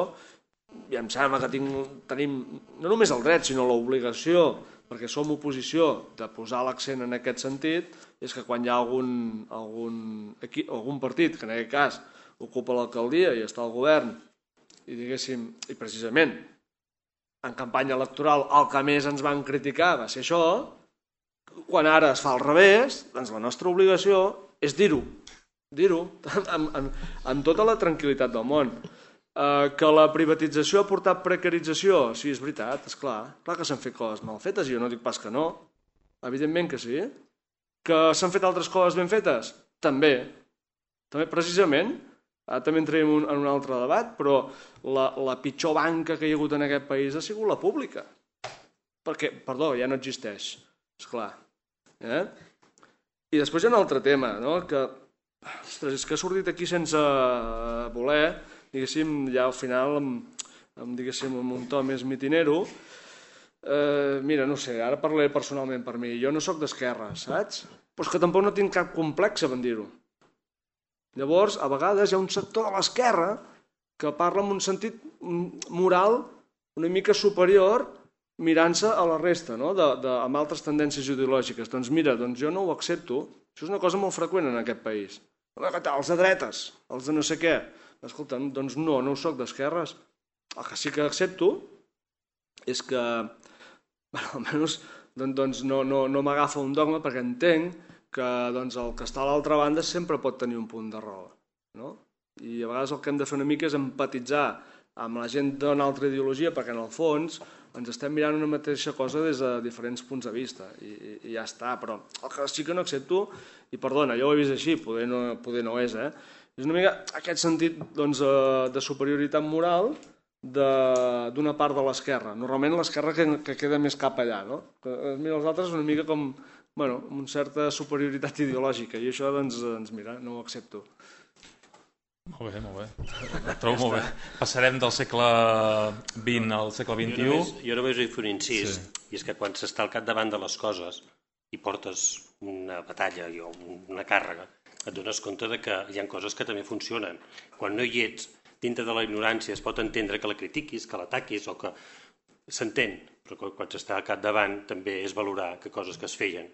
ja em sembla que tinc, tenim no només el dret, sinó l'obligació, perquè som oposició, de posar l'accent en aquest sentit, és que quan hi ha algun, algun, aquí, algun partit, que en aquest cas ocupa l'alcaldia i està al govern, i diguéssim, i precisament en campanya electoral el que més ens van criticar va ser això, quan ara es fa al revés, doncs la nostra obligació és dir-ho, dir-ho amb, amb, amb tota la tranquil·litat del món. Uh, que la privatització ha portat precarització? Sí, és veritat, és clar. Clar que s'han fet coses mal fetes, i jo no dic pas que no. Evidentment que sí. Que s'han fet altres coses ben fetes? També. També precisament, ara també entrem en un, en un altre debat, però la, la pitjor banca que hi ha hagut en aquest país ha sigut la pública. perquè, perdó, ja no existeix, esclar. Eh? I després hi ha un altre tema, no? Que, ostres, és que ha sortit aquí sense voler, diguéssim, ja al final, amb, amb, diguéssim, amb un to més mitinero. Eh, mira, no sé, ara parlaré personalment per mi. Jo no sóc d'esquerra, saps? Però és que tampoc no tinc cap complexe, van dir-ho. Llavors, a vegades hi ha un sector de l'esquerra que parla en un sentit moral una mica superior mirant-se a la resta, no? de, de, amb altres tendències ideològiques. Doncs mira, doncs jo no ho accepto. Això és una cosa molt freqüent en aquest país. Els de dretes, els de no sé què. Escolta, doncs no, no ho soc d'esquerres. El que sí que accepto és que, bueno, almenys doncs, no, no, no m'agafa un dogma perquè entenc que doncs, el que està a l'altra banda sempre pot tenir un punt de raó. No? I a vegades el que hem de fer una mica és empatitzar amb la gent d'una altra ideologia perquè en el fons ens estem mirant una mateixa cosa des de diferents punts de vista i, i, i ja està, però el que sí que no accepto, i perdona, jo ho he vist així, poder no, poder no és, eh? és una mica aquest sentit doncs, de superioritat moral d'una part de l'esquerra. Normalment l'esquerra que, que queda més cap allà, no? Que, mira, els altres una mica com, bueno, amb una certa superioritat ideològica i això, doncs, doncs mira, no ho accepto. Molt bé, molt bé. Ho trobo molt bé. Passarem del segle vint al segle vint-i-u. Jo només, jo només vull fer un incís, sí. I és que quan s'està al capdavant de les coses i portes una batalla o una càrrega, et dones compte de que hi ha coses que també funcionen. Quan no hi ets, dintre de la ignorància es pot entendre que la critiquis, que l'ataquis o que s'entén, però quan s'està al capdavant també és valorar que coses que es feien,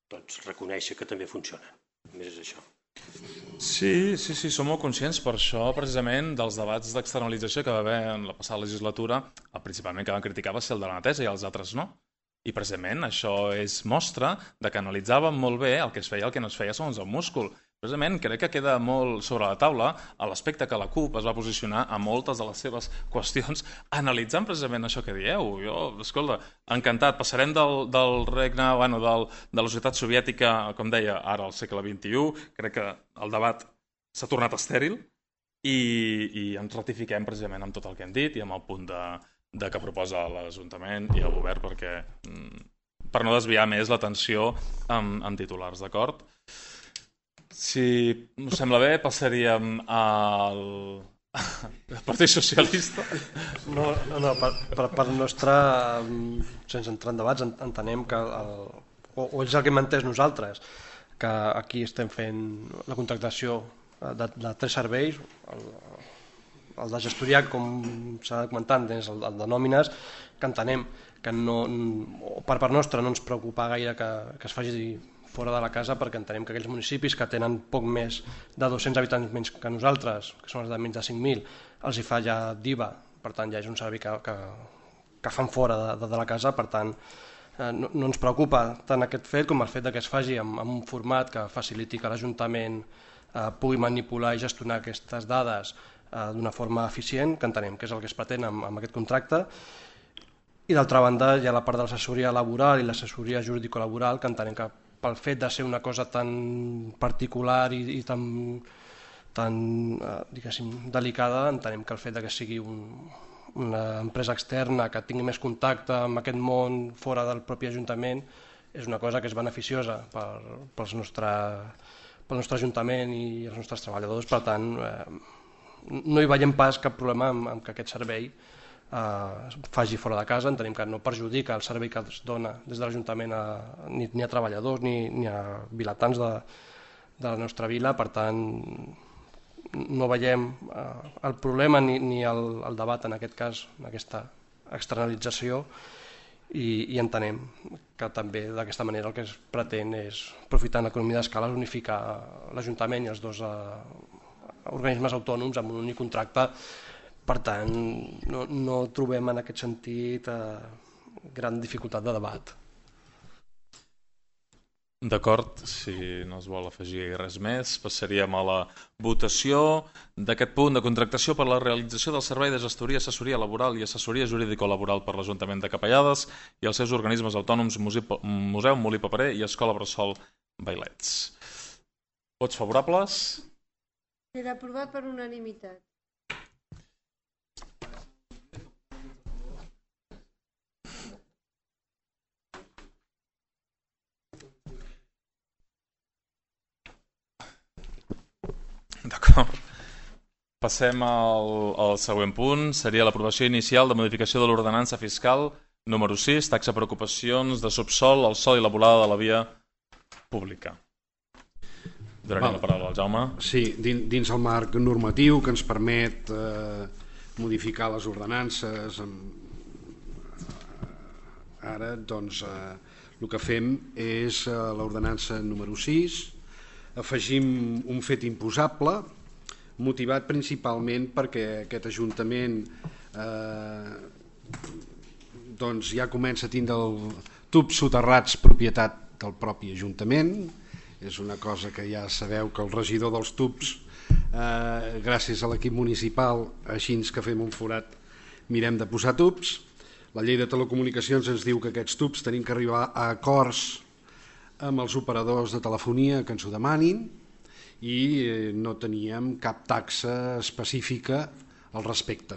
doncs reconèixer que també funcionen. Només és això. Sí, sí, sí, som molt conscients per això, precisament, dels debats d'externalització que va haver en la passada legislatura, el principalment que van criticar va ser el de la Netesa i els altres no. I precisament això és mostra de que analitzàvem molt bé el que es feia i el que no es feia segons el múscul. Precisament crec que queda molt sobre la taula a l'aspecte que la CUP es va posicionar a moltes de les seves qüestions analitzant precisament això que dieu. Jo, escolta, encantat, passarem del, del regne, bueno, del, de la societat soviètica, com deia, ara al segle vint-i-u, crec que el debat s'ha tornat estèril i, i ens ratifiquem precisament amb tot el que hem dit i amb el punt de, de que proposa l'Ajuntament i el govern perquè, per no desviar més l'atenció amb, amb titulars, d'acord? Si us sembla bé, passaríem al Partit Socialista. No, no per, per part nostra, sense entrar en debats, entenem que, el, o, o és el que hem entès nosaltres, que aquí estem fent la contractació de, de tres serveis, el, el de gestoria, com s'ha comentat, és el, el de nòmines, que entenem que no, per part nostra no ens preocupa gaire que, que es faci fora de la casa perquè entenem que aquells municipis que tenen poc més de dos-cents habitants menys que nosaltres, que són els de menys de cinc mil, els hi fa ja d'I V A, per tant ja és un servei que, que, que fan fora de, de, de la casa, per tant eh, no, no ens preocupa tant aquest fet com el fet que es faci amb, amb un format que faciliti que l'Ajuntament eh, pugui manipular i gestionar aquestes dades eh, d'una forma eficient, que entenem que és el que es pretén amb, amb aquest contracte. I d'altra banda hi ha la part de l'assessoria laboral i l'assessoria jurídico-laboral, que entenem que pel fet de ser una cosa tan particular i, i tan, tan eh, diguéssim, delicada, entenem que el fet de que sigui un, una empresa externa que tingui més contacte amb aquest món fora del propi Ajuntament és una cosa que és beneficiosa per, pels nostre, pel nostre Ajuntament i els nostres treballadors, per tant eh, no hi veiem pas cap problema amb, amb que aquest servei es faci fora de casa. Entenem que no perjudica el servei que es dona des de l'Ajuntament ni, ni a treballadors ni, ni a vilatans de, de la nostra vila, per tant no veiem eh, el problema ni, ni el, el debat en aquest cas, en aquesta externalització i, i entenem que també d'aquesta manera el que es pretén és, aprofitant l'economia d'escala, unificar l'Ajuntament i els dos eh, organismes autònoms amb un únic contracte. Per tant, no, no trobem en aquest sentit eh, gran dificultat de debat. D'acord, si no es vol afegir res més, passaríem a la votació d'aquest punt de contractació per la realització del servei de gestoria, assessoria laboral i assessoria jurídico-laboral per l'Ajuntament de Capellades i els seus organismes autònoms Museu Molí Paperer i Escola Bressol Vailets. Vots favorables? Queda aprovat per unanimitat. D'acord. Passem al, al següent punt, seria l'aprovació inicial de modificació de l'ordenança fiscal número sis, taxa per ocupacions de subsol, el sòl i la volada de la via pública. Donaria la paraula al Jaume. Sí, dins, dins el marc normatiu que ens permet eh, modificar les ordenances, ara doncs eh, el que fem és eh, l'ordenança número sis, afegim un fet imposable motivat principalment perquè aquest Ajuntament eh, doncs ja comença a tindre el tubs soterrats propietat del propi Ajuntament. És una cosa que ja sabeu que el regidor dels tubs, eh, gràcies a l'equip municipal, així que fem un forat, mirem de posar tubs. La llei de telecomunicacions ens diu que aquests tubs tenim que arribar a acords amb els operadors de telefonia que ens ho demanin i no teníem cap taxa específica al respecte.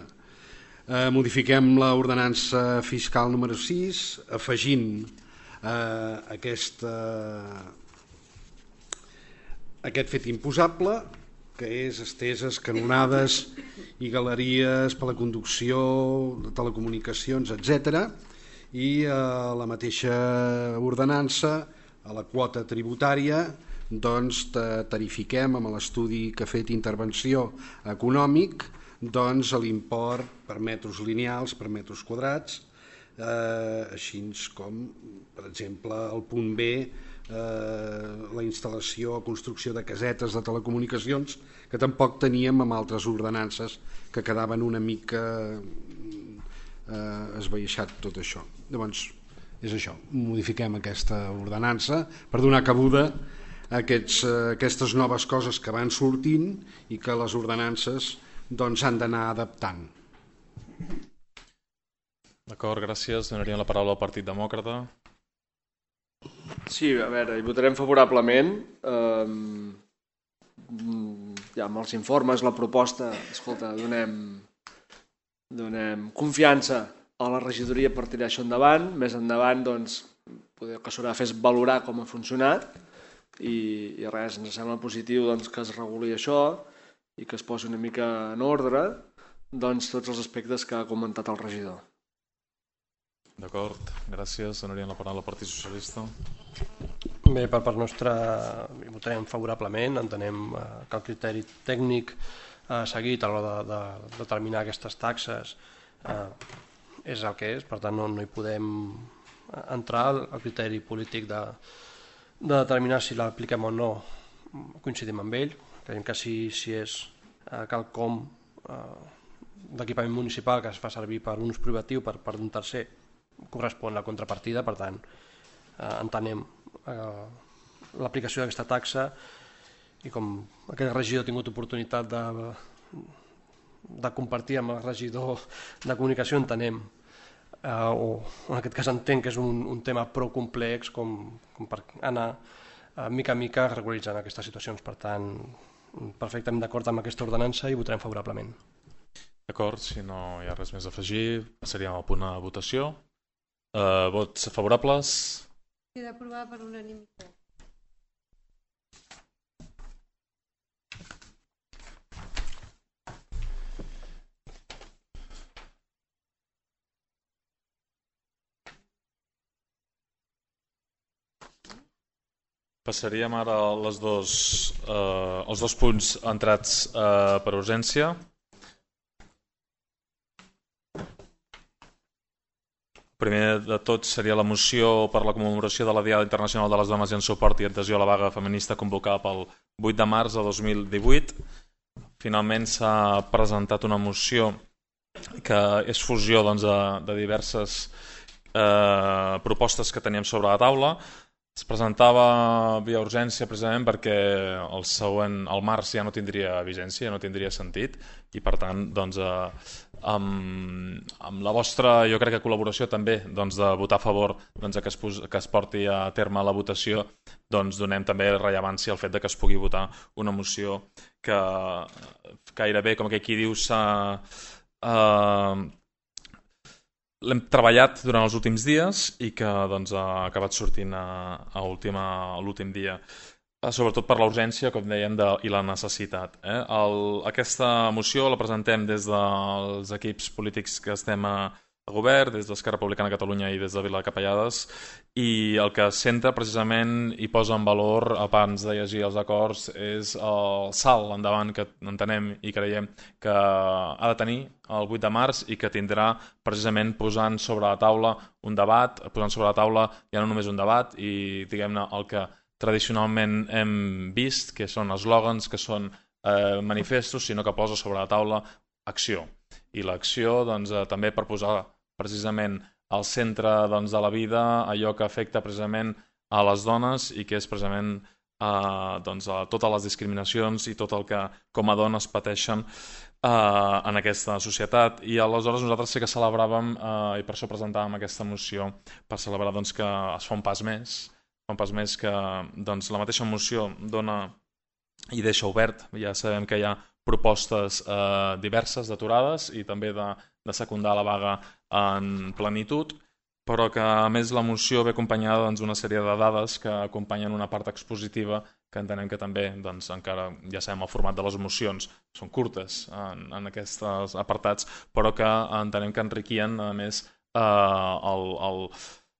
Eh, modifiquem l'ordenança fiscal número sis afegint eh, aquesta, aquest fet imposable que és esteses, canonades i galeries per la conducció de telecomunicacions, etcètera. I eh, la mateixa ordenança a la quota tributària doncs tarifiquem amb l'estudi que ha fet intervenció econòmic doncs l'import per metres lineals, per metres quadrats, eh, així com per exemple el punt B, eh, la instal·lació o construcció de casetes de telecomunicacions que tampoc teníem amb altres ordenances que quedaven una mica eh, esbaixat tot això. Llavors és això, modifiquem aquesta ordenança per donar cabuda a aquests, aquestes noves coses que van sortint i que les ordenances doncs, han d'anar adaptant. D'acord, gràcies. Donaríem la paraula al Partit Demòcrata. Sí, a veure, hi votarem favorablement. Eh, ja amb els informes, la proposta, escolta, donem, donem confiança a la regidoria per tirar això endavant. Més endavant, doncs, poder que s'haurà de fer valorar com ha funcionat i, i res, ens sembla positiu doncs, que es reguli això i que es posi una mica en ordre doncs, tots els aspectes que ha comentat el regidor. D'acord, gràcies. Donaríem la paraula al Partit Socialista. Bé, per part nostra hi votarem favorablement. Entenem que el criteri tècnic eh, seguit a l'hora de, de determinar aquestes taxes eh, és el que és, per tant no, no hi podem entrar al criteri polític de, de determinar si l'apliquem o no. Coincidim amb ell, creiem que si, si és eh, quelcom eh, d'equipament municipal que es fa servir per un ús privatiu per, per un tercer, correspon la contrapartida, per tant eh, entenem eh, l'aplicació d'aquesta taxa i com aquest regidor ha tingut oportunitat de, de compartir amb el regidor de comunicació, entenem eh, o en aquest cas entenc que és un, un tema prou complex com, com per anar eh, mica a mica regularitzant aquestes situacions. Per tant, perfectament d'acord amb aquesta ordenança i votarem favorablement. D'acord, si no hi ha res més a afegir, passaríem al punt de votació. Uh, vots favorables? Queda aprovat per unanimitat. Passaríem ara les dos, eh, els dos punts entrats eh, per urgència. Primer de tot seria la moció per la commemoració de la Diada Internacional de les Dones i en suport i adhesió a la vaga feminista convocada pel vuit de març de dos mil divuit. Finalment s'ha presentat una moció que és fusió doncs, de, de diverses eh, propostes que teníem sobre la taula. Es presentava via urgència precisament perquè el següent, el març ja no tindria vigència, no tindria sentit i per tant doncs, eh, amb, amb la vostra, jo crec que col·laboració també doncs, de votar a favor doncs, que, es pos, que es porti a terme la votació, doncs donem també rellevància al fet de que es pugui votar una moció que gairebé, com que aquí diu, s'ha... Eh, l'hem treballat durant els últims dies i que doncs, ha acabat sortint a, a l'últim dia. sobretot per la urgència, com dèiem, de, i la necessitat. Eh? El, aquesta moció la presentem des dels equips polítics que estem a, a govern, des d'Esquerra Republicana de Catalunya i des de Vila de Capellades, i el que centra precisament i posa en valor, abans de llegir els acords, és el salt endavant que entenem i creiem que ha de tenir el vuit de març i que tindrà precisament posant sobre la taula un debat, posant sobre la taula ja no només un debat i diguem-ne el que tradicionalment hem vist, que són eslògans, que són eh, manifestos, sinó que posa sobre la taula acció. I l'acció doncs, eh, també per posar precisament al centre doncs, de la vida allò que afecta precisament a les dones i que és precisament eh, doncs, a totes les discriminacions i tot el que com a dones pateixen eh, en aquesta societat. I aleshores nosaltres sí que celebràvem eh, i per això presentàvem aquesta moció per celebrar doncs, que es fa un pas més un pas més que doncs, la mateixa moció dona i deixa obert. Ja sabem que hi ha propostes eh, diverses d'aturades i també de, de secundar la vaga en plenitud, però que a més la moció ve acompanyada d'una doncs, sèrie de dades que acompanyen una part expositiva que entenem que també, doncs, encara ja sabem el format de les mocions, són curtes en, en aquests apartats, però que entenem que enriquien a més eh, el, el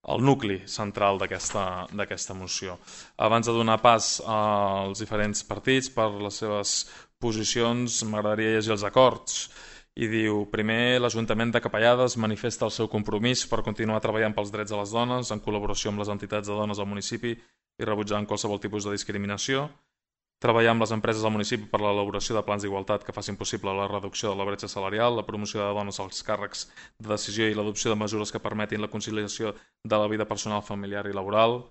el nucli central d'aquesta moció. Abans de donar pas als diferents partits per les seves posicions, m'agradaria llegir els acords. I diu, primer, l'Ajuntament de Capellades manifesta el seu compromís per continuar treballant pels drets de les dones en col·laboració amb les entitats de dones del municipi i rebutjant qualsevol tipus de discriminació. Treballar amb les empreses del municipi per l'elaboració de plans d'igualtat que facin possible la reducció de la bretxa salarial, la promoció de dones als càrrecs de decisió i l'adopció de mesures que permetin la conciliació de la vida personal, familiar i laboral.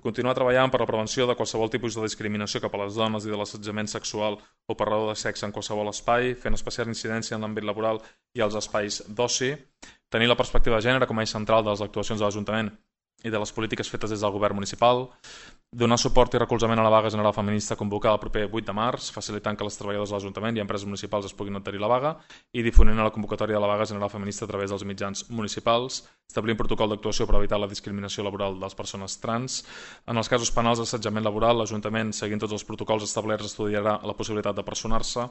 Continuar treballant per la prevenció de qualsevol tipus de discriminació cap a les dones i de l'assetjament sexual o per raó de sexe en qualsevol espai, fent especial incidència en l'àmbit laboral i als espais d'oci. Tenir la perspectiva de gènere com a eix central de les actuacions de l'Ajuntament i de les polítiques fetes des del govern municipal, donar suport i recolzament a la vaga general feminista convocada el proper vuit de març, facilitant que les treballadors de l'Ajuntament i empreses municipals es puguin adherir a la vaga i difonint la convocatòria de la vaga general feminista a través dels mitjans municipals, establir un protocol d'actuació per evitar la discriminació laboral de les persones trans. En els casos penals d'assetjament laboral, l'Ajuntament, seguint tots els protocols establerts, estudiarà la possibilitat de personar-se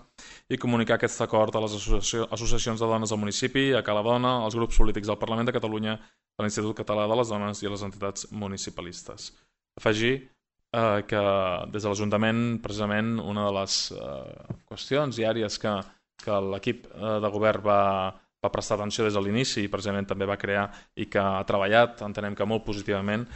i comunicar aquest acord a les associacions de dones del municipi, a Cala Dona, als grups polítics del Parlament de Catalunya, a l'Institut Català de les Dones i a les entitats municipalistes. Afegir eh, que des de l'Ajuntament, precisament, una de les eh, qüestions i àrees que, que l'equip eh, de govern va, va prestar atenció des de l'inici i precisament també va crear i que ha treballat, entenem que molt positivament,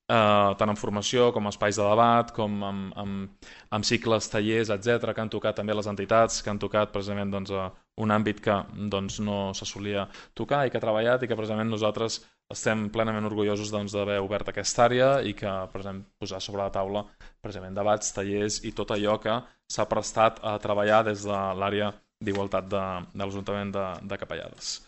eh, tant en formació com espais de debat, com amb, amb, amb cicles, tallers, etcètera, que han tocat també les entitats, que han tocat precisament doncs, un àmbit que doncs, no se solia tocar i que ha treballat i que precisament nosaltres estem plenament orgullosos doncs, d'haver obert aquesta àrea i que precisament, posar sobre la taula precisament debats, tallers i tot allò que s'ha prestat a treballar des de l'àrea d'igualtat de, de l'Ajuntament de, de Capellades.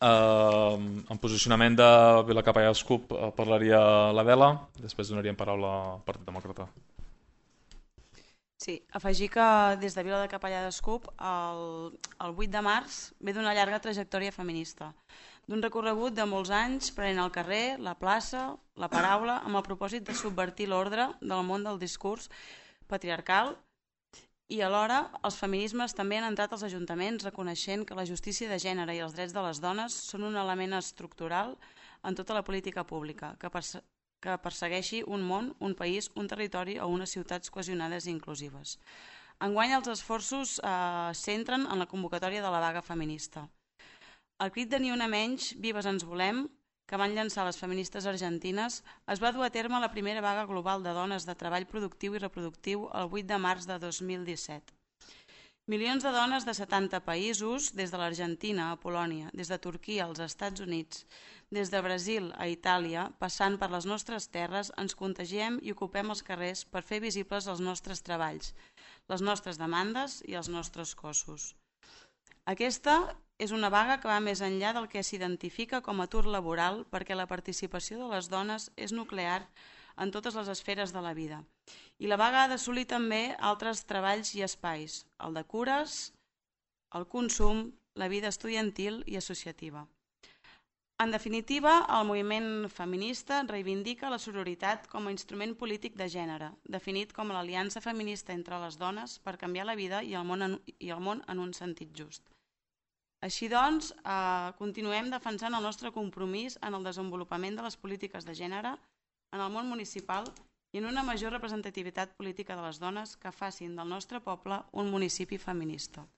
Uh, en posicionament de Vila Capellades CUP uh, parlaria l'Adela, després donaríem paraula al Partit Demòcrata. Sí, afegir que des de Vila de Capellades CUP el, el vuit de març ve d'una llarga trajectòria feminista, d'un recorregut de molts anys prenent el carrer, la plaça, la paraula, amb el propòsit de subvertir l'ordre del món del discurs patriarcal i alhora els feminismes també han entrat als ajuntaments reconeixent que la justícia de gènere i els drets de les dones són un element estructural en tota la política pública que, perse que persegueixi un món, un país, un territori o unes ciutats cohesionades i inclusives. Enguany els esforços eh, centren en la convocatòria de la vaga feminista. El crit de Ni una menys, Vives ens volem, que van llançar les feministes argentines, es va dur a terme la primera vaga global de dones de treball productiu i reproductiu el vuit de març de dos mil disset. Milions de dones de setanta països, des de l'Argentina a Polònia, des de Turquia als Estats Units, des de Brasil a Itàlia, passant per les nostres terres, ens contagiem i ocupem els carrers per fer visibles els nostres treballs, les nostres demandes i els nostres cossos. Aquesta és una vaga que va més enllà del que s'identifica com a atur laboral perquè la participació de les dones és nuclear en totes les esferes de la vida. I la vaga ha d'assolir també altres treballs i espais, el de cures, el consum, la vida estudiantil i associativa. En definitiva, el moviment feminista reivindica la sororitat com a instrument polític de gènere, definit com l'aliança feminista entre les dones per canviar la vida i el món en, i el món en un sentit just. Així doncs, eh, continuem defensant el nostre compromís en el desenvolupament de les polítiques de gènere en el món municipal i en una major representativitat política de les dones que facin del nostre poble un municipi feminista.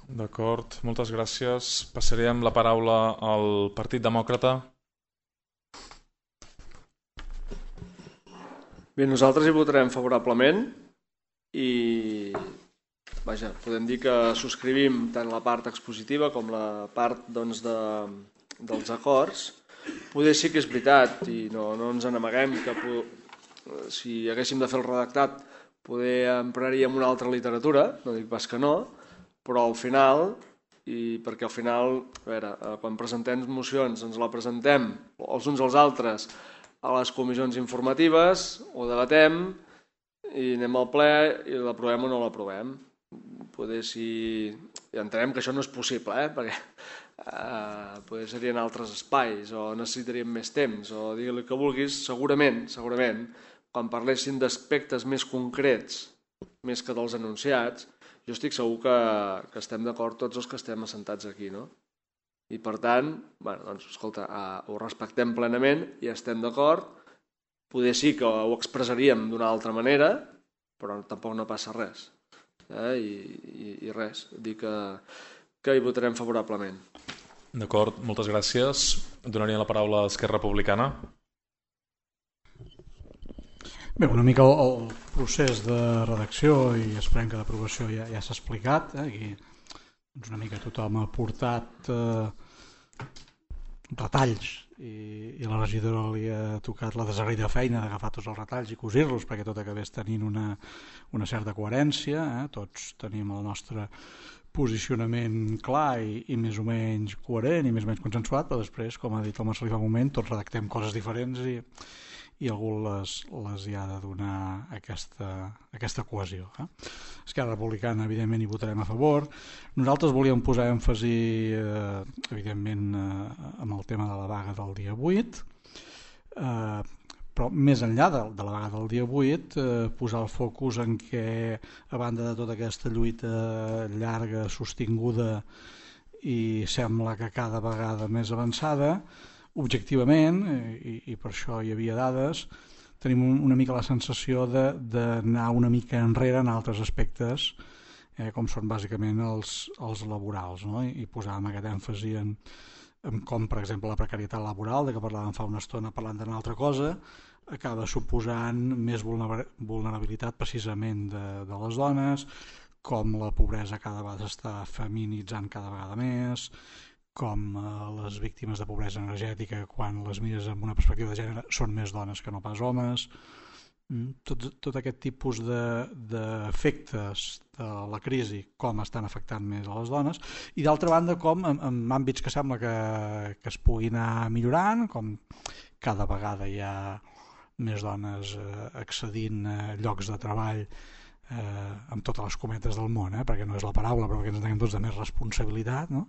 D'acord, moltes gràcies. Passaríem la paraula al Partit Demòcrata. Bé, nosaltres hi votarem favorablement i vaja, podem dir que subscrivim tant la part expositiva com la part doncs, de, dels acords. Poder sí que és veritat i no, no ens n'amaguem que si haguéssim de fer el redactat poder empraríem una altra literatura, no dic pas que no, però al final, i perquè al final, a veure, quan presentem mocions ens la presentem els uns als altres a les comissions informatives, ho debatem i anem al ple i l'aprovem o no l'aprovem. Poder si... Ja entenem que això no és possible, eh? Perquè eh, poder serien altres espais o necessitaríem més temps o digue-li que vulguis, segurament, segurament, quan parlessin d'aspectes més concrets, més que dels enunciats, jo estic segur que, que estem d'acord tots els que estem assentats aquí, no? I per tant, bueno, doncs, escolta, eh, ho respectem plenament i estem d'acord. Poder sí que ho expressaríem d'una altra manera, però tampoc no passa res. Eh? I, i, I res, dir que, que hi votarem favorablement. D'acord, moltes gràcies. Donaria la paraula a Esquerra Republicana. Bé, una mica el, el procés de redacció i esperem que d'aprovació ja, ja s'ha explicat. Eh? Aquí doncs una mica tothom ha portat eh, retalls i, i la regidora li ha tocat la desagraïda feina d'agafar tots els retalls i cosir-los perquè tot acabés tenint una, una certa coherència. Eh? Tots tenim el nostre posicionament clar i, i més o menys coherent i més o menys consensuat, però després, com ha dit el Marcelí fa un moment, tots redactem coses diferents i i algú les, les hi ha de donar aquesta, aquesta cohesió. Eh? Esquerra Republicana, evidentment, hi votarem a favor. Nosaltres volíem posar èmfasi, eh, evidentment, eh, amb el tema de la vaga del dia vuit, eh, però més enllà de, de la vaga del dia vuit, eh, posar el focus en què, a banda de tota aquesta lluita llarga, sostinguda i sembla que cada vegada més avançada, objectivament, i, i per això hi havia dades, tenim un, una mica la sensació d'anar una mica enrere en altres aspectes, eh, com són bàsicament els, els laborals, no? I, i posàvem aquest èmfasi en, en com, per exemple, la precarietat laboral, de que parlàvem fa una estona parlant d'una altra cosa, acaba suposant més vulnerabilitat precisament de, de les dones, com la pobresa cada vegada s'està feminitzant cada vegada més, com les víctimes de pobresa energètica, quan les mires amb una perspectiva de gènere, són més dones que no pas homes. Tot, tot aquest tipus d'efectes de, de la crisi, com estan afectant més a les dones, i d'altra banda com en, en àmbits que sembla que, que es puguin anar millorant, com cada vegada hi ha més dones eh, accedint a llocs de treball eh, amb totes les cometes del món, eh, perquè no és la paraula, però que ens entenguem tots de més responsabilitat, no?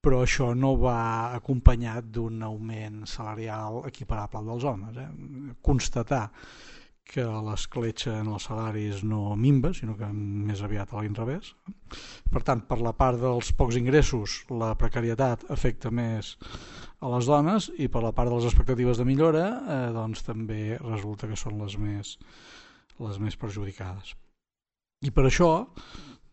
Però això no va acompanyat d'un augment salarial equiparable al dels homes. Eh? Constatar que l'escletxa en els salaris no minva, sinó que més aviat a l'inrevés. Per tant, per la part dels pocs ingressos, la precarietat afecta més a les dones i per la part de les expectatives de millora eh, doncs també resulta que són les més, les més perjudicades. I per això,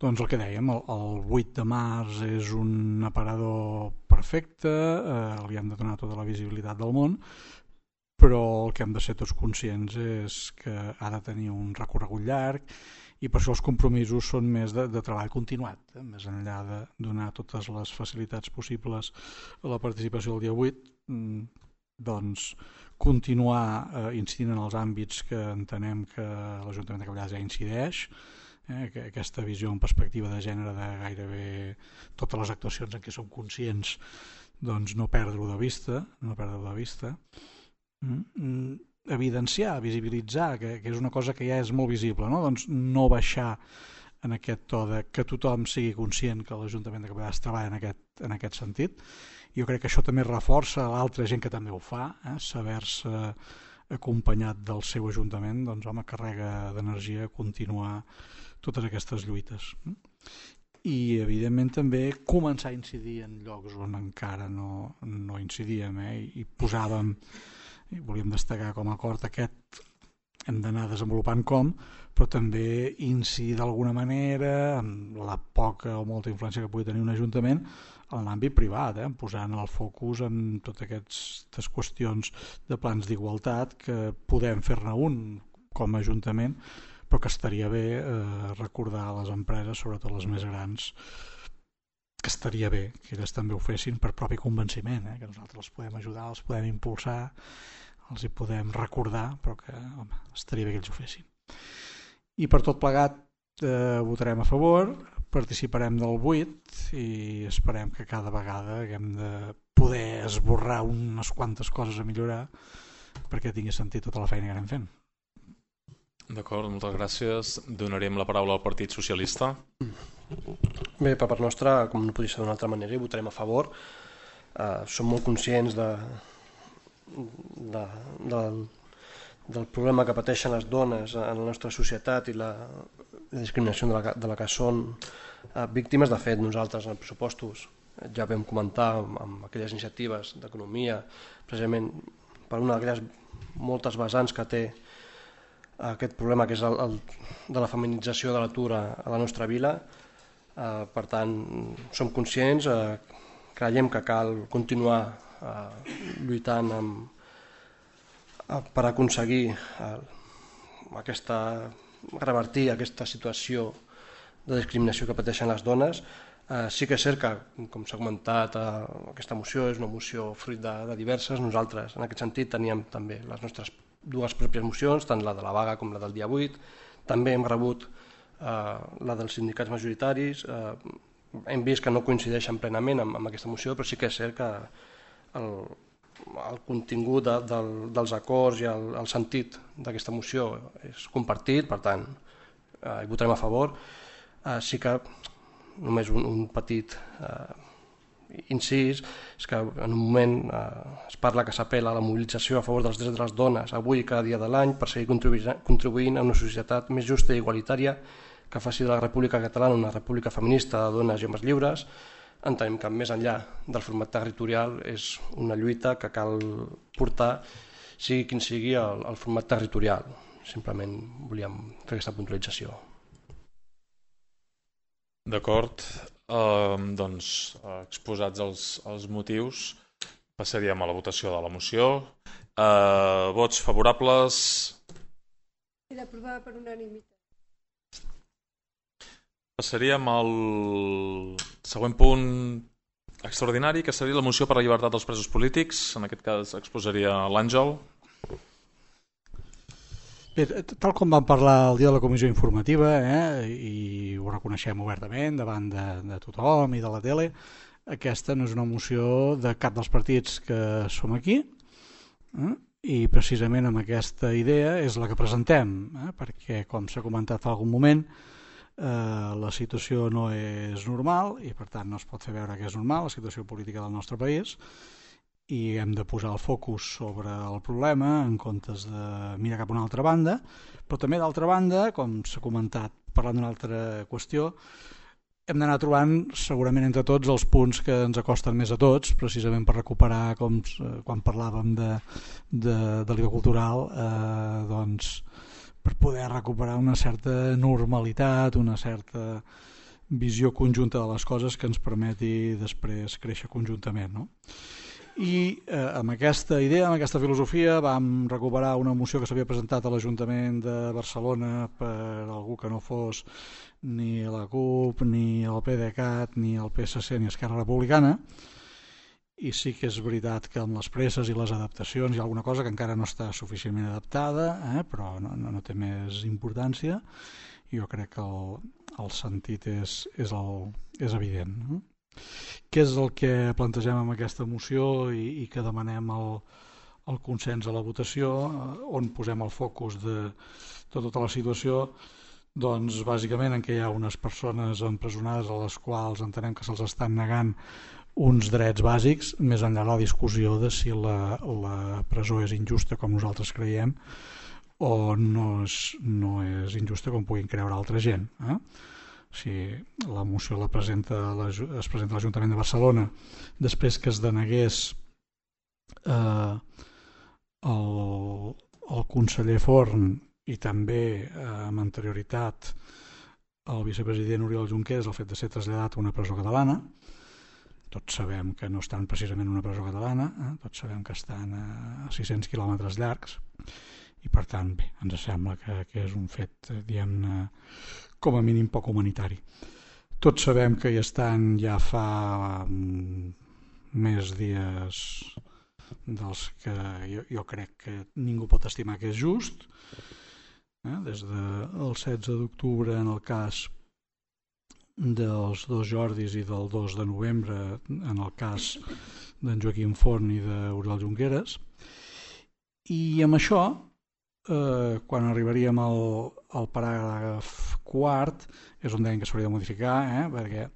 doncs el que dèiem, el, el vuit de març és un aparador perfecte, eh, li hem de donar tota la visibilitat del món, però el que hem de ser tots conscients és que ha de tenir un recorregut llarg i per això els compromisos són més de, de treball continuat, eh? Més enllà de donar totes les facilitats possibles a la participació del dia vuit, doncs continuar eh, incidint en els àmbits que entenem que l'Ajuntament de Capellades ja incideix, eh, aquesta visió en perspectiva de gènere de gairebé totes les actuacions en què som conscients, doncs no perdre-ho de vista, no perdre-ho de vista, mm, evidenciar, visibilitzar, que, que és una cosa que ja és molt visible, no? Doncs no baixar en aquest to de que tothom sigui conscient que l'Ajuntament de Capellades treballa en aquest, en aquest sentit Jo crec que això també reforça l'altra gent que també ho fa, eh? Saber-se acompanyat del seu ajuntament, doncs home, carrega d'energia continuar totes aquestes lluites. I evidentment també començar a incidir en llocs on encara no, no incidíem, eh? I posàvem, i volíem destacar com a acord aquest, hem d'anar desenvolupant com, però també incidir d'alguna manera amb la poca o molta influència que pugui tenir un ajuntament en l'àmbit privat, eh? Posant el focus en totes aquestes qüestions de plans d'igualtat que podem fer-ne un com a ajuntament, però que estaria bé eh, recordar a les empreses, sobretot les més grans, que estaria bé que elles també ho fessin per propi convenciment, eh? Que nosaltres els podem ajudar, els podem impulsar, els hi podem recordar, però que home, estaria bé que ells ho fessin. I per tot plegat eh, votarem a favor, participarem del vuit i esperem que cada vegada haguem de poder esborrar unes quantes coses a millorar perquè tingui sentit tota la feina que anem fent. D'acord, moltes gràcies. Donarem la paraula al Partit Socialista. Bé, per part nostra, com no podria ser d'una altra manera, hi votarem a favor. Uh, som molt conscients de, de, del, del problema que pateixen les dones en la nostra societat i la, la discriminació de la, de la que són uh, víctimes. De fet, nosaltres en els pressupostos ja vam comentar amb, amb aquelles iniciatives d'economia, precisament per una d'aquelles moltes vessants que té aquest problema, que és el, el de la feminització de l'atur a, a la nostra vila. Eh, per tant, som conscients, eh, creiem que cal continuar eh, lluitant amb, eh, per aconseguir eh, aquesta, revertir aquesta situació de discriminació que pateixen les dones. Eh, sí que és cert que, com s'ha comentat, eh, aquesta moció és una moció fruit de, de diverses. Nosaltres, en aquest sentit, teníem també les nostres dues pròpies mocions, tant la de la vaga com la del dia vuit. També hem rebut eh, la dels sindicats majoritaris. Eh, hem vist que no coincideixen plenament amb, amb aquesta moció, però sí que és cert que el, el contingut de, del, dels acords i el, el sentit d'aquesta moció és compartit, per tant, eh, hi votarem a favor. Eh, sí que només un, un petit eh, incís, és que en un moment eh, es parla que s'apel·la a la mobilització a favor dels drets de les dones avui i cada dia de l'any per seguir contribuint, contribuint a una societat més justa i igualitària que faci de la República Catalana una república feminista de dones i homes lliures. Entenem que més enllà del format territorial és una lluita que cal portar, sigui quin sigui el, el format territorial. Simplement volíem fer aquesta puntualització. D'acord, uh, doncs uh, exposats els, els motius, passaríem a la votació de la moció. Uh, vots favorables? Queda aprovada per unanimitat. Passaríem al següent punt extraordinari, que seria la moció per la llibertat dels presos polítics. En aquest cas exposaria l'Àngel. Bé, tal com vam parlar el dia de la comissió informativa, eh, i ho reconeixem obertament davant de, de tothom i de la tele, aquesta no és una moció de cap dels partits que som aquí, eh, i precisament amb aquesta idea és la que presentem, eh, perquè, com s'ha comentat fa algun moment, eh, la situació no és normal i per tant no es pot fer veure que és normal la situació política del nostre país, i hem de posar el focus sobre el problema en comptes de mirar cap a una altra banda, però també d'altra banda, com s'ha comentat parlant d'una altra qüestió, hem d'anar trobant segurament entre tots els punts que ens acosten més a tots, precisament per recuperar, com quan parlàvem de, de, de l'I V A cultural, eh, doncs per poder recuperar una certa normalitat, una certa visió conjunta de les coses que ens permeti després créixer conjuntament, no? I eh, amb aquesta idea, amb aquesta filosofia, vam recuperar una moció que s'havia presentat a l'Ajuntament de Barcelona per algú que no fos ni la CUP, ni el PDeCAT, ni el P S C, ni Esquerra Republicana, i sí que és veritat que amb les presses i les adaptacions hi ha alguna cosa que encara no està suficientment adaptada, eh, però no, no, no té més importància. Jo crec que el, el sentit és, és, el, és evident, no? Què és el que plantegem amb aquesta moció i, i que demanem el, el consens a la votació, on posem el focus de, de tota la situació? Doncs bàsicament en què hi ha unes persones empresonades a les quals entenem que se'ls estan negant uns drets bàsics, més enllà de la discussió de si la, la presó és injusta com nosaltres creiem o no és, no és injusta com puguin creure altra gent. Eh? Si la moció la presenta la, es presenta a l'Ajuntament de Barcelona després que es denegués eh, el, el conseller Forn i també eh, amb anterioritat el vicepresident Oriol Junqueras el fet de ser traslladat a una presó catalana. Tots sabem que no estan precisament en una presó catalana, eh? Tots sabem que estan a sis-cents quilòmetres llargs i per tant bé, ens sembla que, que és un fet diguem-ne com a mínim poc humanitari. Tots sabem que hi estan ja fa um, més dies dels que jo, jo crec que ningú pot estimar que és just, eh? Des del setze d'octubre en el cas dels dos Jordis i del dos de novembre en el cas d'en Joaquim Forn i d'Oriol Junqueras. I amb això, eh, quan arribaríem al, al paràgraf quart, és on deien que s'hauria de modificar, eh, perquè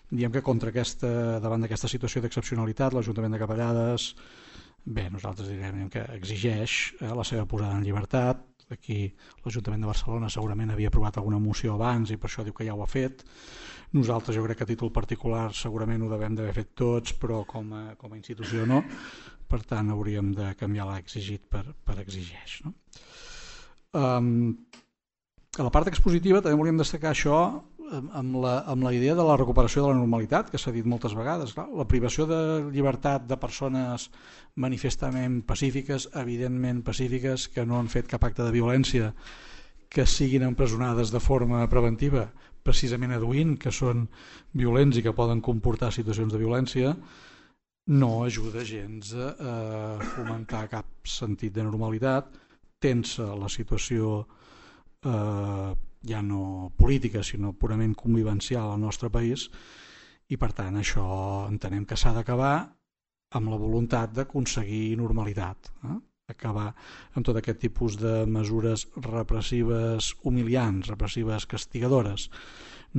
diem que contra aquesta, davant d'aquesta situació d'excepcionalitat, l'Ajuntament de Capellades, bé, nosaltres direm que exigeix eh, la seva posada en llibertat. Aquí l'Ajuntament de Barcelona segurament havia aprovat alguna moció abans i per això diu que ja ho ha fet. Nosaltres jo crec que a títol particular segurament ho devem d'haver fet tots, però com a, com a institució no. Per tant hauríem de canviar l'exigit per, per exigeix. No? Um, a la part expositiva també volíem destacar això amb la, amb la idea de la recuperació de la normalitat, que s'ha dit moltes vegades. Clar, la privació de llibertat de persones manifestament pacífiques, evidentment pacífiques, que no han fet cap acte de violència, que siguin empresonades de forma preventiva, precisament aduint que són violents i que poden comportar situacions de violència, no ajuda gens a fomentar cap sentit de normalitat, tensa la situació eh, ja no política sinó purament convivencial al nostre país i per tant això entenem que s'ha d'acabar amb la voluntat d'aconseguir normalitat, eh? Acabar amb tot aquest tipus de mesures repressives humiliants, repressives castigadores,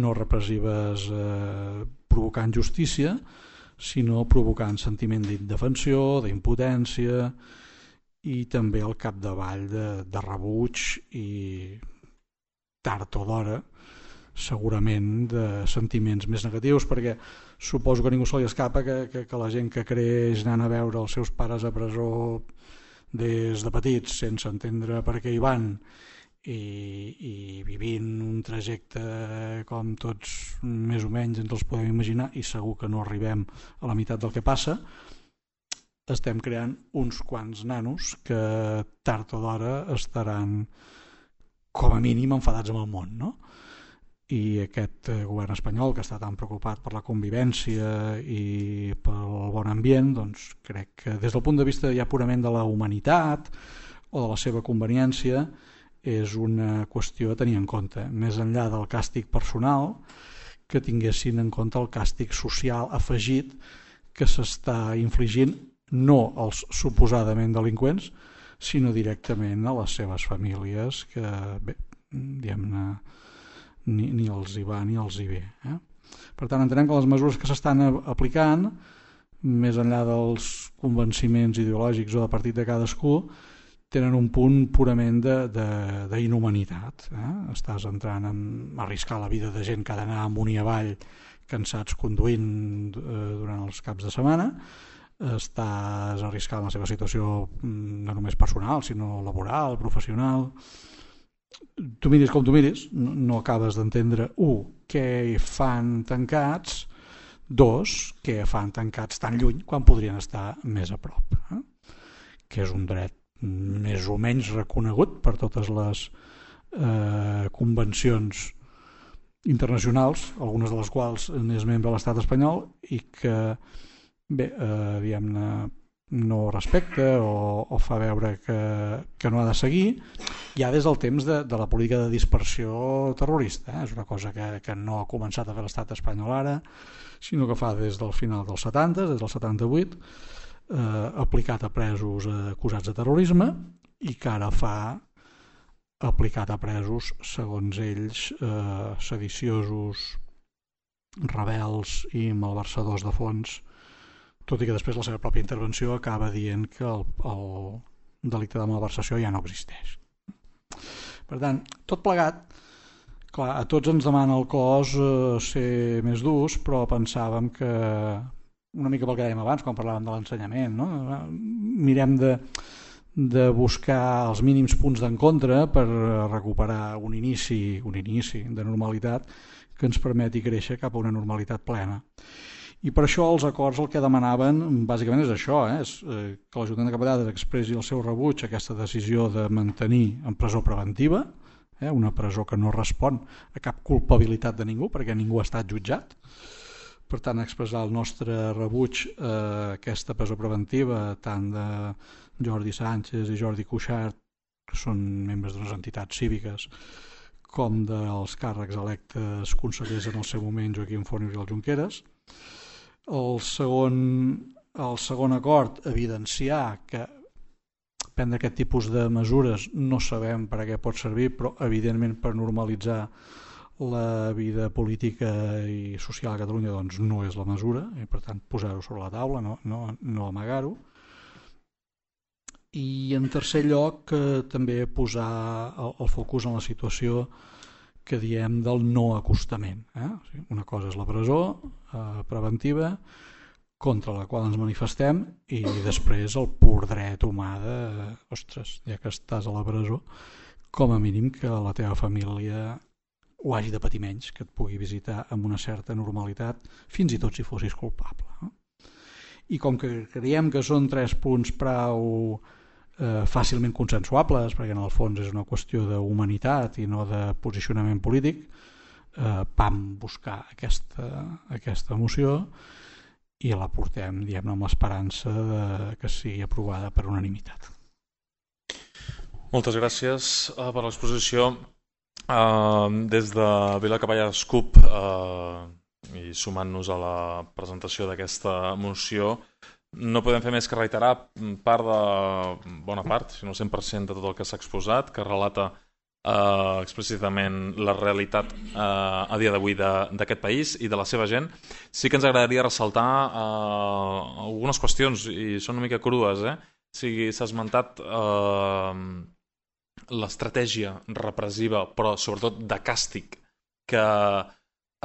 no repressives eh, provocant justícia, sinó provocant sentiment d'indefensió, d'impotència i també al capdavall de, de rebuig i tard o d'hora segurament de sentiments més negatius, perquè suposo que a ningú se li escapa que, que, que la gent que creix anant a veure els seus pares a presó des de petits sense entendre per què hi van i, i vivint un trajecte com tots més o menys ens els podem imaginar i segur que no arribem a la meitat del que passa, estem creant uns quants nanos que tard o d'hora estaran com a mínim enfadats amb el món, no? I aquest govern espanyol que està tan preocupat per la convivència i pel bon ambient, doncs crec que des del punt de vista ja purament de la humanitat o de la seva conveniència és una qüestió a tenir en compte, més enllà del càstig personal, que tinguessin en compte el càstig social afegit que s'està infligint no als suposadament delinqüents, sinó directament a les seves famílies que, bé, diguem-ne, ni, ni els hi va ni els hi ve. Eh? Per tant, entenem que les mesures que s'estan aplicant, més enllà dels convenciments ideològics o de partit de cadascú, tenen un punt purament d'inhumanitat. Eh? Estàs entrant en arriscar la vida de gent que ha d'anar amunt i avall cansats conduint eh, durant els caps de setmana, estàs arriscant la seva situació no només personal, sinó laboral, professional. Tu miris com tu miris, no, no acabes d'entendre, un, què fan tancats, dos, què fan tancats tan lluny quan podrien estar més a prop, eh? Que és un dret més o menys reconegut per totes les eh, convencions internacionals, algunes de les quals n'és membre de l'estat espanyol i que bé, eh, diguem-ne, no respecta o, o fa veure que, que no ha de seguir ja des del temps de, de la política de dispersió terrorista. Eh? És una cosa que, que no ha començat a fer l'estat espanyol ara, sinó que fa des del final dels setanta, des del setanta-vuit, eh, aplicat a presos eh, acusats de terrorisme i que ara fa aplicat a presos, segons ells, eh, sediciosos, rebels i malversadors de fons, tot i que després la seva pròpia intervenció acaba dient que el, el delicte de malversació ja no existeix. Per tant, tot plegat, clar, a tots ens demana el cos eh, ser més durs, però pensàvem que, una mica pel que dèiem abans quan parlàvem de l'ensenyament, no? Mirem de, de buscar els mínims punts d'encontre per recuperar un inici, un inici de normalitat que ens permeti créixer cap a una normalitat plena. I per això els acords el que demanaven bàsicament és això, eh? És eh, que l'Ajuntament de Capellades expressi el seu rebuig a aquesta decisió de mantenir en presó preventiva, eh? Una presó que no respon a cap culpabilitat de ningú perquè ningú ha estat jutjat. Per tant, expressar el nostre rebuig a aquesta presó preventiva tant de Jordi Sánchez i Jordi Cuixart, que són membres d'unes entitats cíviques, com dels càrrecs electes consellers en el seu moment Joaquim Forn i Oriol Junqueras. El segon, el segon acord, evidenciar que prendre aquest tipus de mesures no sabem per a què pot servir, però evidentment per normalitzar la vida política i social a Catalunya doncs no és la mesura, i per tant posar-ho sobre la taula, no, no, no amagar-ho. I en tercer lloc eh, també posar el, el focus en la situació que diem del no acostament. Eh? O sigui, una cosa és la presó eh, preventiva contra la qual ens manifestem i després el pur dret humà de, ostres, ja que estàs a la presó, com a mínim que la teva família o hagi de patir menys, que et pugui visitar amb una certa normalitat, fins i tot si fossis culpable. No? I com que creiem que són tres punts prou eh, fàcilment consensuables, perquè en el fons és una qüestió d'humanitat i no de posicionament polític, eh, vam buscar aquesta, aquesta moció i la portem, diguem-ne, amb l'esperança de que sigui aprovada per unanimitat. Moltes gràcies uh, per l'exposició. Uh, des de Vila Capellades CUP uh, i sumant-nos a la presentació d'aquesta moció, no podem fer més que reiterar part de bona part, si no el cent per cent de tot el que s'ha exposat, que relata uh, explícitament la realitat uh, a dia d'avui d'aquest país i de la seva gent. Sí que ens agradaria ressaltar uh, algunes qüestions, i són una mica crues, eh? O sigui, s'ha esmentat uh, l'estratègia repressiva, però sobretot de càstig, que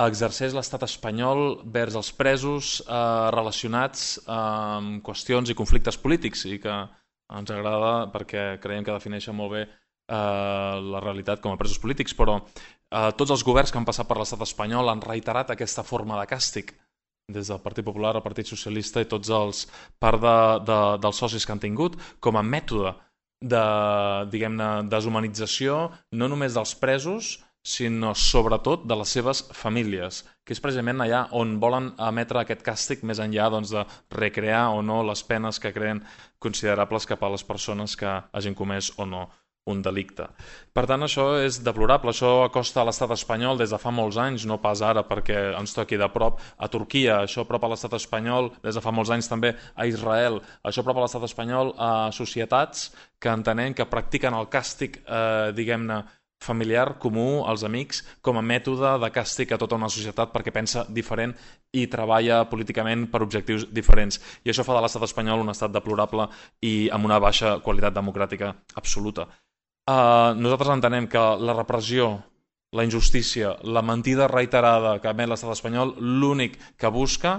exerceix l'estat espanyol vers els presos eh, relacionats amb qüestions i conflictes polítics, i que ens agrada perquè creiem que defineixen molt bé eh, la realitat com a presos polítics, però eh, tots els governs que han passat per l'estat espanyol han reiterat aquesta forma de càstig, des del Partit Popular, el Partit Socialista i tots els part de, de, dels socis que han tingut, com a mètode de, diguem-ne, deshumanització no només dels presos, sinó sobretot de les seves famílies, que és precisament allà on volen emetre aquest càstig més enllà doncs, de recrear o no les penes que creen considerables cap a les persones que hagin comès o no un delicte. Per tant, això és deplorable, això acosta a l'estat espanyol des de fa molts anys, no pas ara perquè ens toqui de prop a Turquia, això prop a l'estat espanyol des de fa molts anys també a Israel, això prop a l'estat espanyol a societats que entenem que practiquen el càstig, eh, diguem-ne, familiar, comú, als amics, com a mètode de càstig a tota una societat perquè pensa diferent i treballa políticament per objectius diferents. I això fa de l'estat espanyol un estat deplorable i amb una baixa qualitat democràtica absoluta. Uh, nosaltres entenem que la repressió, la injustícia, la mentida reiterada que emet l'estat espanyol, l'únic que busca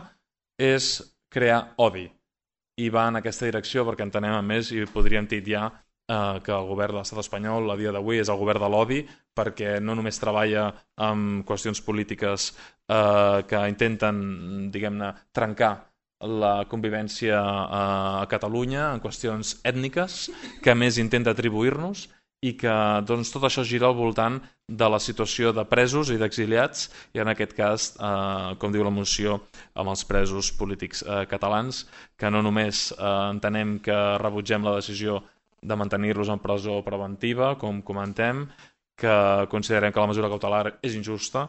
és crear odi. I va en aquesta direcció perquè entenem, a més, i podríem titllar Uh, que el govern de l'estat espanyol a dia d'avui és el govern de l'odi, perquè no només treballa amb qüestions polítiques uh, que intenten, diguem-ne, trencar la convivència uh, a Catalunya en qüestions ètniques, que a més intenta atribuir-nos, i que doncs, tot això gira al voltant de la situació de presos i d'exiliats, i en aquest cas, eh, com diu la moció, amb els presos polítics eh, catalans, que no només eh, entenem que rebutgem la decisió de mantenir-los en presó preventiva, com comentem, que considerem que la mesura cautelar és injusta,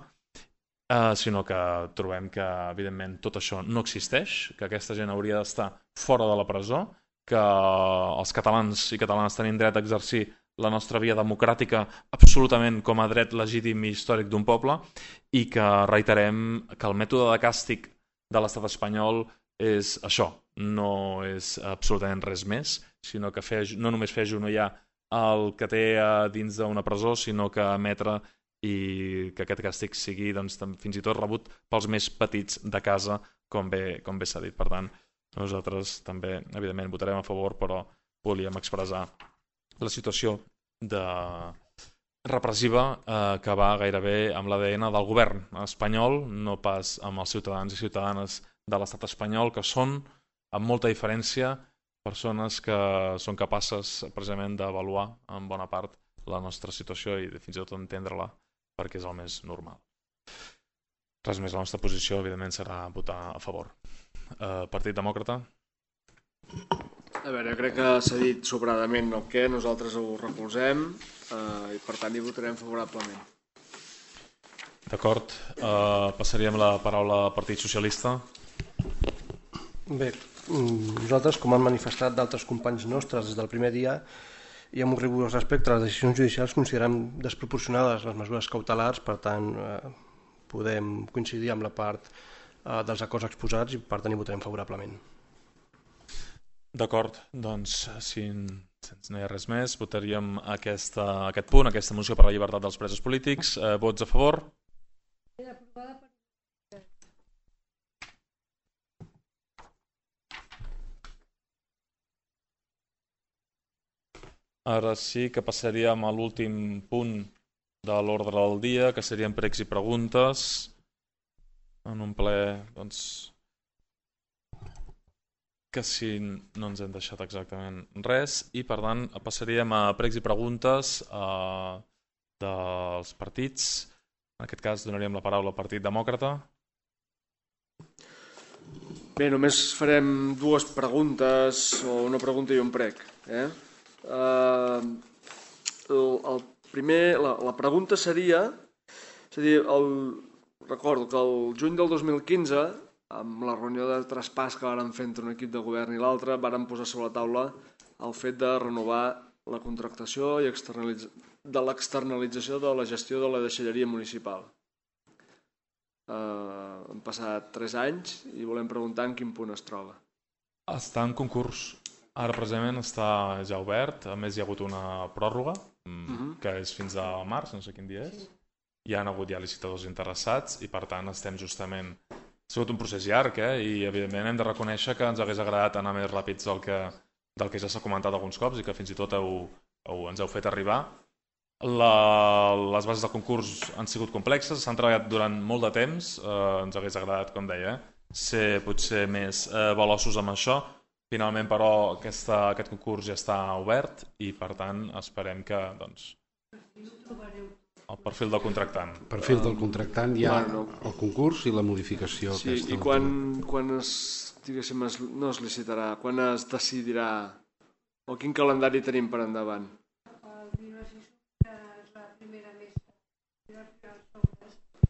eh, sinó que trobem que, evidentment, tot això no existeix, que aquesta gent hauria d'estar fora de la presó, que els catalans i catalanes tenim dret a exercir la nostra via democràtica absolutament com a dret legítim i històric d'un poble, i que reiterem que el mètode de càstig de l'estat espanyol és això, no és absolutament res més, sinó que fer, no només fer agenollar el que té dins d'una presó, sinó que emetre i que aquest càstig sigui doncs, fins i tot rebut pels més petits de casa, com bé, com bé s'ha dit. Per tant, nosaltres també, evidentment, votarem a favor, però volíem expressar la situació de repressiva eh, que va gairebé amb l'A D N del govern espanyol, no pas amb els ciutadans i ciutadanes de l'estat espanyol, que són, amb molta diferència, persones que són capaces precisament d'avaluar en bona part la nostra situació i fins i tot entendre-la, perquè és el més normal. Res més, la nostra posició, evidentment, serà votar a favor. Eh, Partit Demòcrata? A veure, jo crec que s'ha dit sobradament el què, nosaltres ho recolzem eh, i per tant hi votarem favorablement. D'acord, eh, passaríem la paraula al Partit Socialista. Bé, nosaltres, com han manifestat d'altres companys nostres des del primer dia, i amb un rigorós respecte a les decisions judicials, considerem desproporcionades les mesures cautelars, per tant, eh, podem coincidir amb la part eh, dels acords exposats i per tant hi votarem favorablement. D'acord, doncs si no hi ha res més, votaríem aquesta, aquest punt, aquesta moció per la llibertat dels presos polítics. Eh, vots a favor? Ara sí que passaríem a l'últim punt de l'ordre del dia, que serien pregs i preguntes. En un ple, doncs, que si no ens hem deixat exactament res, i per tant passaríem a pregs i preguntes eh, dels partits. En aquest cas donaríem la paraula al Partit Demòcrata. Bé, només farem dues preguntes, o una pregunta i un prec. Eh? Uh, el, el primer, la, la pregunta seria, és a dir, el, recordo que el juny del dos mil quinze, amb la reunió de traspàs que vàrem fer entre un equip de govern i l'altre, vàrem posar sobre la taula el fet de renovar la contractació i externalitz... de l'externalització de la gestió de la deixalleria municipal. Uh, han passat tres anys i volem preguntar en quin punt es troba. Està en concurs. Ara precisament està ja obert, a més hi ha hagut una pròrroga, uh-huh. que és fins a març, no sé quin dia és. Hi ha hagut ja licitadors interessats i per tant estem justament... Ha sigut un procés llarg, eh? I evidentment hem de reconèixer que ens hagués agradat anar més ràpids del que, del que ja s'ha comentat alguns cops i que fins i tot heu, heu, ens heu fet arribar. La, les bases de concurs han sigut complexes, s'han treballat durant molt de temps, eh, ens hagués agradat, com deia, ser potser més eh, veloços amb això. Finalment, però, aquesta, aquest concurs ja està obert i, per tant, esperem que doncs, el perfil del contractant. El perfil del contractant hi ha bueno, el concurs i la modificació. Sí, aquesta i quan, quan es, diguéssim, es, no es licitarà, quan es decidirà, o quin calendari tenim per endavant?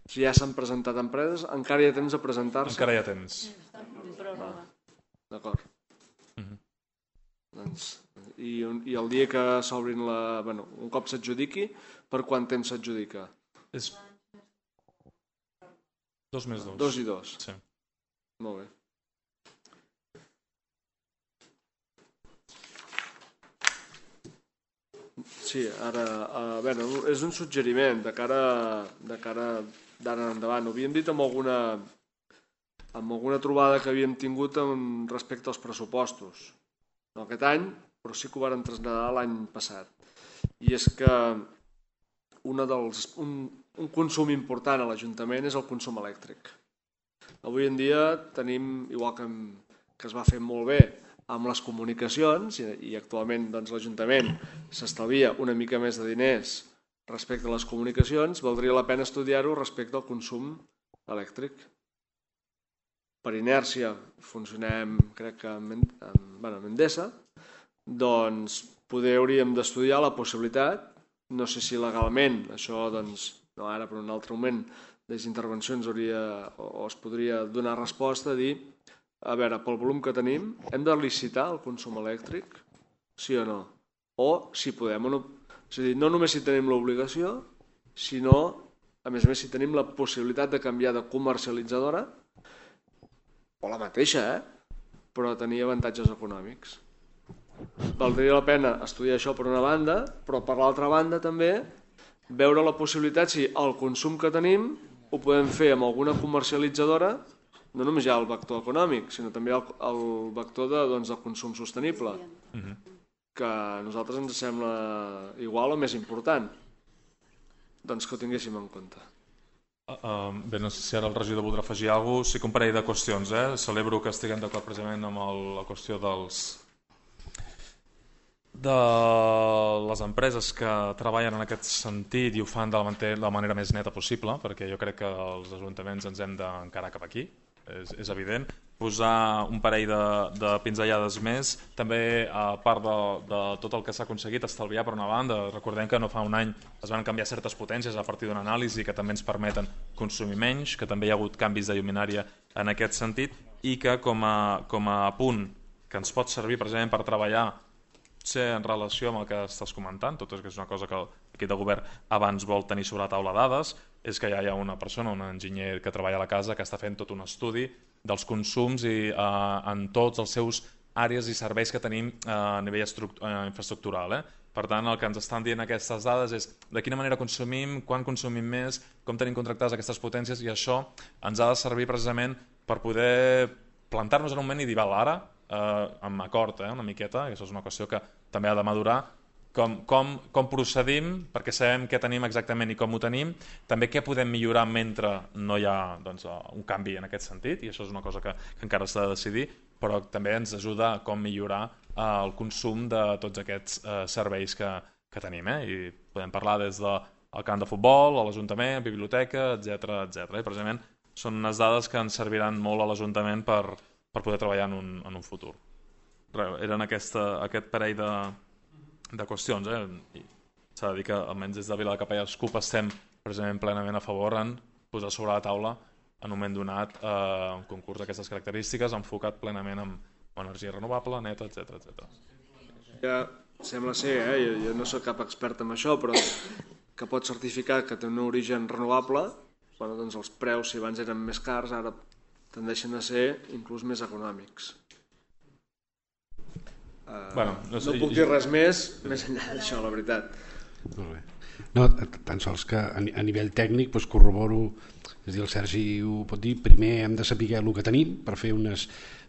Si ja s'han presentat empreses, encara hi ha temps de presentar-se? Encara hi ha temps. D'acord. Uh-huh. Doncs, i, i el dia que s'obrin la... Bueno, un cop s'adjudiqui, per quant temps s'adjudica? És... Dos més dos. Dos i dos? Sí. Molt bé. Sí, ara... Uh, bueno, és un suggeriment de cara, de cara d'ara endavant. Ho havíem dit amb alguna... amb alguna trobada que havíem tingut amb respecte als pressupostos. No aquest any, però sí que ho vàrem traslladar l'any passat. I és que una dels, un, un consum important a l'Ajuntament és el consum elèctric. Avui en dia tenim, igual que, que es va fer molt bé amb les comunicacions, i, i actualment doncs, l'Ajuntament s'estalvia una mica més de diners respecte a les comunicacions, valdria la pena estudiar-ho respecte al consum elèctric. Per inèrcia funcionem, crec que amb, amb, bueno, amb Endesa, doncs poder hauríem d'estudiar la possibilitat, no sé si legalment, això doncs, no ara però en un altre moment, les intervencions hauria, o, o es podria donar resposta a dir, a veure, pel volum que tenim, hem de licitar el consum elèctric, sí o no? O si podem, És a dir, no només si tenim l'obligació, sinó, a més a més, si tenim la possibilitat de canviar de comercialitzadora, o la mateixa, eh? Però tenir avantatges econòmics. Valdria la pena estudiar això per una banda, però per l'altra banda també veure la possibilitat si el consum que tenim ho podem fer amb alguna comercialitzadora, no només hi ha el vector econòmic, sinó també el, el vector de, doncs, del consum sostenible, que a nosaltres ens sembla igual o més important, doncs que ho tinguéssim en compte. Uh, uh, bé, no sé si ara el regidor voldrà afegir alguna cosa. Sí que un parell de qüestions. Eh? Celebro que estiguem d'acord precisament amb el, la qüestió dels de les empreses que treballen en aquest sentit i ho fan de la, de la manera més neta possible, perquè jo crec que els ajuntaments ens hem d'encarar cap aquí, és, és evident. Posar un parell de, de pinzellades més, també a part de, de tot el que s'ha aconseguit estalviar per una banda. Recordem que no fa un any es van canviar certes potències a partir d'una anàlisi que també ens permeten consumir menys, que també hi ha hagut canvis de lluminària en aquest sentit i que com a, com a punt que ens pot servir precisament per treballar ser en relació amb el que estàs comentant, tot és que és una cosa que l'equip de govern abans vol tenir sobre la taula dades, és que ja hi ha una persona, un enginyer que treballa a la casa que està fent tot un estudi dels consums i, eh, en tots els seus àrees i serveis que tenim eh, a nivell eh, infraestructural. Eh? Per tant, el que ens estan dient aquestes dades és de quina manera consumim, quan consumim més, com tenim contractades aquestes potències, i això ens ha de servir precisament per poder plantar-nos en un moment i dir, val, ara, eh, amb acord, eh, una miqueta, i això és una qüestió que també ha de madurar, com, com, com procedim, perquè sabem què tenim exactament i com ho tenim, també què podem millorar mentre no hi ha doncs, un canvi en aquest sentit, i això és una cosa que, que encara s'ha de decidir, però també ens ajuda a com millorar eh, el consum de tots aquests eh, serveis que, que tenim. Eh? I podem parlar des del camp de futbol, a l'Ajuntament, biblioteca, etcètera, etcètera. I precisament són unes dades que ens serviran molt a l'Ajuntament per, per poder treballar en un, en un futur. Eren aquesta, aquest parell de, de qüestions. Eh? S'ha de dir que almenys des de Vila de Capella Escup estem precisament plenament a favor en posar sobre la taula en un moment donat eh, un concurs d'aquestes característiques enfocat plenament en energia renovable, neta, etcètera, etcètera. Ja sembla ser, eh? jo, jo no soc cap expert en això, però que pot certificar que té un origen renovable, bueno, doncs els preus, si abans eren més cars, ara tendeixen a ser inclús més econòmics. Uh, bueno, no, sé, no puc dir res més més enllà d'això, la veritat. Molt bé. No, tan sols que a nivell tècnic doncs corroboro, és dir, el Sergi ho pot dir, primer hem de saber el que tenim per fer unes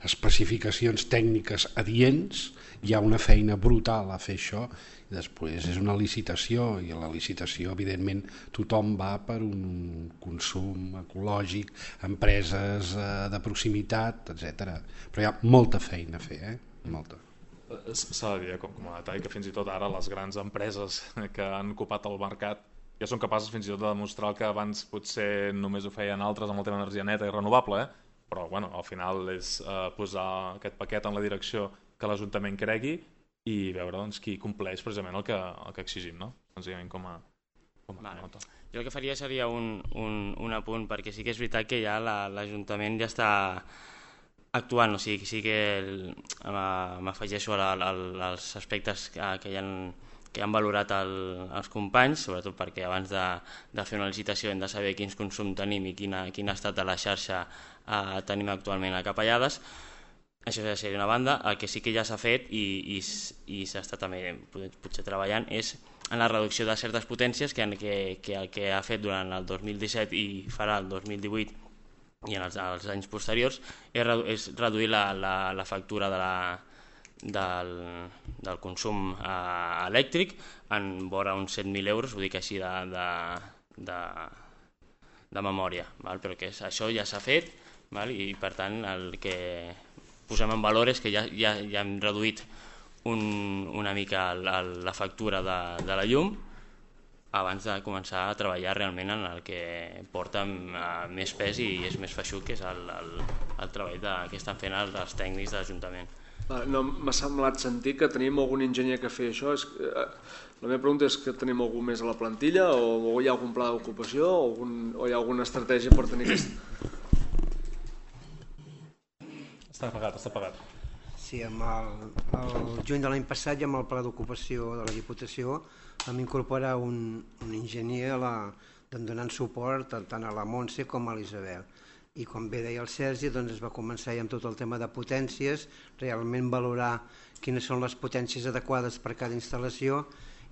especificacions tècniques adients, hi ha una feina brutal a fer això, i després és una licitació, i a la licitació evidentment tothom va per un consum ecològic, empreses de proximitat, etcètera. Però hi ha molta feina a fer, eh? Molta. S'ha de dir, com, com a detall, que fins i tot ara les grans empreses que han ocupat el mercat ja són capaces fins i tot de demostrar que abans potser només ho feien altres amb el tema d'energia neta i renovable, eh? Però bueno, al final és eh, posar aquest paquet en la direcció que l'Ajuntament cregui i veure doncs, qui compleix precisament el que, el que exigim, no? Senzillament com a, com a vale. nota. Jo el que faria seria un, un, un apunt, perquè sí que és veritat que ja l'Ajuntament ja està actuant, o sigui, sí que m'afegeixo als aspectes que, que, ja han, que han valorat el, els companys, sobretot perquè abans de, de fer una licitació hem de saber quins consum tenim i quina, quin estat de la xarxa eh, tenim actualment a Capellades. Això seria una banda. El que sí que ja s'ha fet i, i, i s'està també potser treballant és en la reducció de certes potències que, que, que el que ha fet durant el dos mil disset i farà el dos mil divuit i en els, els anys posteriors és, redu és reduir la, la, la factura de la, del, del consum eh, elèctric en vora uns set mil euros, ho dic així de, de, de, de memòria, val? Però que és, això ja s'ha fet, val? I per tant el que posem en valor és que ja, ja, ja hem reduït un, una mica la, la factura de, de la llum abans de començar a treballar realment en el que porta més pes i és més feixuc, que és el, el, el treball de, que estan fent els, els tècnics de l'Ajuntament. No, m'ha semblat sentir que tenim algun enginyer que fa això. És, eh, la meva pregunta és que tenim algú més a la plantilla o, o hi ha algun pla d'ocupació o, algun, o hi ha alguna estratègia per tenir aquest... Està pagat, està pagat. Sí, amb el, el juny de l'any passat i amb el pla d'ocupació de la Diputació vam incorporar un, un enginyer a la, donant suport tant a la Montse com a l'Isabel. I com bé deia el Sergi, doncs es va començar ja amb tot el tema de potències, realment valorar quines són les potències adequades per cada instal·lació,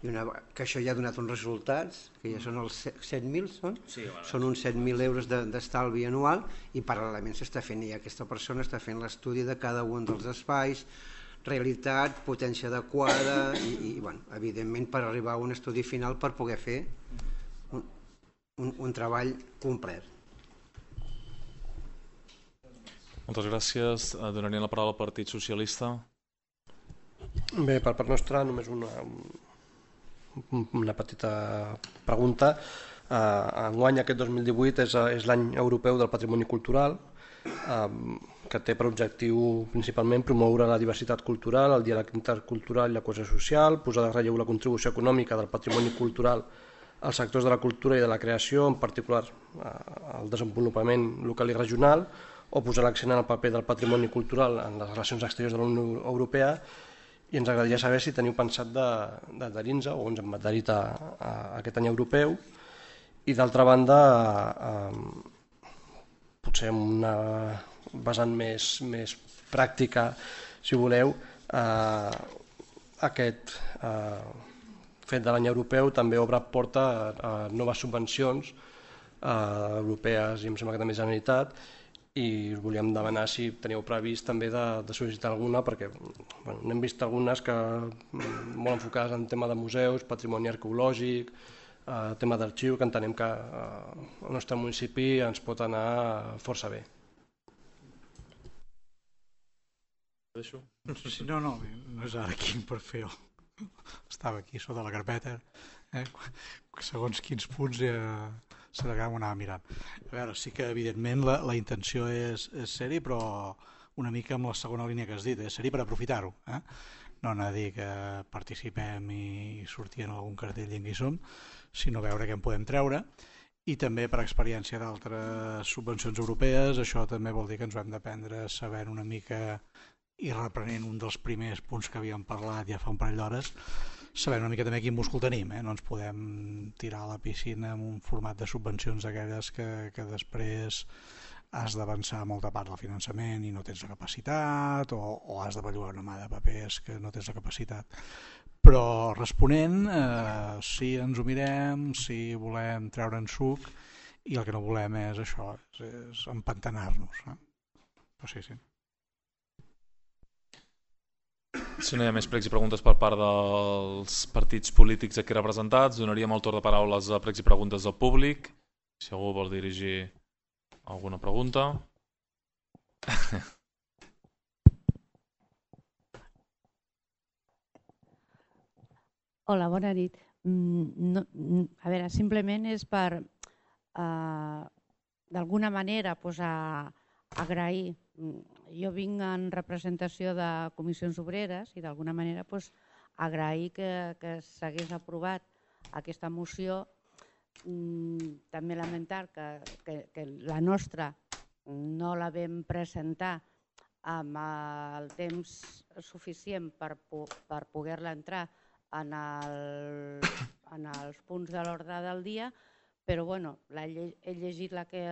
i una, que això ja ha donat uns resultats, que ja són els set mil, són? Sí, bueno, són uns set mil euros d'estalvi de, anual, i paral·lelament s'està fent, i aquesta persona està fent l'estudi de cada un dels espais, realitat, potència adequada, i, i bueno, evidentment per arribar a un estudi final per poder fer un, un, un treball complet. Moltes gràcies. Donaria la paraula al Partit Socialista. Bé, per part nostra només una, una petita pregunta. Enguany, aquest dos mil divuit, és, és l'any europeu del patrimoni cultural, que té per objectiu principalment promoure la diversitat cultural, el diàleg intercultural i la cohesió social, posar de relleu la contribució econòmica del patrimoni cultural als sectors de la cultura i de la creació, en particular al desenvolupament local i regional, o posar l'accent en el paper del patrimoni cultural en les relacions exteriors de la Unió Europea, i ens agradaria saber si teniu pensat d'adherir-nos o ens hem adherit a, a aquest any europeu. I d'altra banda, eh, potser amb una vessant més, més pràctica, si voleu, eh, aquest eh, fet de l'any europeu també obre porta a, a noves subvencions eh, europees i em sembla que també Generalitat, i us volíem demanar si teníeu previst també de, de sol·licitar alguna, perquè bueno, n'hem vist algunes que molt enfocades en tema de museus, patrimoni arqueològic, eh, tema d'arxiu, que entenem que eh, el nostre municipi ens pot anar força bé. Sí, no, no, no és ara aquí per fer-ho. Estava aquí sota la carpeta, eh? Segons quins punts ja s'ha d'anar mirant. A veure, sí que evidentment la, la intenció és, és ser-hi, però una mica amb la segona línia que has dit, és ser-hi per aprofitar-ho. Eh? No anar a dir que participem i sortir en algun cartell i en qui som, sinó veure què en podem treure. I també per experiència d'altres subvencions europees, això també vol dir que ens ho hem d'aprendre sabent una mica, i reprenent un dels primers punts que havíem parlat ja fa un parell d'hores, sabem una mica també quin múscul tenim, eh? No ens podem tirar a la piscina amb un format de subvencions aquelles que, que després has d'avançar molta part del finançament i no tens la capacitat, o, o has de bellugar una mà de papers que no tens la capacitat. Però responent, eh, si ens ho mirem, si volem treure'n suc, i el que no volem és això, és, és empantanar-nos. Eh? Però sí, sí. Si no hi ha més pregs i preguntes per part dels partits polítics aquí representats, donaríem el torn de paraules a pregs i preguntes del públic. Si algú vol dirigir alguna pregunta. Hola, bona nit. No, a veure, simplement és per, eh, d'alguna manera, pues, a, agrair. Jo vinc en representació de comissions obreres i d'alguna manera pues, agrair que, que s'hagués aprovat aquesta moció. Mm, també lamentar que, que, que la nostra no la vam presentar amb el temps suficient per, per poder-la entrar en, el, en els punts de l'ordre del dia, però bueno, la, he llegit la que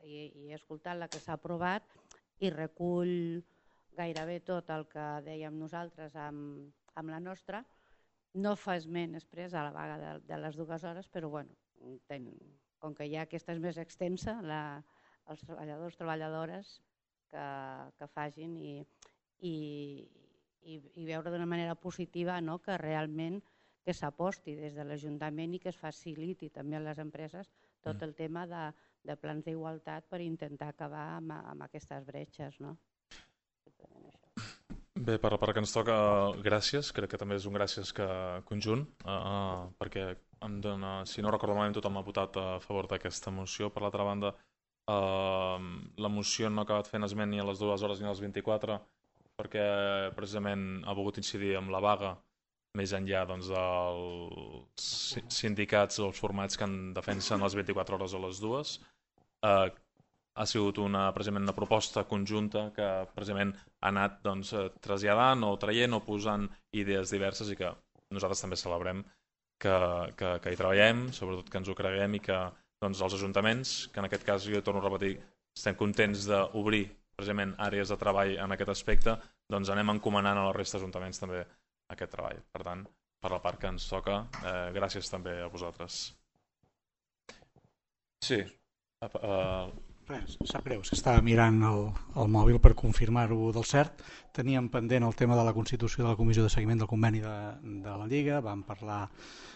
i, i he escoltat la que s'ha aprovat i recull gairebé tot el que dèiem nosaltres amb, amb la nostra. No fa esment després a la vaga de, de les dues hores, però bueno, ten, com que ja aquesta és més extensa, la, els treballadors, treballadores que, que facin i, i, i, i veure d'una manera positiva, no?, que realment que s'aposti des de l'Ajuntament i que es faciliti també a les empreses tot el tema de, de plans d'igualtat per intentar acabar amb, amb aquestes bretxes. No? Bé, per la part que ens toca, gràcies. Crec que també és un gràcies que conjunt, uh, perquè em dona, si no recordo malament, tothom ha votat a favor d'aquesta moció. Per l'altra banda, uh, la moció no ha acabat fent esment ni a les dues hores ni a les vint-i-quatre, perquè precisament ha volgut incidir amb la vaga més enllà doncs, dels sindicats o els formats que en defensen les vint-i-quatre hores o les dues. Eh, ha sigut una, precisament una proposta conjunta que precisament ha anat doncs, traslladant o traient o posant idees diverses i que nosaltres també celebrem que, que, que hi treballem, sobretot que ens ho creguem i que doncs, els ajuntaments, que en aquest cas jo torno a repetir, estem contents d'obrir precisament àrees de treball en aquest aspecte, doncs anem encomanant a la resta d'ajuntaments també aquest treball. Per tant, per la part que ens toca, eh, gràcies també a vosaltres. Sí. Uh, Res, sap greu, és que estava mirant el, el mòbil per confirmar-ho del cert. Teníem pendent el tema de la constitució de la comissió de seguiment del conveni de, de la Lliga, vam parlar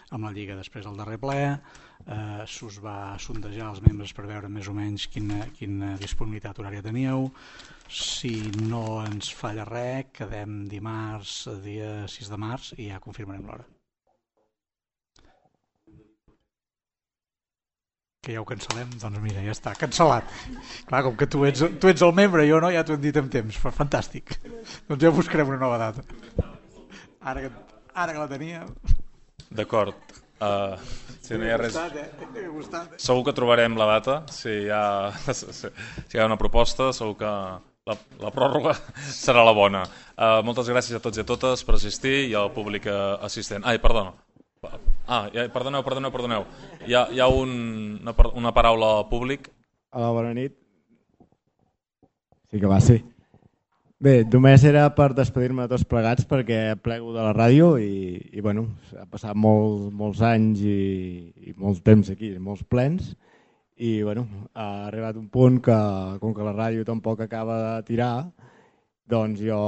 amb la Lliga després del darrer ple, eh, s'us va sondejar als membres per veure més o menys quina, quina disponibilitat horària teníeu. Si no ens falla res, quedem dimarts, dia sis de març, i ja confirmarem l'hora. Que ja ho cancel·lem, doncs mira, ja està, cancel·lat. Clar, com que tu ets, tu ets el membre, jo no, ja t'ho hem dit amb temps, fantàstic. Doncs ja buscarem una nova data. Ara que, ara que la teníem... D'acord. Uh, si no hi ha res... M'ha gustat, eh? Segur que trobarem la data, si hi ha, si hi ha una proposta, segur que la, la pròrroga serà la bona. Uh, moltes gràcies a tots i a totes per assistir i al públic assistent. Ai, perdona. Ah, ja, perdoneu, perdoneu, perdoneu. Hi ha, hi ha un, una, una paraula públic. Hola, bona nit. Sí que va, sí. Bé, només era per despedir-me de tots plegats perquè plego de la ràdio i, i bueno, ha passat molt, molts anys i, i molt temps aquí, molts plens, i bueno, ha arribat un punt que, com que la ràdio tampoc acaba de tirar, doncs jo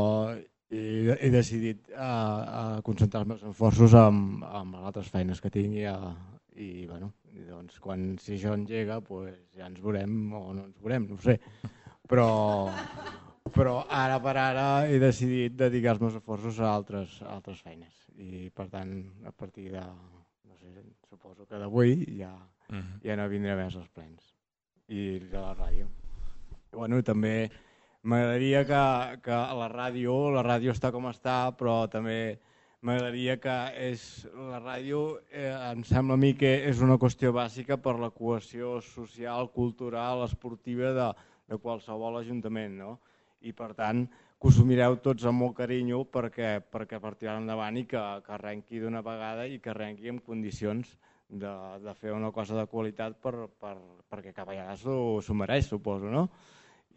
he, he decidit a, a concentrar els meus esforços en, en altres feines que tinc i, a, i bueno, doncs quan si això engega pues, ja ens veurem o no ens veurem, no ho sé, però... però ara per ara he decidit dedicar els meus esforços a altres, a altres feines i per tant a partir de, no sé, suposo que d'avui ja, uh-huh. ja no vindré més als plens i de la ràdio. I, bueno, també m'agradaria que, que a la ràdio, la ràdio està com està, però també m'agradaria que és, la ràdio eh, em sembla a mi que és una qüestió bàsica per la cohesió social, cultural, esportiva de, de qualsevol ajuntament, no? I per tant que us ho mireu tots amb molt carinyo perquè, perquè per tirar endavant i que, que arrenqui d'una vegada i que arrenqui en condicions de, de fer una cosa de qualitat per, per, perquè cap allà s'ho mereix, suposo, no?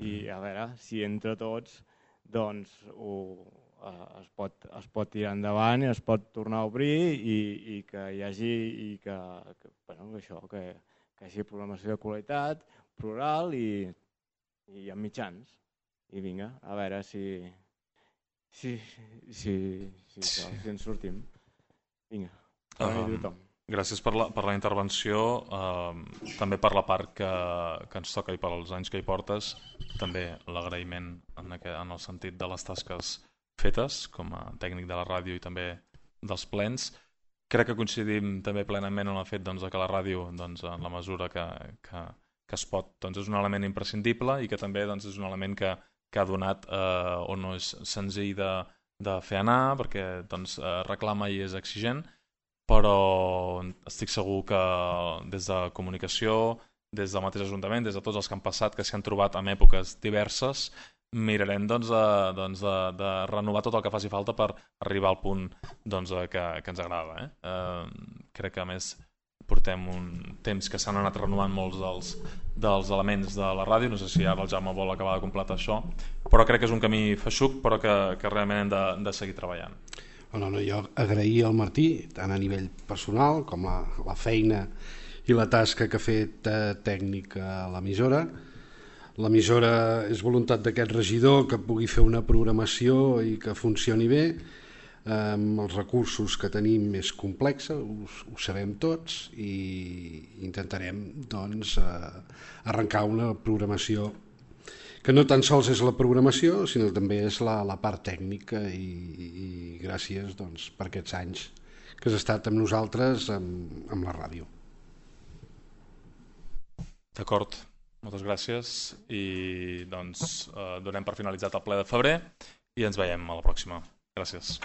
I a veure, si entre tots doncs ho, es, pot, es pot tirar endavant i es pot tornar a obrir i, i que hi hagi i que, que, bueno, això, que, que hi hagi programació de qualitat, plural i, i amb mitjans. I vinga, a veure si, si, si, si, si, si ens sortim. Vinga, bona nit a tothom. Gràcies per la, per la intervenció, eh, també per la part que, que ens toca i pels anys que hi portes, també l'agraïment en, en el sentit de les tasques fetes com a tècnic de la ràdio i també dels plens. Crec que coincidim també plenament en el fet doncs, que la ràdio, doncs, en la mesura que, que, que es pot, doncs, és un element imprescindible i que també doncs, és un element que que ha donat eh, o no és senzill de, de fer anar perquè doncs, eh, reclama i és exigent, però estic segur que des de comunicació, des del mateix Ajuntament, des de tots els que han passat, que s'hi han trobat en èpoques diverses, mirarem doncs, de, doncs, de, de renovar tot el que faci falta per arribar al punt doncs, que, que ens agrada. Eh? Eh, crec que a més portem un temps que s'han anat renovant molts dels, dels elements de la ràdio, no sé si ara el Jaume vol acabar de completar això, però crec que és un camí feixuc però que, que realment hem de, de seguir treballant. No, no, jo agrair al Martí, tant a nivell personal com la, la feina i la tasca que ha fet eh, tècnic a l'emissora. L'emissora és voluntat d'aquest regidor que pugui fer una programació i que funcioni bé. Amb els recursos que tenim és complexa, ho, ho sabem tots i intentarem doncs, eh, arrencar una programació que no tan sols és la programació sinó també és la, la part tècnica i, i gràcies doncs, per aquests anys que has estat amb nosaltres amb, amb la ràdio. D'acord, moltes gràcies i doncs, eh, donem per finalitzat el ple de febrer i ens veiem a la pròxima. Gràcies.